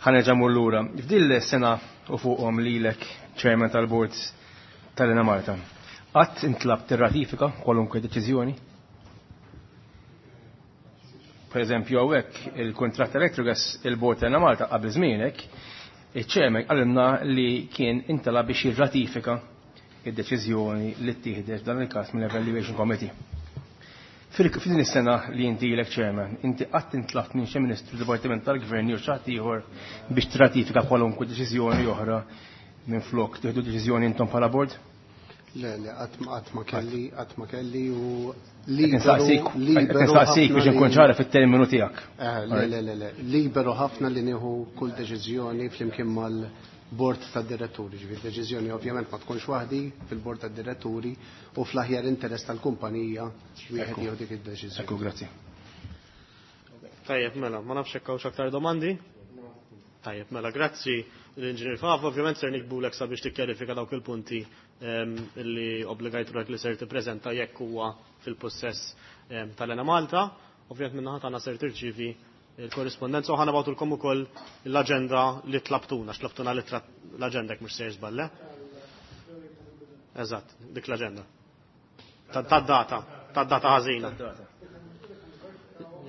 Ħa nerġa' mmur lura. F'din is-sena u fuqhom lilek chairman tal-board tal-Enemalta. Qatt intlab tirratifika kwalunkwe deċiżjoni? Per eżempju hawnhekk il-kuntratt Electrogas il-board tal-Enemalta qabel żmienek, iċ-chairman qalilna li kien intalab biex jirratifika id-deċiżjoni li ttieħdet f'dan il-każ mill-Evaluation Committee. F'din is-sena li inti ilek chairman, inti qatt intlabt minn xi Ministru Dipartiment tal-Gvern jew xi ħadd ieħor biex tirratifika kwalunkwe deċiżjoni oħra minn flok tieħdu deċiżjoni intom bħala board? Le, le, qatt ma kelli, qatt ma kelli u liberu nistaqsik biex inkun ċara fit-terminu tiegħek. Le, le, le, le, liberu ħafna li nieħu kull deċiżjoni flimkien mal-bord tad-diretturi. Ġifieri deċiżjoni ovvjament ma tkunx waħdi fil-bord tad-diretturi u fl-aħjar interess tal-kumpanija wieħed jieħu dik id-deċiżjoni. Ekku, grazzi. Tajjeb, mela, ma nafx hekk hawnx aktar domandi? Tajjeb, mela, grazzi l-Inġinier Fava, ovvjament ser nikbulek sabiex tikkjarifika dawk il-punti illi obbligajt ruħek li ser tippreżenta jekk huwa fil-possess tal-Enemalta. Ovvjament min-naħa tagħna ser tirċievi il-korrispondenza u ħa nibgħatulkom ukoll l-aġenda li tlabtuna, għax tlabtuna l-aġenda jekk mhux ser żballe. Eżatt, dik l-aġenda. Tad-data, tad-data ħażina.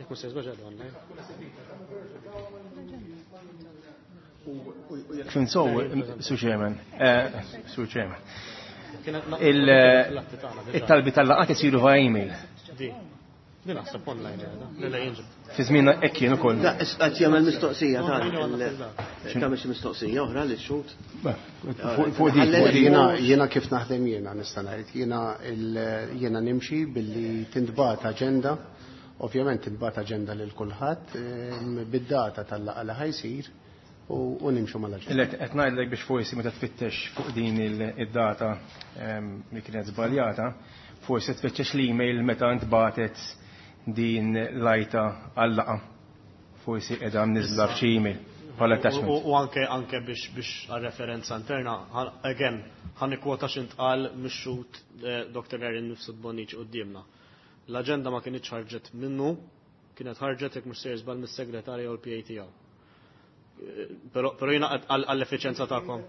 Jekk mhux ser żball ġedha online. Kif sow, Sur Chairman, Sur Chairman. Il-talbi tal-laqat isiru via email. Din naħseb online qiegħda. Le, le, jinġib. Fi żmien hekk kien ukoll. Da, qed jagħmel mistoqsija ta' tagħmel xi mistoqsija oħra li xhud. Fuq dik, fuq dik. Jiena, jiena kif naħdem jiena nista' ngħid, jiena jiena nimxi billi tintbagħat aġenda, ovvjament tintbagħat aġenda lil kulħadd bid-data tal-laqgħa li ħajsir u nimxu mal-aġenda. Ilek qed ngħidlek biex forsi meta tfittex fuq din id-data li kienet żbaljata, forsi tfittex l-email meta ntbagħtet din l-ajta għal-laqgħa. Forsi qiegħda mniżla f'xi email bħala attachment. U anke anke biex biex għal-referenza interna, again, ħa nikkwota x'intqal mix-xhud Doctor Erin Mifsud Bonnici quddiemna. L-aġenda ma kinitx ħarġet minnu, kienet ħarġet jekk mhux sejjer żball mis-segretarja u l-P A tiegħu. Però però jiena għall-effiċenza tagħkom.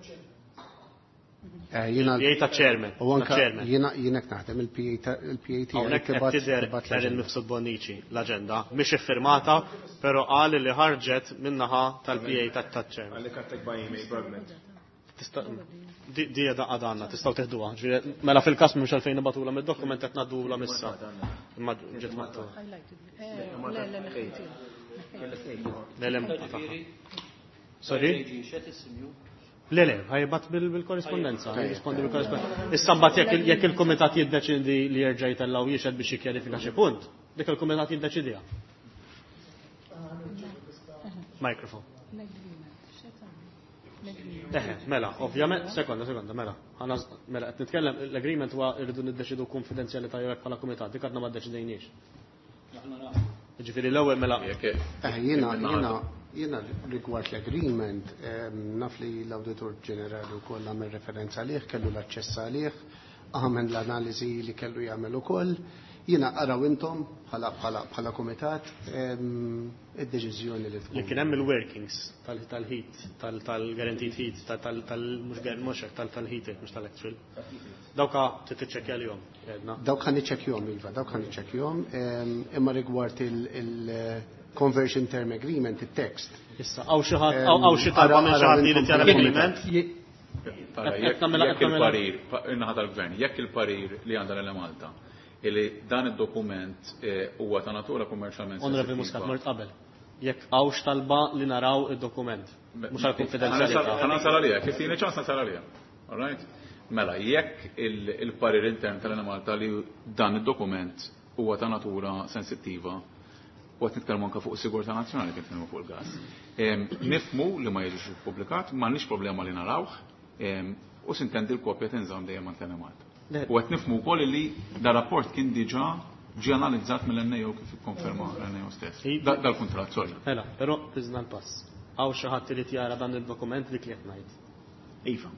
Jiena P A ta' chairman. U anka Ta' chairman. jiena jiena qed naħdem il-P A ta' il-P A tiegħi Hawnhekk qed tibgħat tidher tibgħat Erin l-aġenda. Mifsud Bonnici l-aġenda mhix iffirmata, però qal li ħarġet min-naħa tal-P A ta' ta' chairman. Għalli kattek by email, fragment. Tista' di di qiegħda għadna, tistgħu teħduha. Ġifieri, mela fil-każ mhux għalfejn nibatula mid-dokument qed ngħaddula missa. Imma ġiet maqtugħa. Le, le, tagħha. Sorry? Le, le, ħajbat bil-korrispondenza, jirrispondi bil-korrispondenza. Issa mbagħad jekk il-, jekk il-kumitat jiddeċidi li jerġa' jtellgħu jixhed biex jikkjarifika xi punt, dik il-kumitat jiddeċidiha. Microphone. Eħe, mela, ovvjament, sekonda, sekonda, mela. Ħana, mela, qed nitkellem, l-agreement huwa rridu niddeċidu konfidenzjalità jew hekk bħala kumitat, dik għadna ma ddeċidejniex. Ġifieri l-ewwel mela. Eh, jiena, jiena, jiena rigward l-agreement, ehm, naf li l-Awditur Ġenerali wkoll għamel referenza għalih, kellu l-aċċess għalih, għamel l-analiżi li kellu jagħmel ukoll. Jiena araw intom bħala, bħala, bħala kumitat, ehm, id-deċiżjoni li tkun. Li kien hemm il-workings tal-, tal-heat, tal-, tal-guaranteed heat, tal-, tal-, tal-, mhux gar-, mhux hekk, tal-, tal-heat, mhux tal-actual. Dawk trid tiċċekkja lihom, għedna. Dawk ħa niċċekkjahom, iva, dawk ħa niċċekkjahom, ehm, imma rigward il-, il-conversion term agreement, il-text. Issa, hawn xi ħadd, hawn, hawn xi talba minn xi ħadd li jrid jara l-agreement? Tara, Qed jekk nagħmilha, jekk qed nagħmilha. il-parir, pa-, in-naħa tal-gvern, jekk il-parir li għandha l-Enemalta, illi dan id-dokument, eh, huwa ta' natura kummerċjalment Onorevoli sensittiva. Muscat, mort qabel. Jekk hawnx talba li naraw id-dokument, mhux għal konfidenzjalità. Ħa nasal għalija, kif tieni ċans nasal għalija. All right? Mela, jekk il-, il-parir intern tal-Enemalta li dan id-dokument huwa ta' natura sensittiva, u qed nitkellmu anke fuq is-sigurtà nazzjonali kif nitkellmu fuq il-gas. Em, nifmu li ma jiġix ippubblikat, m'għandniex problema li narawh, em, u sintendi l-kopja tinżamm dejjem għand l-Enemalta. Le. U qed nifmu wkoll li da rapport kien diġà ġie analizzat mill-N A O kif ikkonferma l-N A O stess. I- Da-, dal-kuntratt, sorry. Mela, però tiżna l-pass. Hawn xi ħadd irid jara dan il-dokument li qed ngħid. Iva.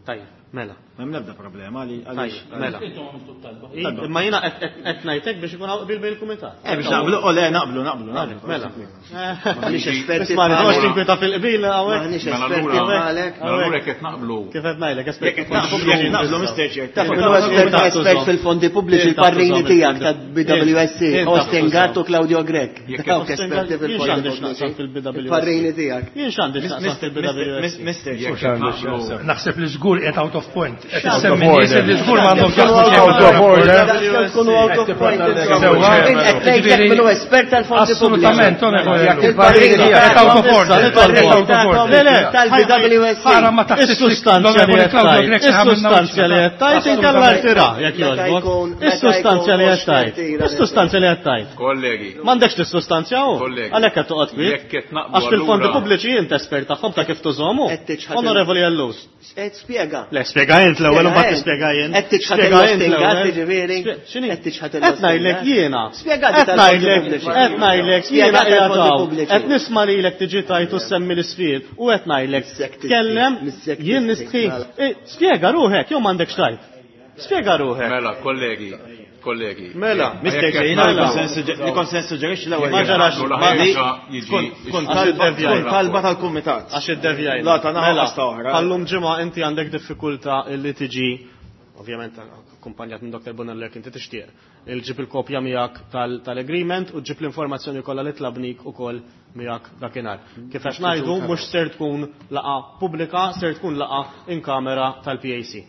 Tajjeb, mela. M'hemm l-ebda problema li għaliex Tajjeb, mela. Intom għamiltu t-talba. I-, imma jiena qed, qed, qed ngħidlek biex ikun hawn qbil bejn il-kumitat. Eh, biex naqblu, o le, naqblu, naqblu, naqblu. Mela. M'aħniex esperti Isma' bħalek. noqgħodx tinkwita fil-qbil hawnhekk. M'aħniex Mela esperti allura- bħalek. Mela allura jekk qed naqblu. Kif qed ngħidlek, esperti Jekk qed naqblu, pubbliċi. naqblu, Mister Chair. Taf min huwa espert, espert fil-fondi pubbliċi, il-parrini tiegħek ta' B W S C, Inta Austin Gatt u Claudio Grech. Jekk Dawk Austin esperti Gatt, jien fil-fondi x'għandi x'naqsam pubbliċi. fil-B W S C? Il-parrini tiegħek. Jien x'għandi x'naqsam fil-B W S C? Mister Jekk Chair. qed naqblu. Naħseb li żgur qed out of point. Qed Out of issemmi nies order. li żgur m'għandhom x'jaqsmu Out xejn of mal-rapport. order. Daqskemm tkunu out of point. Sewwa. Qed ngħidlek min hu espert tal-fondi pubbliċi. Assolutament, onorevoli. Jekk il-parrini Qed tiegħek. out of order. Qed out of order. Le, le, Tal-B W S C. Ara ma taħsibx Is-sustanzja li qed Claudio tajt, Grech se ħamilna is-sustanzja li qed tajt inkella rtira jekk Meta jogħġbok. jkun- meta Is-sustanzja li jkun qed tajt, tira is-sustanzja li qed tajt. Kollegi. M'għandekx tissustanzja hu? Kollegi. Għalhekk qed toqgħod kwiet. Jekk qed naqblu Għax fil-fondi allura- pubbliċi int espert tagħhom ta' kif tużomu. Qed tiċħad il- Onorevoli Ellus. Qed spjega. Le, spjega int l-ewwel u mbagħad Spjega tispjega jien. Qed tiċħad Spjega int il-Austin l-ewwel. Gatt, jiġifieri? Spje-, x'inhi? Qed tiċħad Qed il-Austin ngħidlek Gatt. jiena. Spjega Qed tal-fondi ngħidlek, pubbliċi. qed ngħidlek Spjega jiena qiegħed tal-fondi hawn. pubbliċi. Qed nisma' lilek tiġi tajt u semmi l-isfid u qed ngħidlek Missek tistħi, tkellem missek jien tistħi, nistħi. mela. Eh, spjega ruħek, jew m'għandekx tajt. Spjega ruħek. Mela, kollegi, kollegi. Mela, Mister Jekk Chair, qed jiena naqblu- li kont se nissuġġerixxi l-ewwel. Ma ġarax, Naqblu ma li di- ħaġa jiġi Tkun tkun Għax talba iddevjajna. tkun talba tal-kumitat. Għax iddevjajna. La ta' naħa Mela, ta' oħra. Għallum ġimgħa inti għandek diffikultà li tiġi, ovvjament akkumpanjat minn Doktor Bonello jekk inti tixtieq, il-ġib il-kopja miegħek tal-, tal-agreement u ġib l-informazzjoni kollha li tlabnik ukoll miegħek dakinhar. Kif qed ngħidu mhux ser tkun laqgħa pubblika, ser tkun laqgħa in kamera tal-P A C.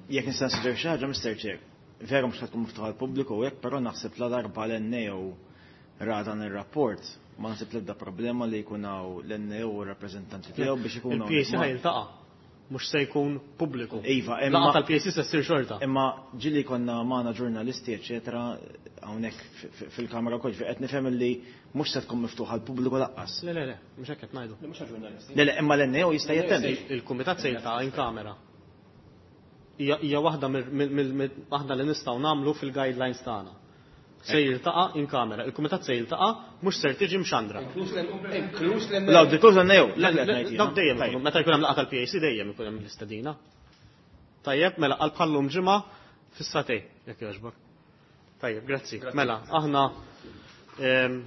Jekk nista' nsuġġerixxi xi ħaġa, Mister Chair, vera mhux tkun miftuħa għall-pubbliku u hekk, però naħseb la darba l-N A O ra dan ir-rapport, ma naħseb l-ebda problema li jkun hawn l-N A O u r-rappreżentanti tiegħu biex ikunu Il-P A C ħa jiltaqa', mhux se jkun pubbliku. Iva, imma Laqgħa tal-P A C se ssir xorta. Imma ġili konna magħna ġurnalisti, eċetera, hawnhekk fi-, fi-, fil-kamra wkoll, qed nifhem li mhux se tkun miftuħa għall-pubbliku laqqas. Le, le, le, mhux hekk qed ngħidu. Le, mhux għall-ġurnalisti. Le, le, imma l-N A O jista' jattendi. Il-kumitat se jiltaqa' in kamera. Hija, hija waħda mir-, mir-, mir-, waħda li nistgħu nagħmlu fil-guidelines tagħna. Se jiltaqa' in kamera. Il-kumitat se jiltaqa' mhux ser tiġi mxandra. Inkluż l-N A U. Inkluż l-N A U. Dak dejjem, meta jkun hemm laqgħa tal-P A C dejjem ikun hemm l-istedina. Tajjeb, mela għal bħallum ġimgħa fis-sagħtejn, jekk jogħġbok. Tajjeb, grazzi. Mela, aħna ehm,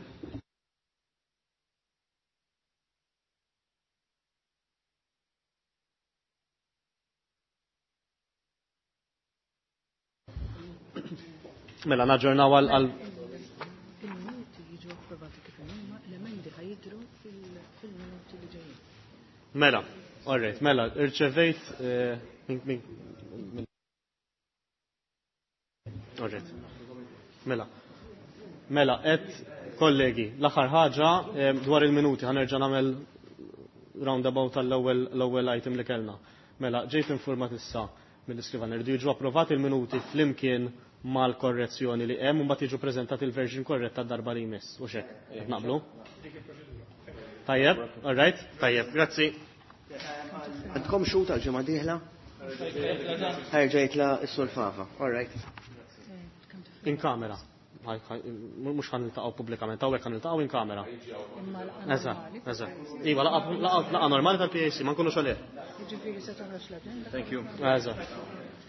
Mela, naġġornaw għal għal Il-minuti jiġu approvati kif huma, l-emendi ħa jidhru fil-minuti li ġejjin. Mela, alright, mela, irċevejt eh, min min min Alright. Mela. Mela, et kollegi, l-aħħar ħaġa eh, dwar il-minuti ħa nerġa' nagħmel roundabout tal-ewwel l-ewwel item li kellna. Mela, ġejt informat issa mill-iskrivan irridu jiġu approvati il-minuti flimkien mal-korrezzjoni li hemm u mbagħad jiġu preżentati il-version korretta darba li jmiss. U xek, qed naqblu? Tajjeb, all right, tajjeb, grazzi. Għandkom xhud għal ġimgħa dieħla? Ħa jerġa' jitla' s-Sur Fava. All right. In kamera. Mhux ħa niltaqgħu pubblikament, hawnhekk ħa niltaqgħu in kamera. Eżatt, eżatt. Iva, laqgħa normali tal-P A C, ma nkunux għalih. Jiġifieri se toħroġ l-aġenda. Thank you. Eżatt.